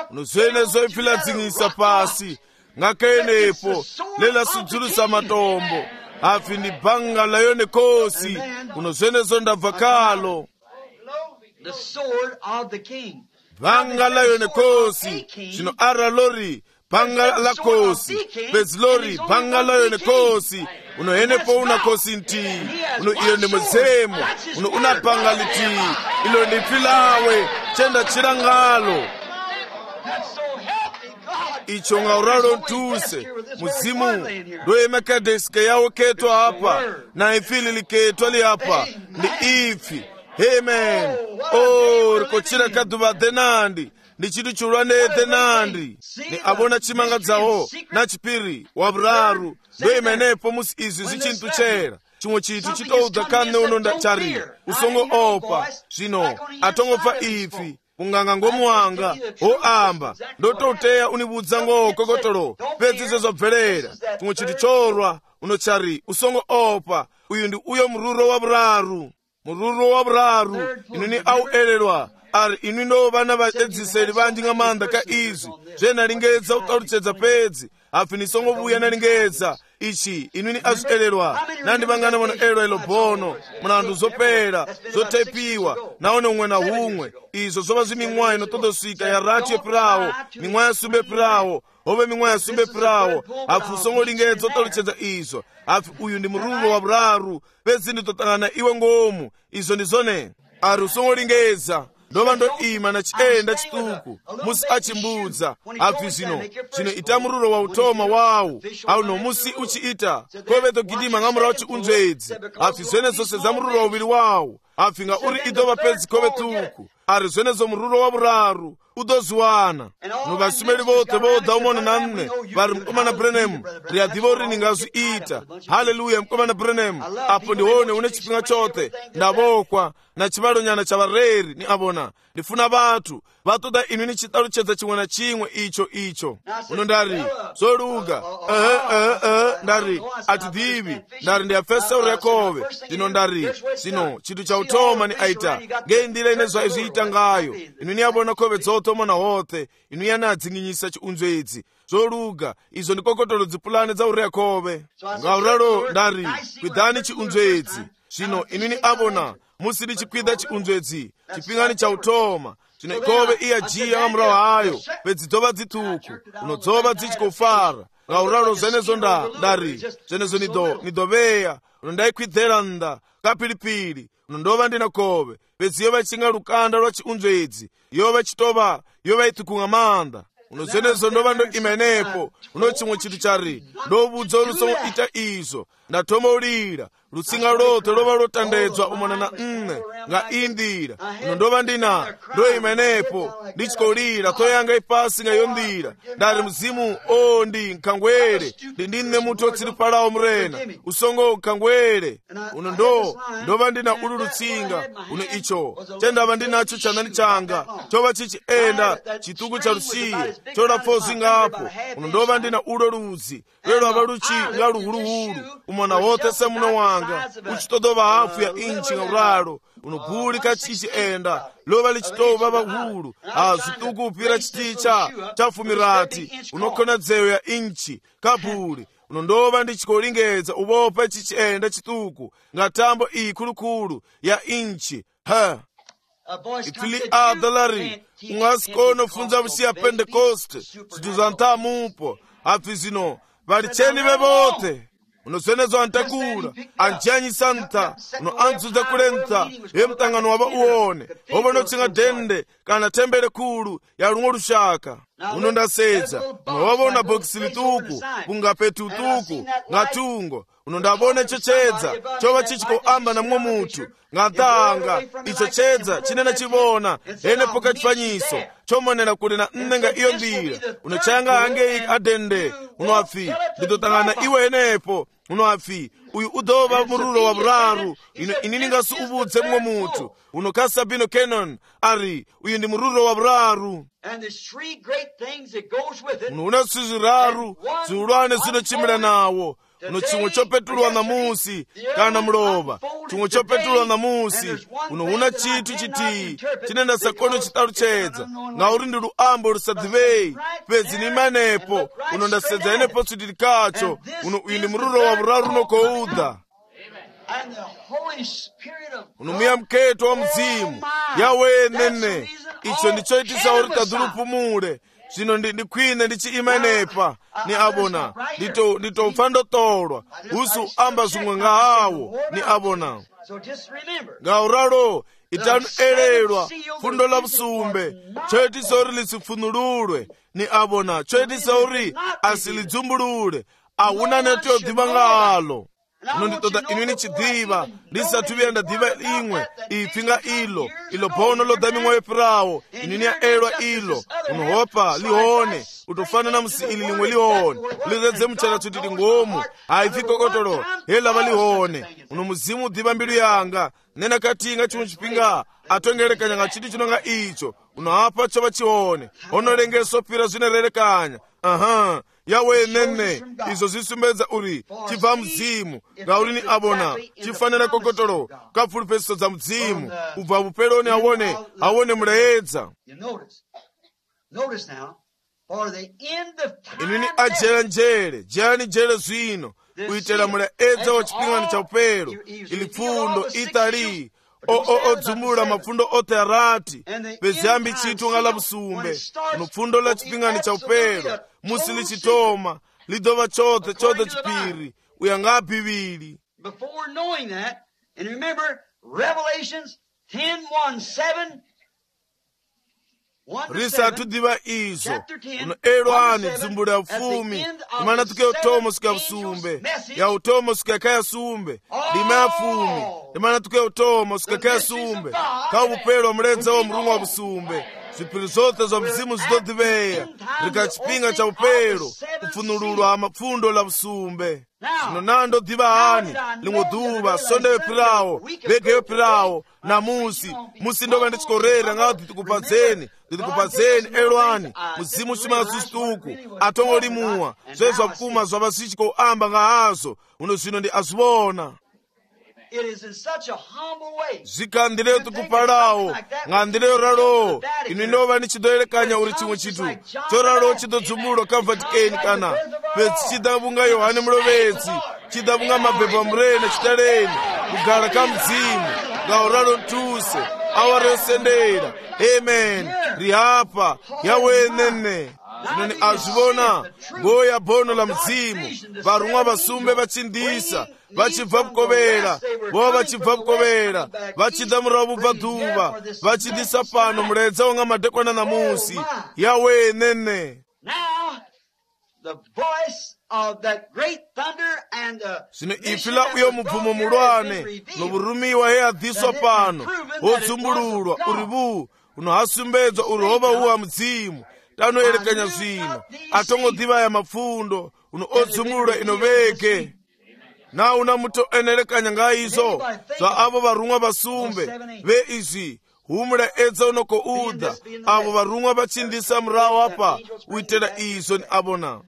Uno zene zoifila dzingisa pasi, ng'akenepo, lela sudzulusa matombo, afi ndi banga layo nekosi, uno zene zondabva kalo. Banga layo nekosi, chino ara lori, banga la kosi, pezi lori, banga layo nekosi, uno enepo una kosi nti, uno iyo ni mzemo, uno una banga liti, ilo ni filawe, chenda chirangalo. Icho ngauralo ntuse, muzimu, doye mekadeske yawo ketwa hapa, na ifili liketwa li hapa, ni ifi. Amen. Oh, rikochira kaduva denandi, ndi chitu chulwane denandi, ni abona chimanga dzawo, na chipiri, wabraru, doye menepo musi izi zichintu chera. Chimwe chitu chitouda kane unonda chari, usongo opa, zino, atongofa ifi. Unganga ngomuanga, amba, ndototeya unibudza ngo kokotolo, pedzi zozobvelera, chimwe chitu chorwa, unochari, usongo opa, uyu ndi uyo mruro wa braru. Mururo wa braru, inuni au elelwa, ari inuni ndo vana vaedziseli vanji ng'amanda ka izi, zvena lingedza utaluchedza pedzi, afi nisongo vuya na lingedza, ichi inuni azuelelwa, nandi vangana mwana elwa ilo bono, mwanandu zopera, zotepiwa, naone umwe na humwe, izo zova ziming'wayi no todosika ya rati epirawo, ming'wayi sumbe pirawo, ove ming'wayi sumbe pirawo, afi usongo lingedza utaluchedza izo, afi uyu ndi mururo wa braru, pedzi nditotangana iwe ngomu, izo ndizone, ari usongo lingedza, ndova ndo ima na chienda chituku, musi achimbudza, afi zino ita mururo wa utoma wawu, au no musi uchiita, koveto gidima ng'amura wachi unzwedzi, afi zwene zose za mururo wa uviri wawu, afi nga uri idova pedzi kovetuku, ari zwene zo mururo wa braru, udoziwana. Nuvasumeli vote voda umona namne, vari mkomana Branham, riyadiva uri ningazu ita, haleluya mkomana Branham, apo ndiwone une chipinga chote, ndavokwa, na chivalo nyana chavareri, ni abona, nifuna vatu, vatoda inuni chitaluchedza chimwe na chimwe icho. Uno ndari, zoluga, ndari, atidivi, ndari ndiyafesa urekove, zino ndari, zino, chitu cha utoma ni aita, ngendile inezwa iziita ngayo, inuni abona kove zoto mona wote, inuni anadzinginyisa chiunzwedzi, zoluga, izo ndikokotolo dzipulane za urekove, ngauralo ndari, kwidhani chiunzwedzi, zino inuni abona, musiri chikwidha chiunzwedzi, chipingani cha utoma, chino ikove iya jiya ng'amura wayo, pedzi dzova dzituku, unodzova dzichikofara, ngauralo zenezo ndari, zenezo nidoveya, unondaikwidhera nda, kapilipili, unondova ndina kove, pedzi yova ichinga lukanda lwa chiunzwedzi, yova chitova, yova ituku ng'amanda, uno zenezo ndova ndo imenepo, uno chimwe chitu chari, ndobudza olusongo ita izo, ndatoma ulira, lutsinga lote lova lotandedzwa umona na nga indira, uno ndova ndina, ndo imenepo, ndichikolira, toyanga ipasi nga yondira, ndari mzimu ndi nkangwere, ndinne mutu otsiripalawo mrena, usongo nkangwere, uno ndova ndina ulu lutsinga, uno icho, chendava ndinacho chanani changa, chova chichienda, chituku cha lusiye, chola fozi ngapo, uno ndova ndina ulo luzi, lelo avaluchi nga luhuluhulu, umona wote se muno wanga, uchitodova hafu ya inchi ngauralo, unobuli kachichienda, lova lichitova vahulu, zituku upira chiticha, chafumirati, unokona dzeyo ya inchi, kabuli, unondova ndichikolingedza, uvopa chichienda chituku, ngatambo ikulukulu, ya inchi, ifili adalari, ungasikono funza visi Pentecoste, situzanta mupo, afi zino, varicheni vevote, unosenezo antakura, anjanyi santa, uno anzuza kulenta, mtangano waba uone, obono chinga dende, kana tembele kulu, ya lungo lushaka. uno ndasedza unowavona bhokisi lituku kungapetu tuku ngatungo uno ndavona icho chedza chova chichikoamba namwe mutu ngatanga icho chedza chinena chivona ene poka chifanyiso chomonera kuli na nga iyo ndira uno changa hange adende uno afi nditotangana iwe enepo uno afi uyu udova mururo wa buraru inini ngasu ubudze mwe mutu uno kasabino Kenon ari uyu ndi mururo wa buraru uno unasiziraru ziulwane zino chimira nawo uno chimwe chopetulwa na musi kana mlova chimwe chopetulwa na musi uno una chitu chiti chinenda sakono chitalu chedza nga uri ndi luambo lusadhivei pezi ni manepo uno ndasedza enepo tsudilikacho uno uyu ndi mururo wa buraru unokoudha uno muya mketo wa mzimu yawe nene icho ndicho itisa uri tadhulupumule zvino ndikwine ndichiimanepa ni abona nditopfa ndotolwa usu amba zvimwe ngahawo ni abona ngauralo itanu elelwa fundo la busumbe choitisa uri lisifunululwe ni abona choitisa uri asilidzumulule awuna neto dhiva ngalo uno nditoda inwini chidhiva ndisatuvira ndadhiva imwe ipfinga ilo bono lodami mwoyo pirawo inwini ya elwa ilo unohopa lihone utofanana musi ili limwe lihone liredze mchana tutiti ngomu haifikokotolo helava lihone uno muzimu udhiva mbilu yanga nena katinga chimwe chipinga atongerekanya chiti chinonga icho unohapa chova chihone onolengesa pira zvinererekanya yawe nene izo zisumbedza uri chibva mzimu ngauri ni abona chifanana kokotolo kapfulupesiso dza mzimu ubva vupeloni awone mulaedza inini ajera njere jerani njere zwino kuitela mulaedza wa chipingano cha upelo ili pfundo itali odzumula mafundo ote arati bezambi chitu ngala busumbe uno pfundo la chipingano cha upelo musi lichitoma lidova chote chipiri uyanga bibili. Before knowing that, and remember Revelations 10:1-7 risatu diva izo uno elwani dzumbula ya ufumi imana tuke utomo sika busumbe ya utomo sika kaya sumbe lima ya fumi imana tuke utomo sika kaya sumbe ka upelo mledza wa mrungu wa busumbe zipiri zote za mzimu zidodiveya rikachipinga cha upelo ufunululwa mafundo la busumbe sino nando diva hani lingoduva sondewe pirawo vegewe pirawo na musi ndova ndichikorera ngawo titikupadzeni elwani muzimu shimala susituku atongo limuwa zvezwa mkuma zwa basichiko amba ngahazo uno zino ndi azibona zvikandileyo tikupalawo ng'andileyo ralo ino inova nichidoerekanya uri chimwe chitu choralo chidodzumulwa kavatikeni kana petsi chidavunga yohane mulovetsi chidavunga mabhebha murene chitaleni kugara kamzimu ngauralo ntuse awari yosendera amen rihapa yawenene zvinoni azvivona ngoya bono la mzimu varumwa vasumbe vachindisa vachibva kukovera vova vachibva kukovera vachida murava bubva dhuva vachidisa pano muledza wanga madekwana namusi yawenene zvino ifi la uyo mubvumo mulwane novurumiwa he adhiswa pano wodzumbululwa uri vuu unohasumbedzwa uri hova uwa mudzimu tanoerekanya zvino atongodhivaya mapfundo uno odzumululwa inoveke na una mutoenerekanya ngaizo zva avo varumwa vasumbe veizvi humula edza unokoudha avo varumwa vachindisa murawo apa uitela izvo ni avona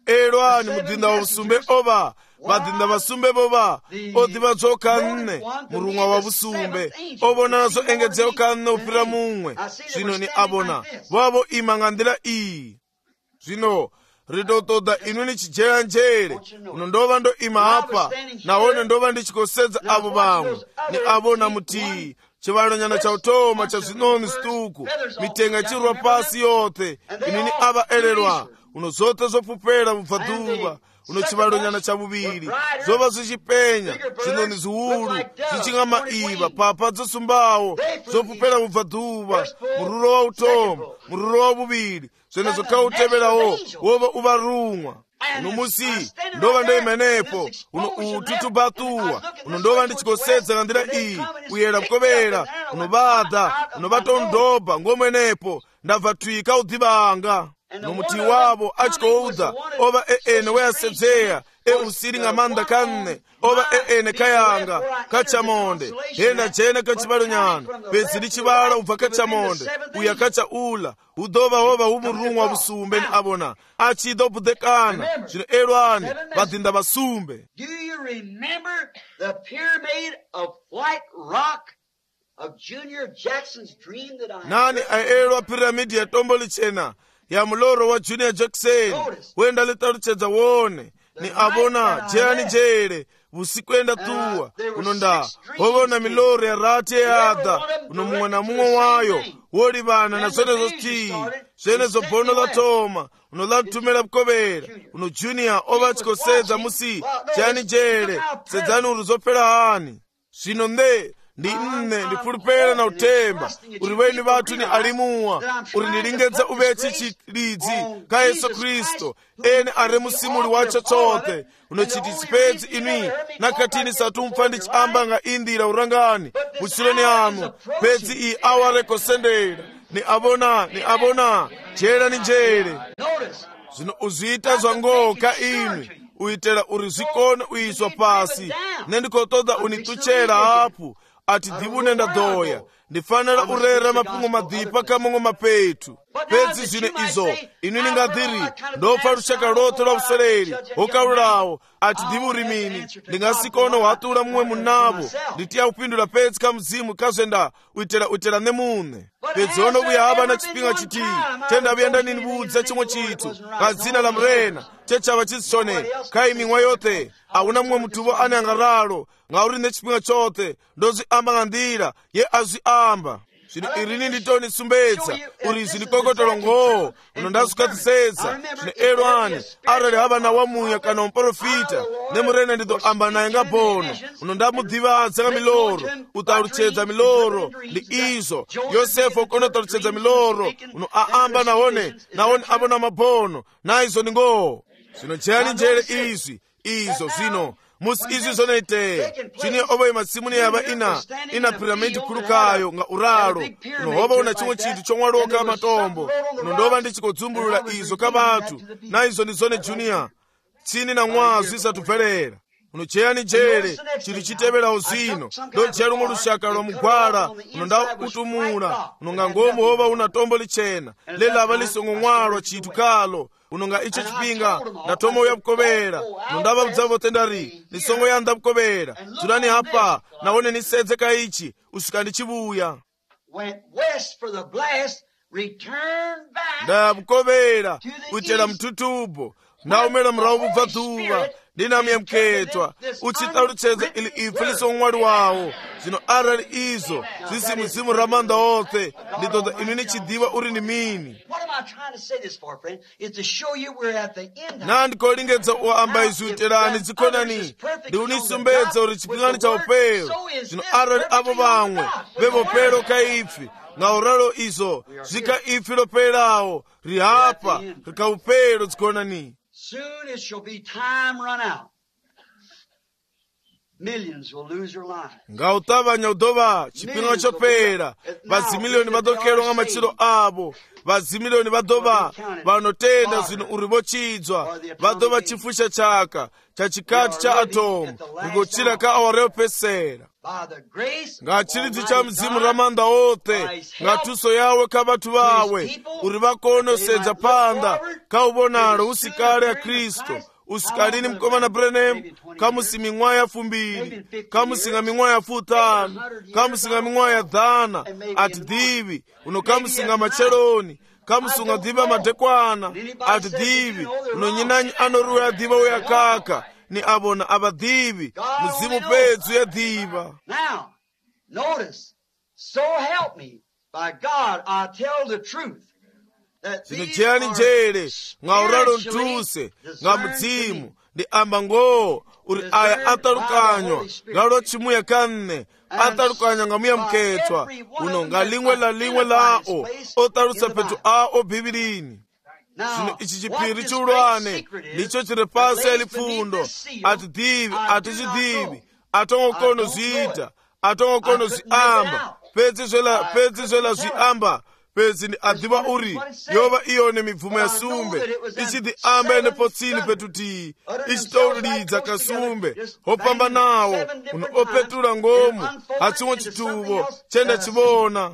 elwani mudhinda wa busumbe ova vadhinda vasumbe vova odhiva dzokanne murumwa wa busumbe ovona nazo engedzeo kanne upira mumwe zvino ni avona vavo ima ngandila iyi zvino ridotoda inu nichijera njere uno ndova ndo ima apa nahone ndova ndichikosedza avo vamwe ni avona mutii chivalonyana cha utoma cha zinoni situku mitenga chirwa pasi yote inini ava elelwa uno zote zopupela mubva dhuva uno chibalo nyana cha bubiri zova zichipenya zinoni ziwulu zichinga maiva papa zosumbawo zopupera ubva dhuva mururo wa utomu mururo wa bubiri zvene zvokauteverawo wova uvarumwa uno musi ndova ndoimenepo uno ututubatuwa uno ndova ndichikosedza kandira iyi uyera mkovera unovadha unovatondobha ngomwenepo ndabva twika udhivanga nomuti wavo achikoudha ova ene weasedzeya eusiri ng'amanda kanne ova ene kayanga kachamonde henda jene kachibalo nyana pedzi lichibala ubva kachamonde uya kachaula udhova hova umurumwa busumbe ni abona achidobudekana zvino elwani vadhinda basumbe. Do you remember the pyramid of white rock of Junior Jackson's dream that I nani aelwa piramidi ya tombo lichena ya muloro wa Junior Jackson wenda litaluchedza wone ni abona jani jere vusikwenda tuwa unonda hovona miloro ya rate yadha uno mumwe na mumwe wayo wolivana na zvene zotii zvene zobhono latoma uno latumela bukovera uno Junior ova chikosedza musi jani jere sedzani uri zopera hani zvino nde ndi nne ndipulupera na utemba uri weni vatu ni alimuwa uri ndilingedza uvechi chilidzi ka Yesu Kristo ene ari musimuli wacho chote unochitisipedzi inwi nakatini satumfa ndichiamba nga indira urangani muchiloni anu pedzi iyi awarekosendera ni abona jera ni jere zvino uzviita zvangoho ka inwi uitera uri zvikone uiswa pasi nendikotoda unituchera hapu ati divune ndadhoya ndifanira urera mapingo madhipa kamongo mapetu pedzi zvino izo inu ningadhiri ndopfa rushaka rote rwa usoreri hokaulawo ati divuri mini ndingasikona hwatura mumwe munavo nditiya kupindura pedzi kamuzimu kazvenda uitera nemune pedzi ono uya hava na chipinga chiti tenda vyenda ninibudza chimwe chitu kadzina la mrena chechava chisichone kaimingwa yote hauna mumwe mutuvo ane angaralo ngauri nechipinga chote ndozviamba ngandira ye azviamba zvino irini nditonisumbedza uri zinikokotolo ngoho unondazvikatisedza zvino elwani arali hava na wamuya kana muprofita nemurena ndizoamba naye ngabhono unondamudhivadza nga miloro utaluchedza miloro ndi izo yosefu ukonotaluchedza miloro uno aamba nahone abona mabhono naizo ni ngoho zvino jeyani njere izo zvino musi izvi zonoiteya chini ovo imatsimuni yava ina piramidi kulukayo nga uralo unohova una chimwe chinthu chomwaloka matombo unondova ndichikodzumbulula izo kavatu naizo ndizone Junior tsini na mwazi isatubverera unocheyani jere chili chiteverawo zino ndojera lumwe lushaka lwa mugwala unonda utumula unonga ngomu hova una tombo lichena lelava lisongomwalwa chitu kalo unonga icho chipinga na tomo ya bukovera unondava budzavo tendari nisongo ya nda bukovera tulani hapa naone nisedze ka ichi usika ndichibuya nda bukovera utera mtutubo naumela mrawu bubva dhuva ndinamiya mketwa uchitaluchedza ili ife lisongomwali wawo zvino arali izo zisimuzimu ramanda othe nditoda inu nichidiva uri ni mini nandikolingetsa uamba izvi uterani dzikonani ndi unisumbedza uri chipingani cha upero zvino arali avo vamwe vevopero kaifi ngauralo izo zvika ifi loperawo rihapa rikaupero dzikonani. Soon it shall be time run out. Millions will lose their lives. Ngautavanya udova chipinga chopera vazimiliyoni vadokerwa nga machiro avo vazimiliyoni vadova vanotenda zvinhu uri vochidzwa vadova chifusha chaka chachikati cha atomu rigochira ka awa reopesera ngachiridzi cha mzimu ramanda othe ngatuso yawe kavatu vawe uri vakonosedza panda kauvonalo usikale ya Kristo usikalini mkomana Branham kamusimi ming'wayi ya fumbiri kamusinga ming'wayi ya futano kamusinga ming'wayi ya dhana ati dhivi uno kamusinga macheloni kamusunga dhiva madekwana ati dhivi uno nyinanyi anoruwa ya dhiva uya kaka ni abona abadhivi muzimu pedzu ya dhiva. Now notice, so help me by God I tell the truth. Zino cheyani njere nga uralo ntuse nga mudzimu ndi amba ngoo uri aya atalukanywa ngalo chimuya kanne atalukanya ngamuya mketwa uno ngalimwe la limwe lao otalusa petu ao bhibilini. Sino ichi chipiri chulwane nicho chirepasa elifundo atichidivi atongokono zita atongokono ziamba pedzi zwela ziamba pedzi ni adhiva uri yova iyone mibvumo ya sumbe ichidi amba ene potsini petuti ichitolidza kasumbe hopamba nawo uno opetula ngomu hachimwe chituvo chenda chivona.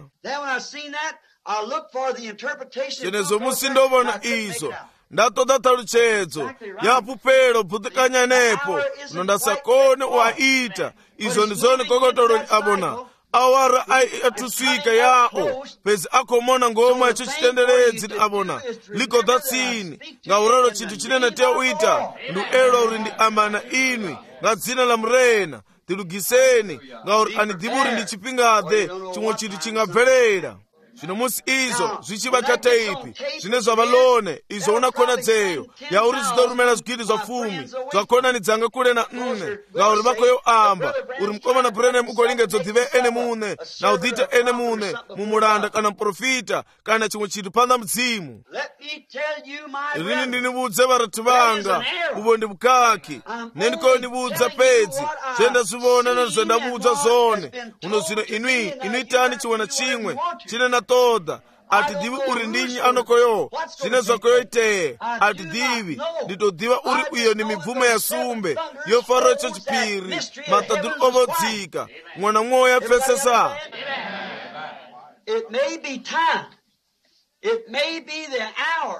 Chenezo musindovona izo ndatoda taluchedzo yapupelo bhutikanya nepo uno ndasakone waita izo ndizoni kokotoloni abona awara atuswika yao pezi akomona ngoma yacho chitenderedzi ni abona likodha tsini ngauralo chinthu chinene te uita ndu elo uri ndi amana inwi nga dzina la murena tilugiseni ngauri anidhivuri ndi chipingade chimwe chinthu chingabvelera. Zvino musi izo zvichivakata ipi zvine zvavalone izo unakona dzeyo yauri zvitorumena zvigidi zvapfumi zvakonanidzanga kule na nne ngauri vakoyo amba uri mukomana Branham ukolingedzo dhive ene mune na udhita ene mune mumuranda kana muprofita kana chimwe chinthu panda mudzimu. Rini ndinivudze varatu vanga uvo ndi bukaki nendikondivudza pedzi zvenda zvivona na zvendavudza zone uno zvino inuitani chimwe na chimwe chine na toda atidhivi uri ndinyi anokoyo zvine zvakoyo iteye atidhivi nditodhiva uri uyo ni mibvumo ya sumbe yofariro icho chipiri matadhuri ovodzika mwana mwoyo yapfesesa.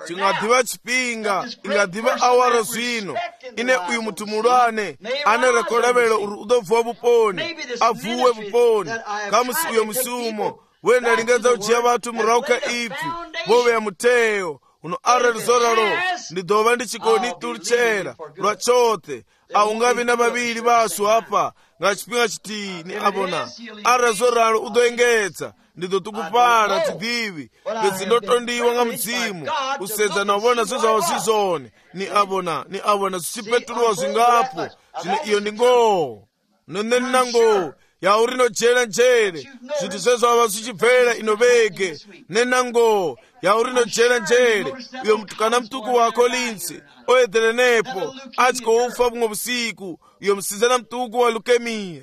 Chingadhiva chipinga ingadhiva awara zvino ine uyu munthu mulwane anerekolavelo uri udobvuwa vuponi avuwe vuponi kamusi uyo musumo wenda lingedza uchiya vatu murauka ipfi vove ya muteyo uno aralizoralo ndidova ndichikoni tulichera lwa chothe aungavi na vavili vasu apa nga chipinga chitini abona arazoralo udoengedza ndidotukupala tidhivi pedzi ndotondiwa nga mudzimu usedza na uvona zvezvawo zizone ni abona zvichipetuluwa zvingapo zvino iyo ndi ngoo noneni na ngoo yauri nojera njere zviti zvezvava zvichibvera inovege nenango yauri nojera njere uyo mutukana mutuku wako linsi oedhere nepo achikoufa bumwe busiku uyo musizana mutuku wa leukemia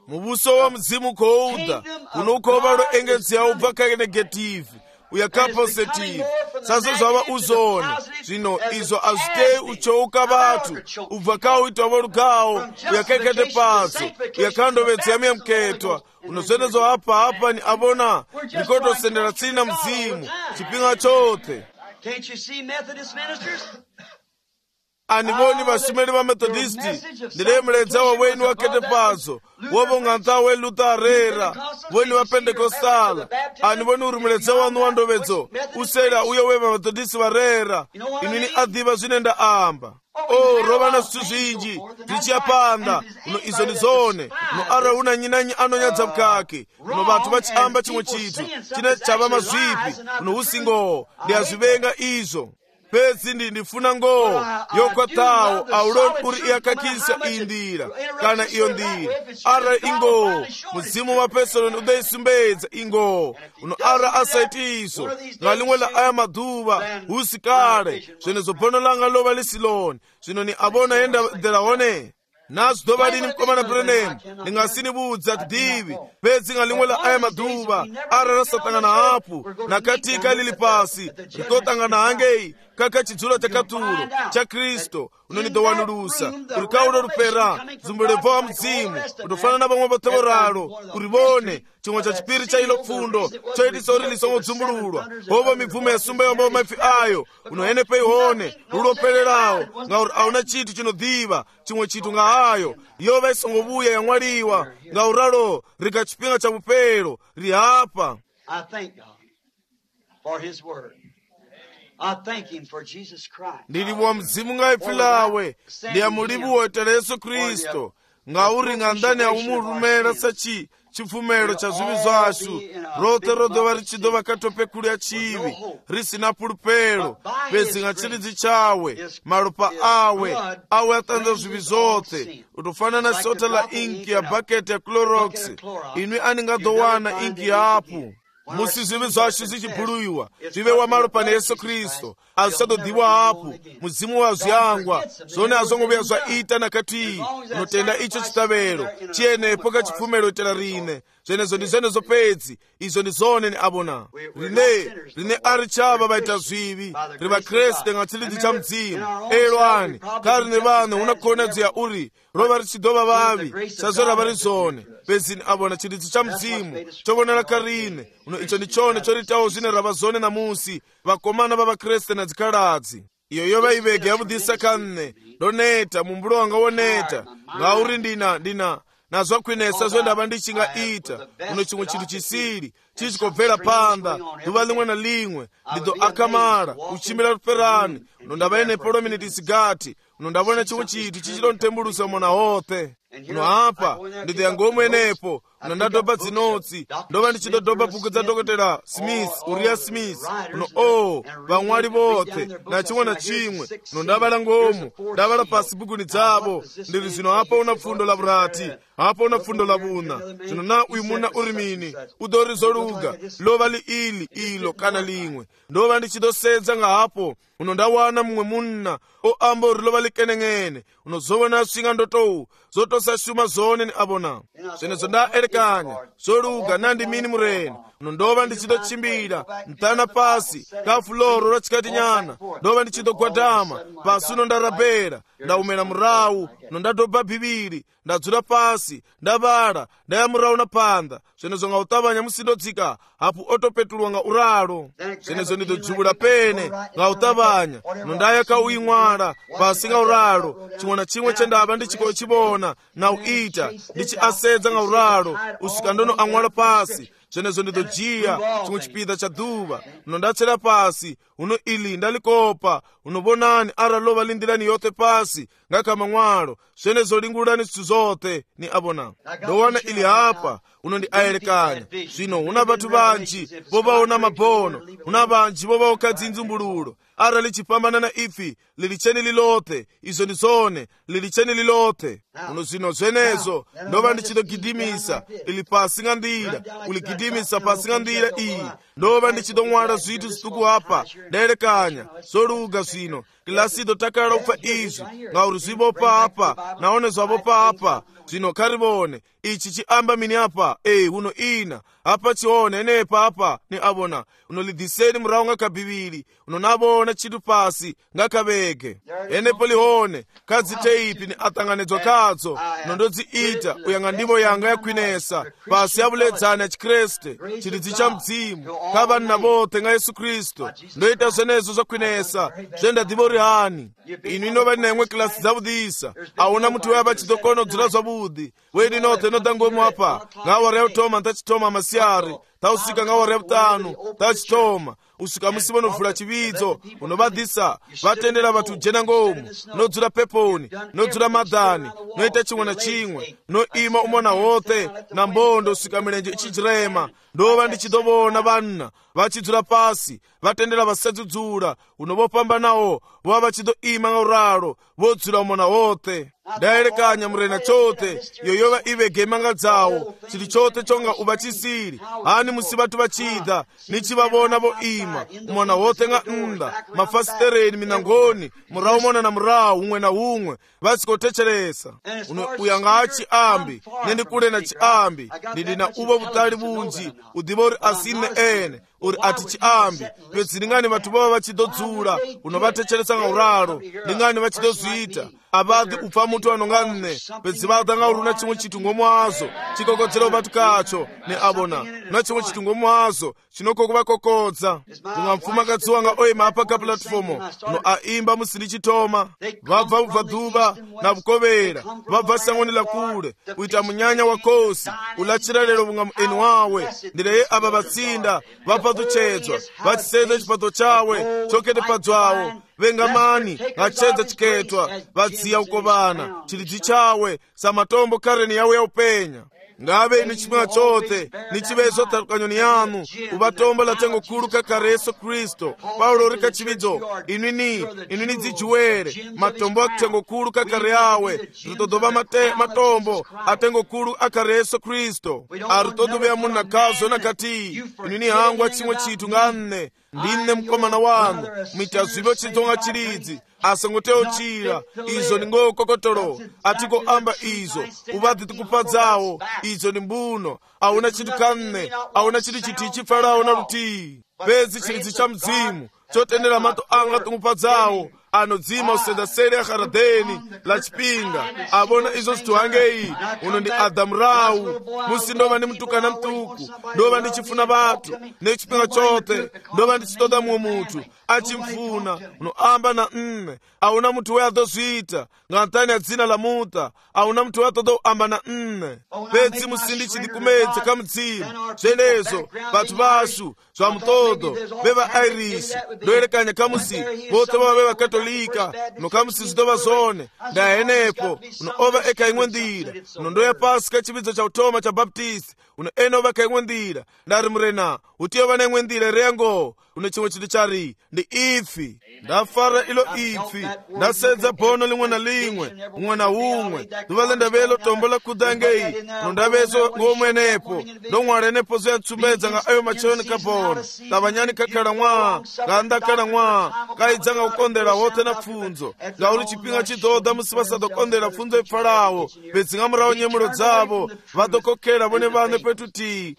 mubuso wa muzimu kouda unokova lo engedzi ya ubva kake negative uyaka positive sasa zvava uzone zvino izo azvitei uchouka vatu ubva kauitwa volugawo uyakaikate patso uyakandovedza yamiya muketwa unozvendezo hapa ni abona nikotosendera tsina muzimu chipinga chothe. Anivoni vashumeri va Methodisti ndiremuledza wa weni wakete pazo wovong'anta we Lutherera weni wa Pentecostala anivoni uri muledza wanu wa ndovedzo usera uyo we va Methodisti varera inini adhiva zvinenda amba rova na zvithu zvinji zvichiyapanda uno izo ni zone uno ara una nyinanyi anonyadza mukake uno vatu vachiamba chimwe chithu chine chava mazvipi uno usingo ndiazvivenga izvo pedzi ndifuna ngoo yokwatawo auloni uri iyakakisa iyi ndira kana iyo ndira ara ingoo muzimu wa pesoloni udaisumbedza ingoo uno ara asaiti iso ngalimwe la aya madhuva usikale zvene zobonolanga lova lisiloni zvino ni abona yenda dherahone nazo dova lini mukomana Branham ndingasinibudza tidhivi pedzi ngalimwe la aya madhuva ara rasatangana hapu nakatika lili pasi rikotangana hangei kaka chidzulo chakaturo cha Kristo unonidowanulusa uri kaulo rupera zumbulevo wa mudzimu utofana na vamwe vatevoralo urivone chimwe cha chipiri cha ilo pfundo choitisa uri lisongodzumbululwa hovo mibvumo ya sumba yomba maifi ayo unohenepe ihone rulopelerawo ngauri auna chinthu chinodhiva chimwe chinthu nga ayo yova isongovuya yamwaliwa ngauralo rika chipinga cha vupelo rihapa. I thank God for His word. I thank Him for Jesus Christ. Ndiliwa mzimu ngaifilawe ndiya mulibu woitela Yesu Kristo ngauri ngandani aumurumela sachi chifumelo cha zvivi zvashu rote rodova richidova katope kulya chivi risina pulupelo pezinga chiridzi chawe maropa awe atanza zvivi zvote utofanana sota la inki ya bhaketi ya Clorox inwi aningadowana inki yapo musi zvivi zvashu zichibhuluyiwa zvive wamaropa neyesu Kristu azvisadodiwa hapo muzimu wazviyangwa zvone hazvongoveya zvaita nakati unotenda icho chitavero chienepo kachipfumelo itela rine zvenezo ndizvenezo pedzi izvo ndizvone neabona rine ari chava vaita zvivi ri vakreste nga chiridzi cha mudzimu elwani kari ne vanhu unakuonadziya uri rova richidova vavi sazvo rava ri zvone pedzini abona chiridzi cha mudzimu chovonera karine uno icho ndichone choritawo zvine rava zvone namusi vakomana vavakreste nadzikaladzi iyo yova ivege yavudhisa kanne ndoneta mumbulo wanga woneta ngauri ndina nazvakwinesa zvendava ndichingaita uno chimwe chinhu chisiri chichikobvera panda duva limwe na limwe ndido akamara uchimira ruperani uno ndava ine polominiti sigati uno ndavona chimwe chinthu chichidonitembulusa mona hothe uno apa ndidho yangomwenepo uno ndadobha dzinotsi ndova ndichidodobha bhuku dzadokotera Smith Uriah Smith uno vamwari vothe na chimwe na chimwe uno ndavala ngomu ndavala pasi bhukuni dzavo ndiri zvino apa una pfundo la vurati apa una pfundo la vuna zvino na uyu muna uri mini udori zoluga lova liili ilo kana limwe ndova ndichidosedza ngahapo uno ndawana mumwe munna oamba uri lova likeneng'ene unozovona swinga ndotou zotosashuma zvone ni abona zvenezo ndaerekanya zoluga nandi mini mureni uno ndova ndichidochimbira mtana pasi kafuloro rachikati nyana ndova ndichidogwadama pasi uno ndarabhera ndaumera murawu uno ndadobha bhibhiri ndadzura pasi ndavala ndaya murawu napanda zvenezo nga utavanya musidodzika hapo otopetulwa nga uralo zvenezo ndidojuvula pene nga utavanya uno ndaya kauimwala pasi nga uralo chimwe na chimwe chendava ndichikochibona na uita ndichiasedza nga uralo usika ndono amwala pasi zvenezo ndidojiya chimwe chipida cha dhuva uno ndatsera pasi uno ili ndalikopa unobonani aralova lindirani yote pasi ngakama mwalo zvenezo lingulani zithu zote ni abona ndowana ili hapa uno ndi ayerekanya zvino una vathu vanji vovaona mabono una vanji vovaoka dzinzumbululo ara lichipambana na ifi lilicheni lilote izo ndi zone lilicheni lilote uno zvino zvenezo ndova ndichidogidimisa ili pasi nga ndira uligidimisa pasi nga ndira iyi ndova ndichidomwala zvithu zituku apa ndayerekanya zoluga zvino kilasido takala upfa izvi ngauri zvivopa apa naone zvavopa apa zvino karivone ichi chiamba mini apa uno ina apa chione nepa apa ni abona unolidhiseni murawu ngakabhiviri unonavona chitu pasi ngakavege enepo lihone kadziteipi ni atanganedzwa kadzo nondodziita uyanga ndivo yanga yakwinesa pasi yavuledzani ya chikreste chiridzi cha mudzimu kavanhu navothe nga Yesu Kristu ndoita zvenezo zvakwinesa zvendadivo rihani inu inova nemwe kilasi dzavudhisa auna muti weva chidokonodzira zvavudhi wedi nothe nodangomu apa ngawara yautoma ntachitoma masiyari tausika ngawara yavutanu tachitoma usika musi vonovhula chividzo unovadhisa vatendera vathu jena ngomu nodzura peponi nodzura madhani noita chimwe na chimwe noima umona hothe na mbondo usika milenje ichijirema ndova ndichidovona vanna vachidzura pasi vatendera vasadzudzula unovopambanawo vova vachidoima nga uralo vodzula umona hothe ndayerekanya murena chote iyo yova ivege imanga dzawo chili chote chonga uvachisiri hani musi vathu vachidha nichivavona voima umona hothe nga nda mafasitereni minangoni murawu mona na murawu umwe na umwe vasikotecheresa uno uyanga achiambi nendikule na chiambi ndidina uvo vutali vunji udiva uri asine ene uri ati chiambi pedzi ndingani vathu vova vachidodzula unovatecheresa nga uralo ndingani vachidozviita avadhi upfa mutu anonga nne pedzi vadha nga uri una chimwe chithu ngomwazo chikokodzera vathu kacho ne abona una chimwe chithu ngomwazo chinokokuvakokodza kunga mfumakadzi wanga oima apa ka platifomo uno aimba musi ndichitoma vabva ubva dhuva na vukovera vabva sangoni lakule uita munyanya wa kosi ulachira lero vunga mueni wawe ndireye ava vatsinda vabva patuchedzwa vachisedza chipato chawe chokete padzwawo vengamani ngachedza chiketwa vadziya ukovana chilidzi chawe samatombo kareni yawe yaupenya ngave inu chimwe chote ni chivezo tarukanyoni yanu uvatombo latengo kulu kakare Yesu Kristo Paulo rika chividzo inini dzijuwere matombo akutengo kulu kakare yawe ritodova matombo atengo kulu akare Yesu Kristo arutodovea muna kazo nakati inini hangu achimwe chitu nganne ndine mkomana wanu mitazivo chitonga chilidzi asangoteo chira izo ni ngokokotolo atiko amba izo ubadhi tikupadzawo izo ni mbuno auna chitu kanne auna chitu chitichi farao na ruti pezi chilidzi cha mzimu chotendera mato anga tumupadzawo anodzima usenda sere akharadeni la chipinga abona izo situhangei uno ndi Adamu rau musi ndova ndi mtukana mtuku ndova ndichifuna vatu nechipinga chote ndova ndichitoda mwe mutu achimfuna uno amba na nne auna mutu we adozwita ngantani ya dzina la muta auna mutu we atodo amba na nne pedzi musindi chidikumedza kamudzimu zvenezo vatu vasu zva mutodo veva Irish ndoyerekanya kamusi vote vava veva Katolika nokamusi zitova zone ndahenepo uno ova eka imwe ndira uno ndoya pasi kachividzo cha utoma cha Baptist uno ene ova ka imwe ndira ndari murena utiyova na imwe ndira reyango uno chimwe chitu chari ndi ifi ndafara ilo ifi ndasedza bono limwe na limwe umwe na umwe nduvale ndavelo tombo la kudangei uno ndavezo ngomwenepo ndong'warenepo zoyatsumbedza nga ayo machoni kabono lavanyani kakhala mwa ngandakhala mwa kaidzanga kukondera wote na pfunzo ngauli chipinga chidoda musi vasadokondera pfunzo ipfalawo pedzinga murawo nyemulo dzavo vadokokera vone vane petuti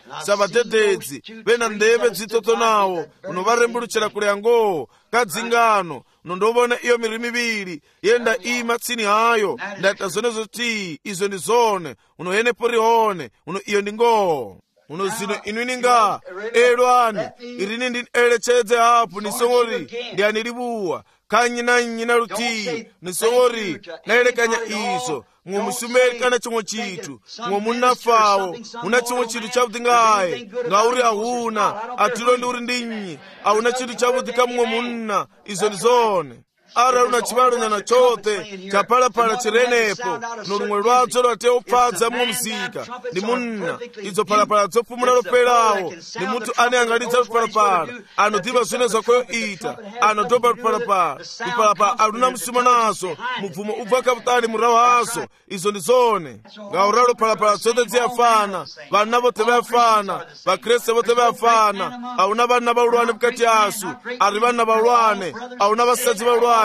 savadededzi vena ndeve dzitotonawo unovarembuluchera kule yango kadzingano nondovona iyo miri miviri yenda ima tsini hayo ndaita zonezo ti izo ndi zone unohenepo rihone uno iyo ndi ngoo uno zino inuininga elwani irini ndi elecedze hapo nisongori ndiani libuwa kanyi na ruti nisongori naelekanya izo mwe musumekana chimwe chitu mwe munafawo una chimwe chitu chabuti ngaye ngauri ahuna atilo ndi uri ndinyi auna chitu chabuti kamwe munna izo ndizone ara una chivalo nyana chote chapalapala chirenepo nolumwe lwadzo lwate upfadza mwe mzika ndi munna izo palapala zopfumula lopelawo ndi munthu ane angalitsa lupalapala anodhiva zwine zakoyo ita anodoba lupalapala aluna msuma nazo mubvumo ubva kaputali murawo hazo izo ndi zone ngaura lupalapala zote ziyafana vana vote vayafana vakreste vote vayafana auna vana vaulwane mukati asu ari vana vaulwane auna vasadzi vaulwane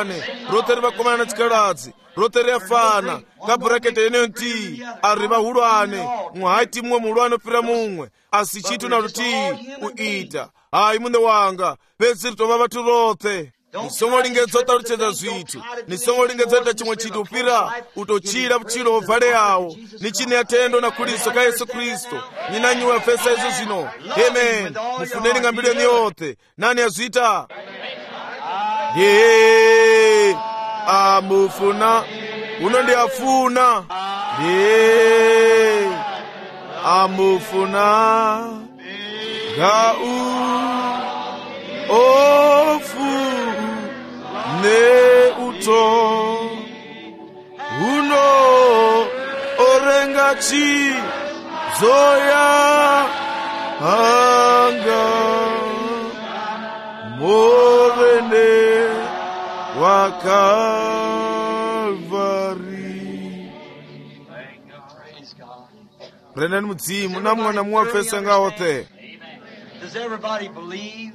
rote rivakomana na chikaladzi rote riyafana kabhurakete yeneyo nti ari vahulwane mwahaiti mumwe muhulwane opira mumwe asi chitu na ruti uita hayi mune wanga pedzi ritova vatu rote nisongolingedza utaluchedza zvitu nisongolingedza chimwe chitu upira utochira vuchiro ovhale yawo nichine yatendo na kuliso ka Yesu Kristo ninanyiwa fesa izo zvino amen mufuneni ngambiro yenu yote nani yazvita ye amufuna uno ndi afuna ye amufuna ga ofu ne uto uno orengachi zoya anga morene wa Kalvari. Brennan mudzimu na mwana muwafesa ngawote. Does everybody believe?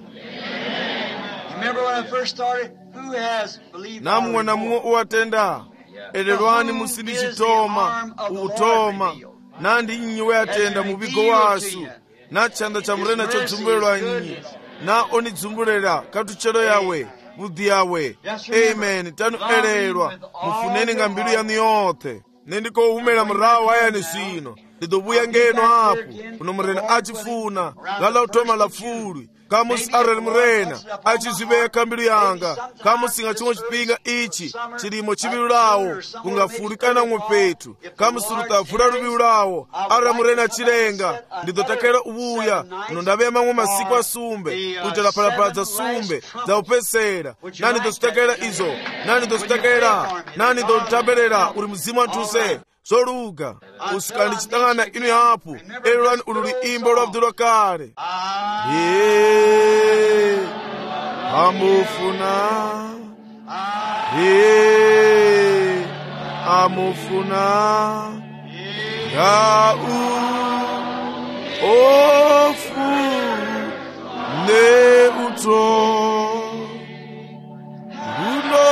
Remember when I first started? Who has believed? Na mwana uwatenda. Elelwani musindi chitoma, utoma. Nandi inyi we atenda mubigo wasu. Na chanda cha mrena cho dzumbulelwa inyi. Na oni dzumbulelwa katuchelo yawe. Budhi yawe. Amen. Tanu elelwa. Mufuneni ngambiru yanu yote. Nendiko umela mrawa ya nisino. ndidobuya ngeno hapo uno murena achifuna lala utoma lafulwi kamusi arali murena achiziveka mbilu yanga kamusinga chimwe chipinga ichi chilimo chibilu lawo kungafulikana umwe petu kamusi lutavula lubilu lawo ara murena chilenga ndidotakera ubuya uno ndabeya mamwe masiku asumbe kutela palapala za sumbe za upesera nani dozitakera izo nani dozitakera nani dotabelera uli mzimu antuse soluga usikandi chitangana inu yapu elulani ululi imbo lwabdulwa kale amufuna amufuna yau ofu ne uto uno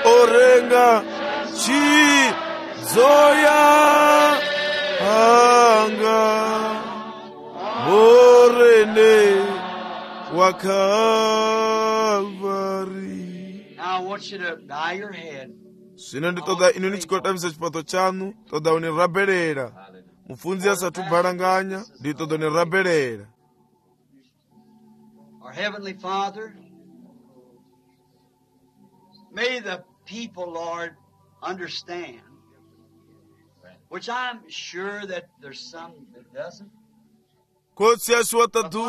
orenga chi zoya anga morene wa Calvary. Now I want you to bow your head. Sino nditoda inu nichikotamisa chipato chanu toda uniraberera mufunzi asatu baranganya nditoda uniraberera. Our Heavenly Father, may the people, Lord, understand, which I'm sure that there's some that doesn't. Kotsi ashuatatu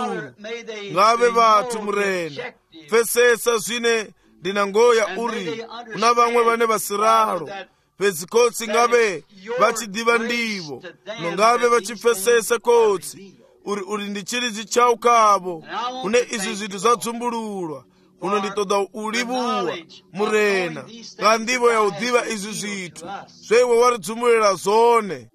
ngave vatu murena fesesa zwine ndinangoya uri una vamwe vane vasiraro pezi kotsi ngave vachidiva ndivo nongave vachifesesa kotsi uri ndichirizi chau kavo une izi zvinhu zvadzumbululwa uno nditoda ulivuwa murena ngandivo yaudiva izi zvithu zveiwe waridzumbulira zone.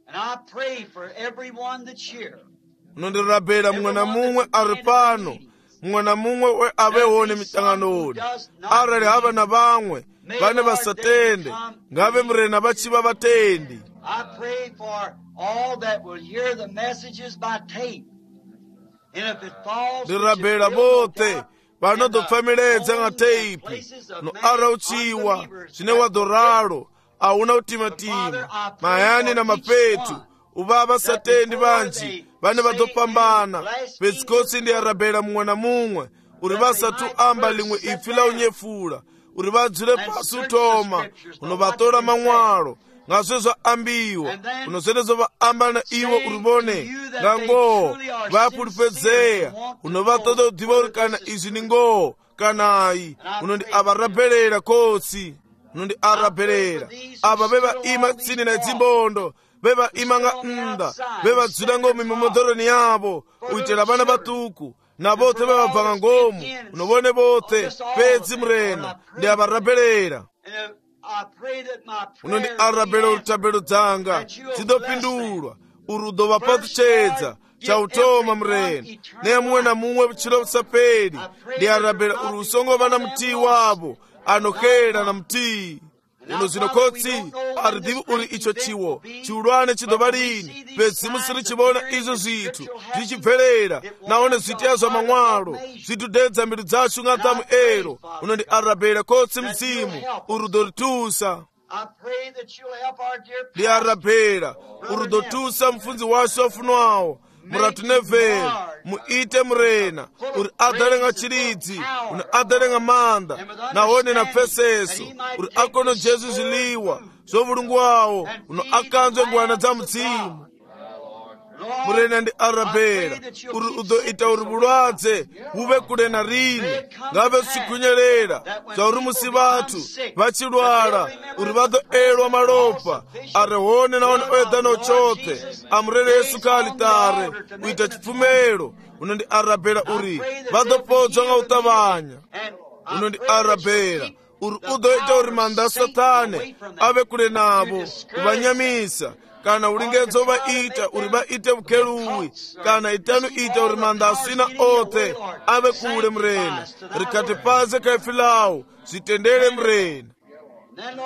Unondirabera mumwe na mumwe ari pano mumwe na mumwe we avehone mitanganoni arali hava na vamwe vane vasatende ngave murena vachiva vatendi. Ndirabera vote vanodopfamiledza nga teipi no arauchiwa zvine wadhoraro auna utimatima mayani na mapetu uva vasatendi vanji vane vadopambana petsikotsi ndiyarabera mumwe na mumwe uri vasatu amba limwe ipfi la unyefula uri vadzule pasi utoma unovatora mamwalo ngazve zvaambiwa unozvenezo vaamba na iwo uri vone ngangoho vapulipedzeya unovatoda kudiva uri kana izvi ni ngoho kanayi unondi avarabherera kotsi unondi arabherera ava vevaima tsini na dzimbondo vevaima nga nda vevadzula ngomu mimomodoroni yavo uitela vana vatuku na vote vevabva ngomu unovone vote pedzi murena ndi avarabherera unondi arabhera urutabhero dzanga dzidopindulwa uri udova patuchedza chautoma murena nemumwe na mumwe chilo usaperi ndi arabhera uri usongova na mutii wavo anokera na mutii uno zvino kotsi aridivi uri icho chiwo chiulwane chidova lini pedzimu siri chivona izvo zvithu zvichibverera naone zvitiya zva mamwalo zvitudedza mbiru dzachu ng'atamu ero unondi arabhera kotsi mzimu uri udoritusa ndi arabhera uri udotusa mfunzi wacho wafunwawo muratunevheri muite murena uri adalenga chiridzi uri adalenga manda nahone na peseso uri akono jesu zviliwa zvovulungu wawo uno akanzwe ngwana dza mudzimu murena ndi arabhera uri udoita uri vulwadze huve kule na rini ngave zvichikunyelela zvauri musi vathu vachilwala uri vadoelwa malopa arehone naone oedano chothe amurere yesu kaalitare uita chipfumelo unondi arabhera uri vadopodzwa nga utavanya unondi arabhera uri udoita uri manda satane ave kule navo kuvanyamisa kana ulingedzo vaita uri vaite vukeluwi kana itanu ita uri manda asina othe ave kule murena rikati paze kaifilawo zvitendere murena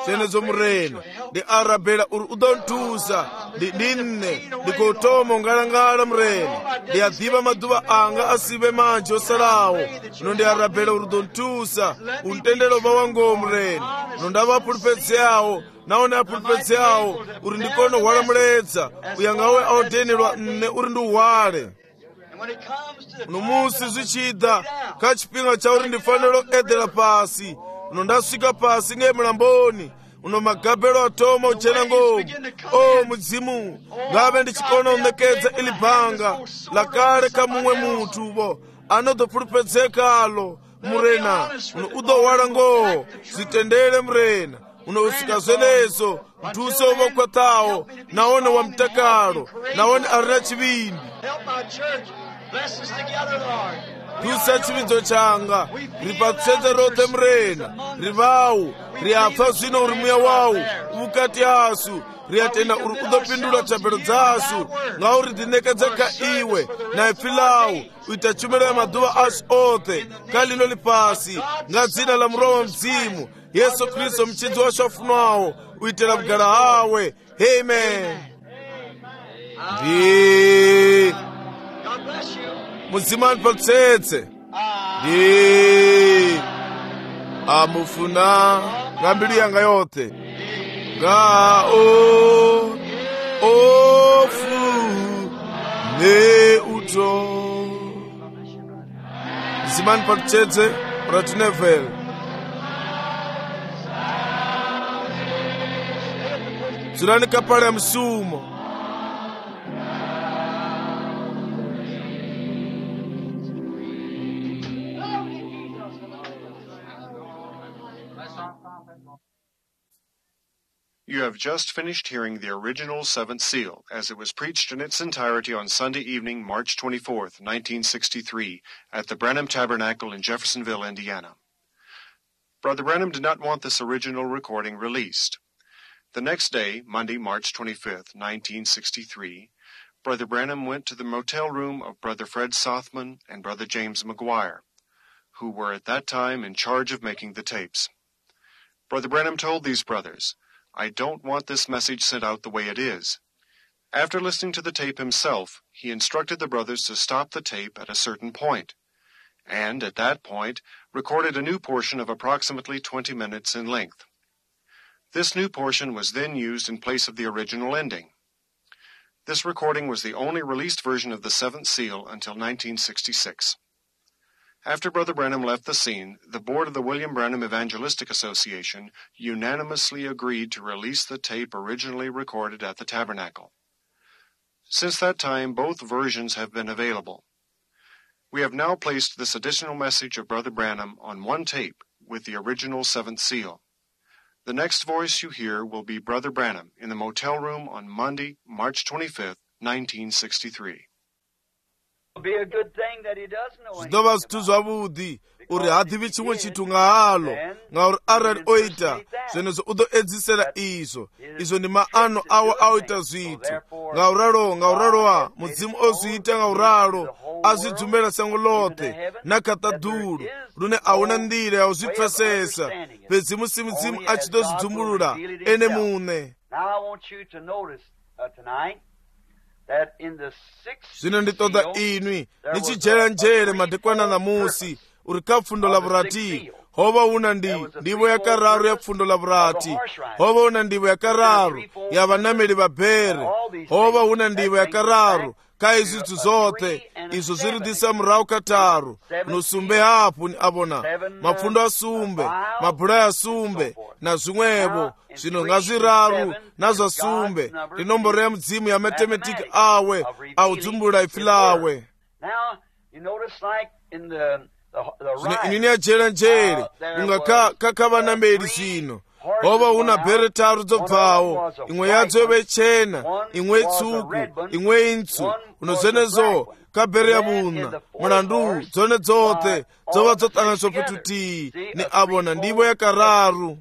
senezo murena ndi arabhera uri udontusa ndinne ndikotoma ungalangala murena ndiyadhiva maduva anga asive manje osalawo uno ndi arabhera uri udontusa untendero vawangowo murena uno ndavapulipedzeyawo naone apulipedzi awo uri ndikono hwala muledza uyangawe aodenelwa nne uri ndi uhwale. Uno musi zvichida kha chipinga cha uri ndifanira edhera pasi uno ndasvika pasi ngemulamboni uno magabelo atoma uchena ngomu. O mudzimu ngave ndichikona unekedza ili bhanga lakale ka mumwe munthu vo anodopulipedzekalo murena uno udohwala ngoho zvitendere murena uno usika zvenezo mtuse wovokwatawo naone wa mtakalo naone arina chivindi. Tusa chivinzo changa ripatsedze rothe murena rivawu riapfa zvino uri muya wawu uvukati asu riatenda uri udopindula thabelo dzasu ngauri ndinekedza ka iwe naipfilawu uita tshumelo ya maduva asu othe ka lino lipasi nga dzina la muroho mdzimu Yesu Kristo mchidzi washu afunwawo uitela kugala hawe. Amen. Ndi mudzimu andipatsetse ndi amufuna nga mbilu yanga yothe nga ofu ne uto. Mudzimu andipatsetse ratinevele dzulani kapale ya msumo. You have just finished hearing the original Seventh Seal as it was preached in its entirety on Sunday evening, March 24th, 1963, at the Branham Tabernacle in Jeffersonville, Indiana. Brother Branham did not want this original recording released. The next day, Monday, March 25th, 1963, Brother Branham went to the motel room of Brother Fred Sothman and Brother James McGuire, who were at that time in charge of making the tapes. Brother Branham told these brothers, "I don't want this message sent out the way it is." After listening to the tape himself, he instructed the brothers to stop the tape at a certain point, and at that point recorded a new portion of approximately 20 minutes in length. This new portion was then used in place of the original ending. This recording was the only released version of the Seventh Seal until 1966. After Brother Branham left the scene, the board of the William Branham Evangelistic Association unanimously agreed to release the tape originally recorded at the Tabernacle. Since that time, both versions have been available. We have now placed this additional message of Brother Branham on one tape with the original Seventh Seal. The next voice you hear will be Brother Branham in the motel room on Monday, March 25th, 1963. Zvidova zvithu zvavudi uri hadivi chimwe chithu ngahalo ngauri arali oita zvenezvo udoedzisera izvo ndi maano awo aoita zvithu ngaurarowa mudzimu ozviita ngauralo azvidzumela sango lothe nakatadulu rune auna ndira yauzvipfesesa pedzi mudzimu achitozvidzumulula ene mune. Zvino nditoda inwi nichijeranjere madekwana namusi uri ka pfundo la vurati hova una ndivo yakararu ya pfundo la vurati hova una ndivo yakararu ya vanameli va bhere hova una ndivo yakararu ka izvithu zothe izvo zviridisa murahu kataru nosumbe hapo ni avona mapfundo asumbe mabhulai asumbe na zvimwevo zvino ngazviraru nazvasumbe inomboro ya mudzimu ya matematiki awe audzumbula ifilawe. Zvino inini yajeranjere unga kakavanameli zvino hova una bhere taru dzobvawo imwe yadzo yove chena imwe itsvuku imwe intsvu unozvenezo kabhere yavuna mulandu dzone dzothe dzova dzotanganiswa petutii ni avona ndivo yakararu.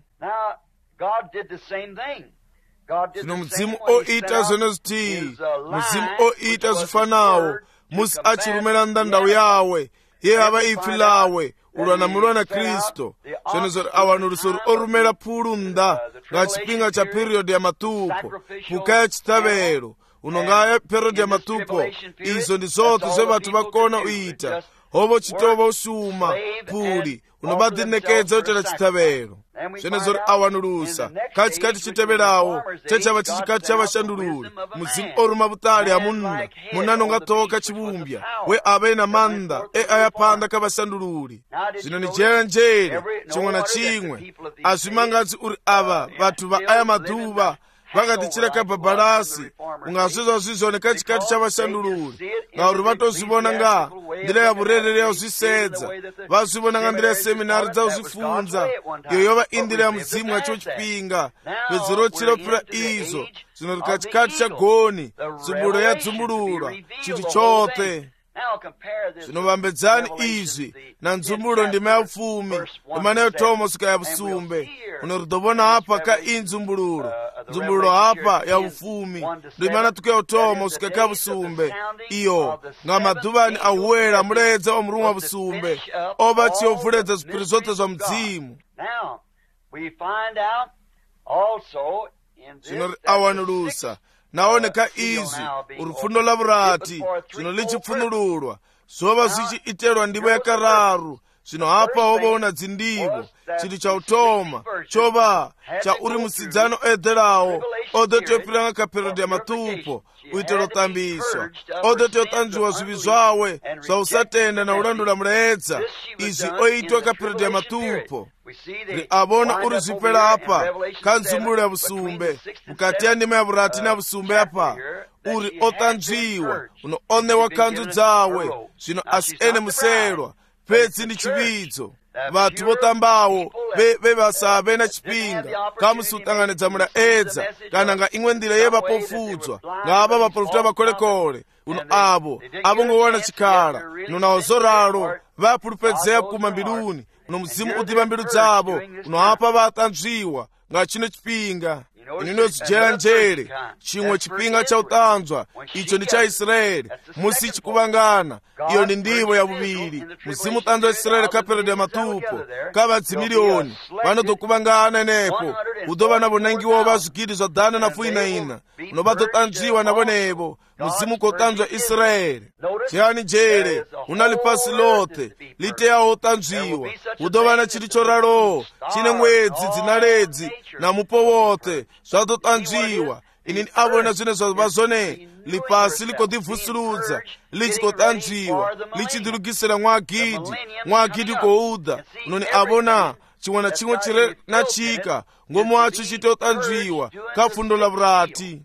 Zvino mudzimu oita zvenezvitii mudzimu oita zvifanawo musi achirumira ndandau yawe ye ava ifi lawe ulwanamulwa na Kristo zvenezvo awanuluso orumela phulu nda nga chipinga cha period ya matupo puka ya chitavelo unongaya period ya matupo izo ndi zothe zve vathu vakona uita hovo chitova usuma phuli unobadinekedza utela chitavelo. zvenezvo awanulusa katikati chiteverawo chachava chichikati chavashandululi muzimu oruma butali amunna munanonga toka chibumbya we ave na manda ayapanda kavashandululi zvino ni njeranje chimwe na chimwe azvimangadzi uri ava vatu va aya madhuva vakatichira kabhabharasi ungazvizwa zvizvone kachikati chavashandululi ngauri vatozvivona nga ndira yavurerere yauzvisedza vazvivona nga ndira yaseminari dzauzvifunza iyo yova indira ya mudzimu yacho chipinga pedzero chiropira izvo zvino rikachikati chagoni dzumbulo yadzumbululwa chiti chote zvinovambedzani izvi na nzumbulo ndima ya upfumi ndima neyotomosika ya busumbe unoridovona apa ka inzumbululo nzumbululo apa ya upfumi ndima natuka yotomosika ka busumbe iyo nga madhuvani ahuwera muledza omurumwa wa busumbe ova chiyovuledza zipiri zote zva mudzimu zvino awanulusa naoneka izvi urufundo lavurati zvino lichipfunululwa zvova zvichiiterwa ndimo yakararu zvino hapa wovaona dzindivo chiti chautoma chova chauri musidzano oedherawo odotiyopiranga kaperodhi ya matupo uitiro tambiswa odotiyotanzviwa zvivi zvawe zvausatenda na urandula muledza izvi oitwa kaperodhi ya matupo riavona uri zvipera apa kanzumbulo ya busumbe mukati ya ndima ya vurati na busumbe apa uri otanzviwa unoonewa kanzu dzawe zvino asi ene muserwa pedzi ndi chividzo vatu votambawo vevasave na chipinga kamusutanganidza mulaedza kana nga imwe ndira yevapofudzwa ngava vaprofita vakolekole uno avo ngowana chikhala uno nawo zoralo vapulupedzeya kuma mbiluni uno muzimu udiva mbilu dzavo uno apa vatanzviwa nga chino chipinga inozijera njere chimwe chipinga cha utanzwa icho ndi cha Israeli musi chikuvangana iyo ni ndivo ya vuviri muzimu utanzwa Israeli kaperodhi ya matupo kavadzimiliyoni vanodokuvangana enepo udova navo nangiwo vazvikidi zva dhana na fuinaina uno vadotanzviwa navo nevo muzimu kotanzwa Israeli chiyani njere unali pasi lote liteyawo utanzviwa udova na chiri choralowo chine mwedzi dzinaledzi na mupo wote zvadotanzviwa inini avona zvine zvava zvone lipasi likodivhusurudza lichikotanzviwa lichidirugisira mwagidhi kouda unoni avona chimwe na chimwe chiri na chika ngomu wacho chitotanzviwa kafundo lavurati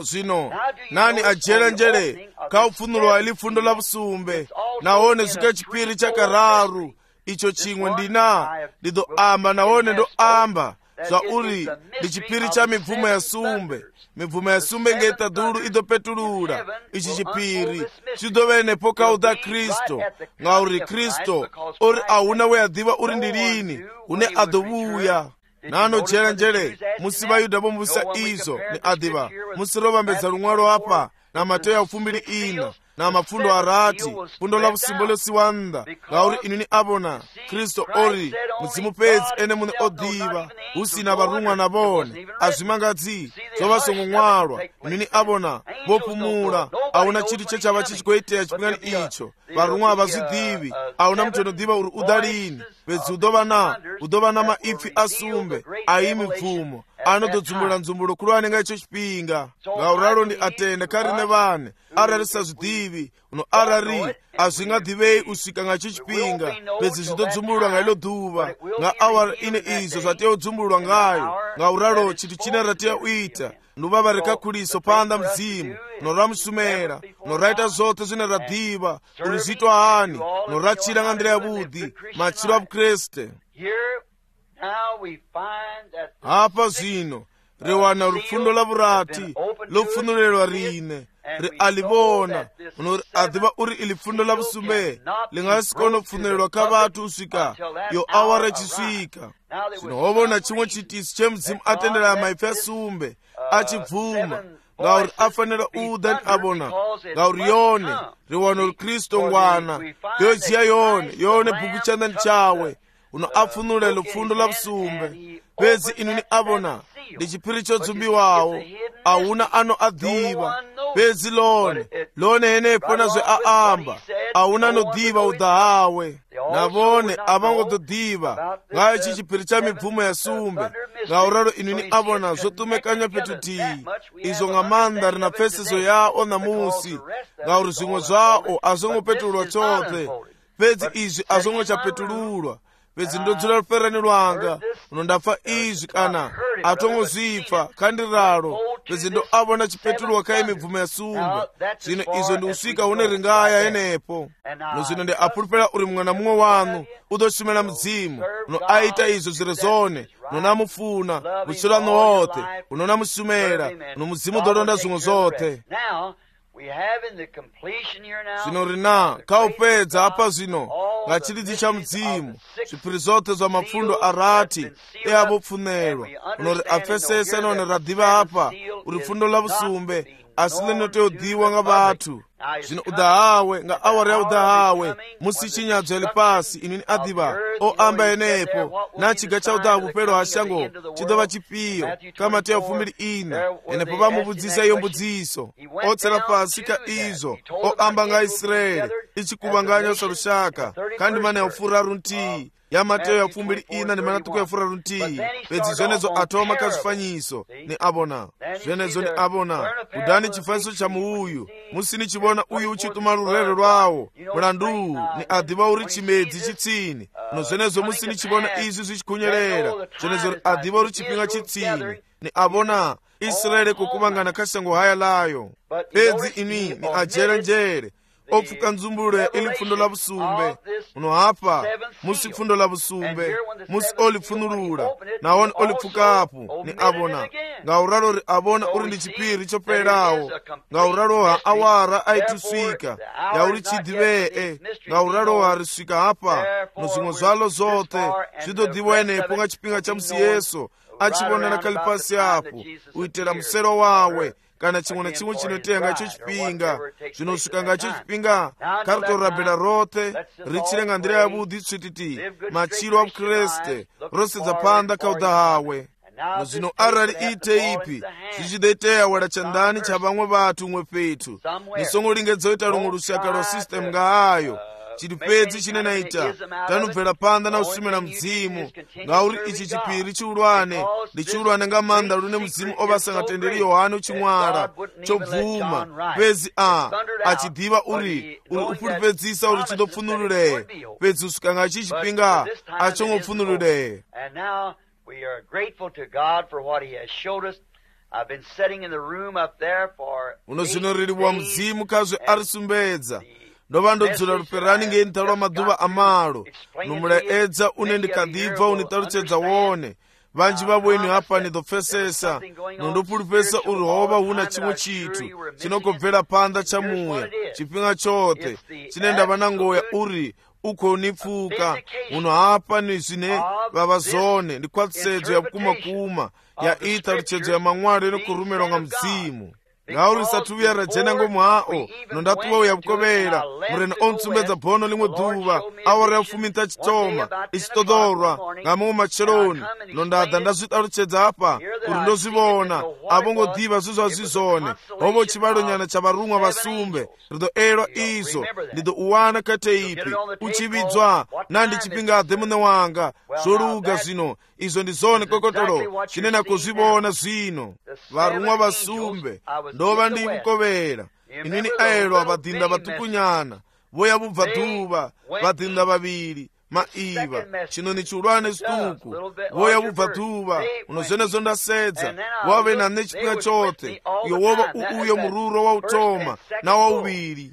zvino nani ajera njere kaupfunulwa ilifundo lavusumbe naone zvika chipiri chakararu icho chimwe ndina ndidoamba naone ndoamba zvauri ndi chipiri cha mibvumo ya sumbe mibvumo ya sumbe ngeitadhuru idopetulula ichi chipiri chidovenepo kauda Kristo ngauri Kristo uri auna weadhiva uri ndilini une adovuya nanojera njere musi vayuda vomuvisa izo ni adhiva musi rovambedza lumwalo apa na Mateyo ufumbiri ina na mafundo arati fundo la vusimbolo siwanda ngauri inini avona Kristo ori muzimu pedzi ene mune odiva usina varumwa na vone azvimangadzi zvovasongomwalwa inini avona vopumula auna chiti chechava chichikoiteya chipingani icho varumwa havazvidhivi auna muti unodhiva uri udalini pedzi udova na maipfi asumbe aimi bvumo anododzumula nzumbulo kulu anenga icho chipinga ngauralo ndi atenda karine vane arari sazvidhivi uno arari azvingadhivei usvika ngacho chipinga pedzi zvidodzumulwa ngailo dhuva nga awara ine izvo zvateudzumulwa ngayo ngauralo chiti china rateuita nduvava rekakuliso panda mzimu noramusumera noraita zote zvine radhiva uri zvitwa hani norachira nga ndira yavudhi machiro avukreste apa zvino rewana rufundo lavurati lopfunulelwa rine rialivona uno adhiva uri ilifundo lavusumbe lingasikona kupfunulelwa kavatu usvika yo awara ichisvika zvino wovona chimwe chitisi chemudzimu atendera maipfi asumbe achibvuma ngauri afanira udani avona ngauri yone riwano rikristo ngwana yojiya yone bhuku chandani chawe uno apfunula lufundo lavusumbe pedzi inini avona ndi chipiri chodzumbiwawo auna ano adhiva pedzi lone henepo nazve aamba auna anodhiva udha hawe navone avangodzodiva nga ichi chipiri cha mibvumo ya sumbe ngauraro inini avona zotumekanya petutii izo nga manda rina pfeseso yao namusi ngauri zvimwe zvao azongopetululwa chothe pedzi izvi azongocapetululwa pedzi ndodzula ruferani rwanga unondafa izvi kana atongozvipfa kandiraro pedzi ndo avona chipetululwa kai mibvumo ya sumbe zvino izvo ndi usvika hune ringaya enepo nozvino ndi apurupira uri mumwe na mumwe wanu udoshumira mudzimu uno aita izvo zviri zvone unonamufuna muchirano wothe unonamushumira uno mudzimu udodonda zvimwe zvothe. Zvino rina kaupedza apa zvino ngachiridzi cha mudzimu zvipiri zvothe zva mafundo arati eavopfunerwa unori apfesesa none radiva apa uri fundo lavusumbe asi linoteodiwa nga vatu. Zvino udahawe nga awari ya udahawe musi chinyadzo yali pasi inini adiva o amba enepo na chiga cha udaha vupero hashango chidova chipiyo kama teya ufumiri ina enepo vamuvudzisa iyo mbudziso otsera pasi ka izo o amba nga Israeli ichikuvanganya sarushaka kandi mana ya ufuraru ntii ya Mateyo ya fumbiri ina ni manatuku ya furaru ntii pedzi zvenezo atoma kazvifanyiso ni abona zvenezo ni abona udani chifanyiso cha muuyu musini chibona uyu uchituma rurero rwawo mulandu ni adiva uri chimedzi chitsini no zvenezo musini chibona izvi zvichikunyerera zvenezo adiva uri chipinga chitsini ni abona Israeli kukuvangana kashango haya layo pedzi ini ni ajere njere opfuka nzumbulule ili fundo la busumbe uno hapa musi fundo la busumbe musi olifunulula naone olipfuka apo ni abona ngauraro ri abona uri ndi chipiri choperawo ngauraro ha awara aituswika ya uri chidivee ngauraro ha riswika hapa nozimwe zvalo zote zvidodiwa enepo nga chipinga cha musi Yesu achibonera kalipasi apo uitera musero wawe kana chimwe na chimwe chinotenga icho chipinga zvinosvika ngacho chipinga karitorabhera rothe richirenga ndira yavudhi tsvititi machiro avukreste rose dzapanda kaudahawe nozvino arari ite ipi zvichideteya wada chandani cha vamwe vatu umwe petu nisongoringedzoita rumwe rushaka rwa system ngaayo chiri pedzi chinenaita tanobvera panda na usumira mudzimu ngauri ichi chipiri chiurwane ndichiurwane nga manda rune mudzimu ovasangatenderi Yohani uchimwara chobvuma pedzi achidiva uri upuripedzisa uri chindopfunurure pedzi usvika ngachi chipinga achongopfunurure. Unozvinoririwa mudzimu kazve arisumbedza ndova ndodzula ruperani ngeintarwa madhuva amalo nomulaedza une ndikadibva unitaruchedza wone vanji vavoini hapa nidopfesesa nondopuripesa uri hova huna chimwe chitu chinokobvera panda chamuya chipinga chote chinenda vana ngoya uri ukonipfuka uno hapa ni zvine vava zone ndikwatisedzo ya kuma ya itaruchedzo ya mamwari inokurumirwa nga mudzimu ngauri satuya rajena ngomwao nondatuwa uyavukovera murena ontsumbedza bhono limwe dhuva awara yafumita chitoma ichitodorwa ngamwe macheroni nondadha ndazvitaruchedza apa kuri ndozvivona avongodhiva zvizvazvizone hovo chivalo nyana chavarumwa vasumbe ridoerwa izvo ndidouwana kateipi uchividzwa nandi chipingadhe mune wanga zvoruga zvino izvo ndizone kokotoro chinena kuzvivona zvino varumwa vasumbe ndova ndivukovera inini aelwa vadhinda vatukunyana voya vubva dhuva vadhinda vaviri maiva chino ni chiurwane situku voya vubva dhuva unozvenezo ndasedza wave nane chipinga chote iyo wova uuyo mururo wautoma nawauviri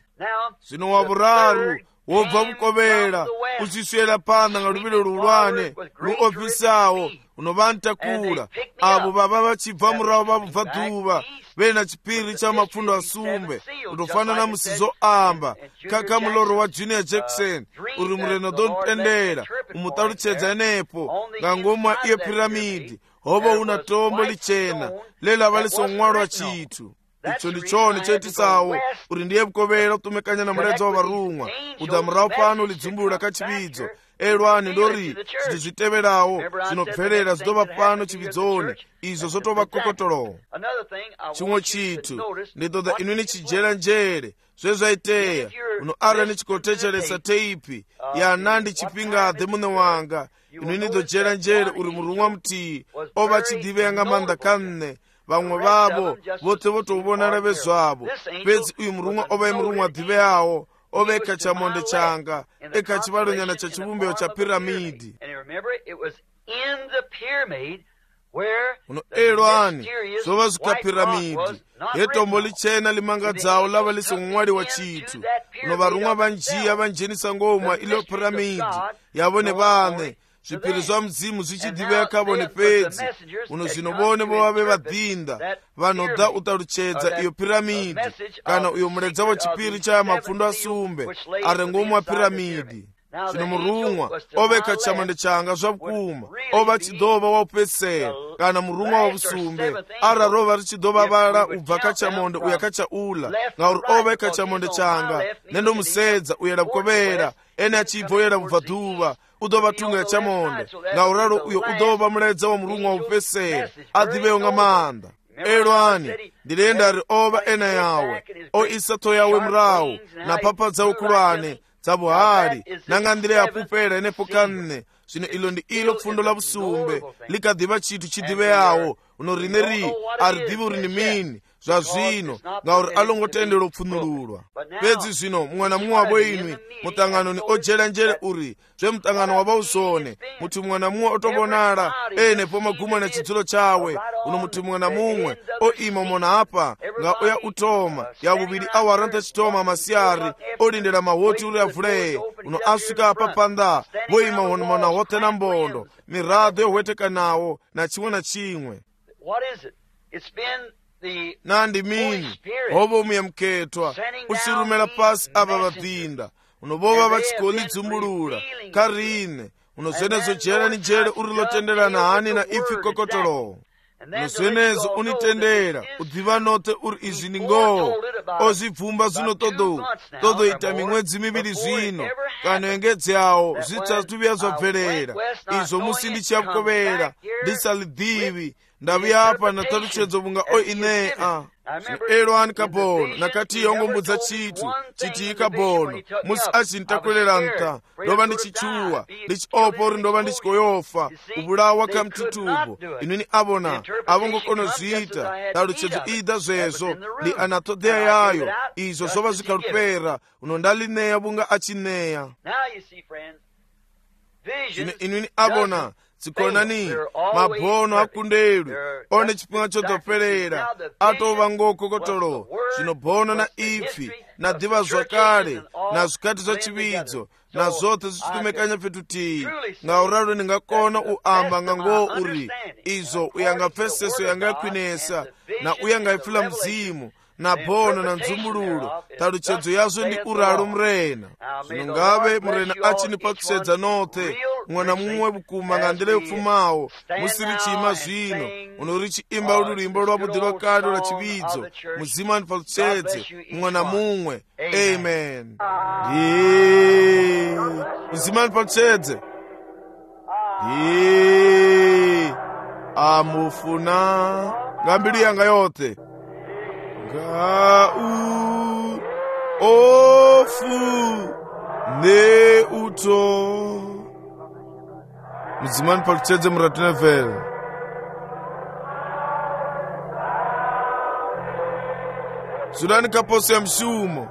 zvino wavuraru wobva vukovera uchiswera panda nga luvilo lulwane luofisawo unovantakula avo vava vachibva muravo vavubva dhuva vena chipiri cha mafundo asumbe unofanana musizo amba kaka muloro wa Junior Jackson uri mureno dontendera umutaruchedza nepo ngangoma iye piramidi hovo una tombo lichena lela valisomwalwa chitu icho ndichoni chetisawo uri ndiye vukovera utumekanya na muledza wa varumwa udamurawo pano ulidzimbulula kachividzo elwani ndori zinthu ziteverawo zinopferera zidova pano chividzoni izo zotova kokotolo. Chimwe chithu ndidodha inwini chijera njere zvezvaiteya uno ara nichikotechelesa teipi ya nandi chipingathe mune wanga inwini dojera njere uri murumwa mtii ova chidivenga manda kanne vamwe vavo vote votovonara vezvavo pedzi uyu murumwa ova imurumwa dhive yawo ova ekachamonde changa ekachivaronyana chachivumbeo chapiramidi uno elwani zova zikapiramidi yetombo lichena limangadzawo lava lisomumwali wa chithu uno varumwa vanjiya vanjenisa ngomwa ilo piramidi yavone vane zvipiri zva mudzimu zvichidhiveka vone pedzi uno zvinovone vovave vadhinda vanodha utaruchedza iyo piramidi kana uyo muredza wechipiri chaya mapfundo asumbe ari ngomwa piramidi. Zvino murumwa oveka chamande changa zvavukuma ova chidhova waupesera kana murumwa wavusumbe ara rova richidhova vara ubva kachamonde uya kachaula ngauri oveka chamonde changa nendomusedza uyera vukovera ene achibva uyera vubva dhuva udova tunga ya chamonde ngauraro uyo udova muredza wa murumwa waupesera adhivewo ngamanda. Elwani ndirenda ri ova ena yawe o isato yawe murawu na papa dzaukulwane dzabuhari nangandire yapupera enepo kanne zvino ilo ndi ilo pfundo la vusumbe likadhiva chithu chidhive yawo uno rineri aridhivi uri ni mini zva zvino ngauri alongotendera upfunululwa. Pedzi zvino mumwe na mumwe wavo inwi mutanganoni ojera njere uri zvemutangano wavausone muti mumwe na mumwe otovonara enepo maguma na chidzulo chawe uno muti mumwe na mumwe oima mona apa nga oya utoma yavuviri awaranta chitoma masiyari olindera mahoti uri avuleye uno asvika apa panda voima mona hote na mbondo miradho yohwetekanawo na chimwe na chimwe. Nandi mini hovo muyamuketwa usirumela pasi ava vadhinda unovova vachikoli dzumbulula karine unozvenezo jera ni jere uri lotenderana hani na ifi kokotolo unozvenezo unitendera udhiva note uri izvi ni ngoo ozvibvumba zvino todoita mimwedzi miviri zvino kana engedzi yawo zvitsatuviya zvabverera izvo musi ndichiyavukovera ndisalidhivi ndaviya apa nataruchedzo vunga o inea elwani kabono nakati yongombudza chithu chiti kabono musi achintakwelera nta ndova ndichichuwa ndichiopa uri ndova ndichikoyofa ubulawa kamtitubo inwini avona avongokondozviita taruchedzo ida zvezvo ndi anatodeya yayo izvo zvova zvikarupera unondalineya vunga achineya. Zvino inwini avona dzikonani mabhono akundelwi one chipinga chodzoperera atova ngokokotolo zvino bhono na ipfi na dhiva zvakare na zvikati zvachividzo na zvote zvichitumekanya petutii ngauraro ndingakona uamba ngangoo uri izvo uyangapfeseso yangakwinesa na uyangaipfula mzimu na bhono na nzumbululo taruchedzo yazvo ndi uraro murena zvino ngave murena achini pakusedza note mumwe na mumwe vukuma ngandire upfumawo musiri chima zvino unorichiimba rurimbo rwavudhi rwakare rwachividzo muzimu andipakusedze mumwe na mumwe. Amen. Muzimu andipakusedze amufuna ngambiri yanga yote ngau ofu ne uto mzimani pakuchedze muratinefere sudani kaposi ya mshumo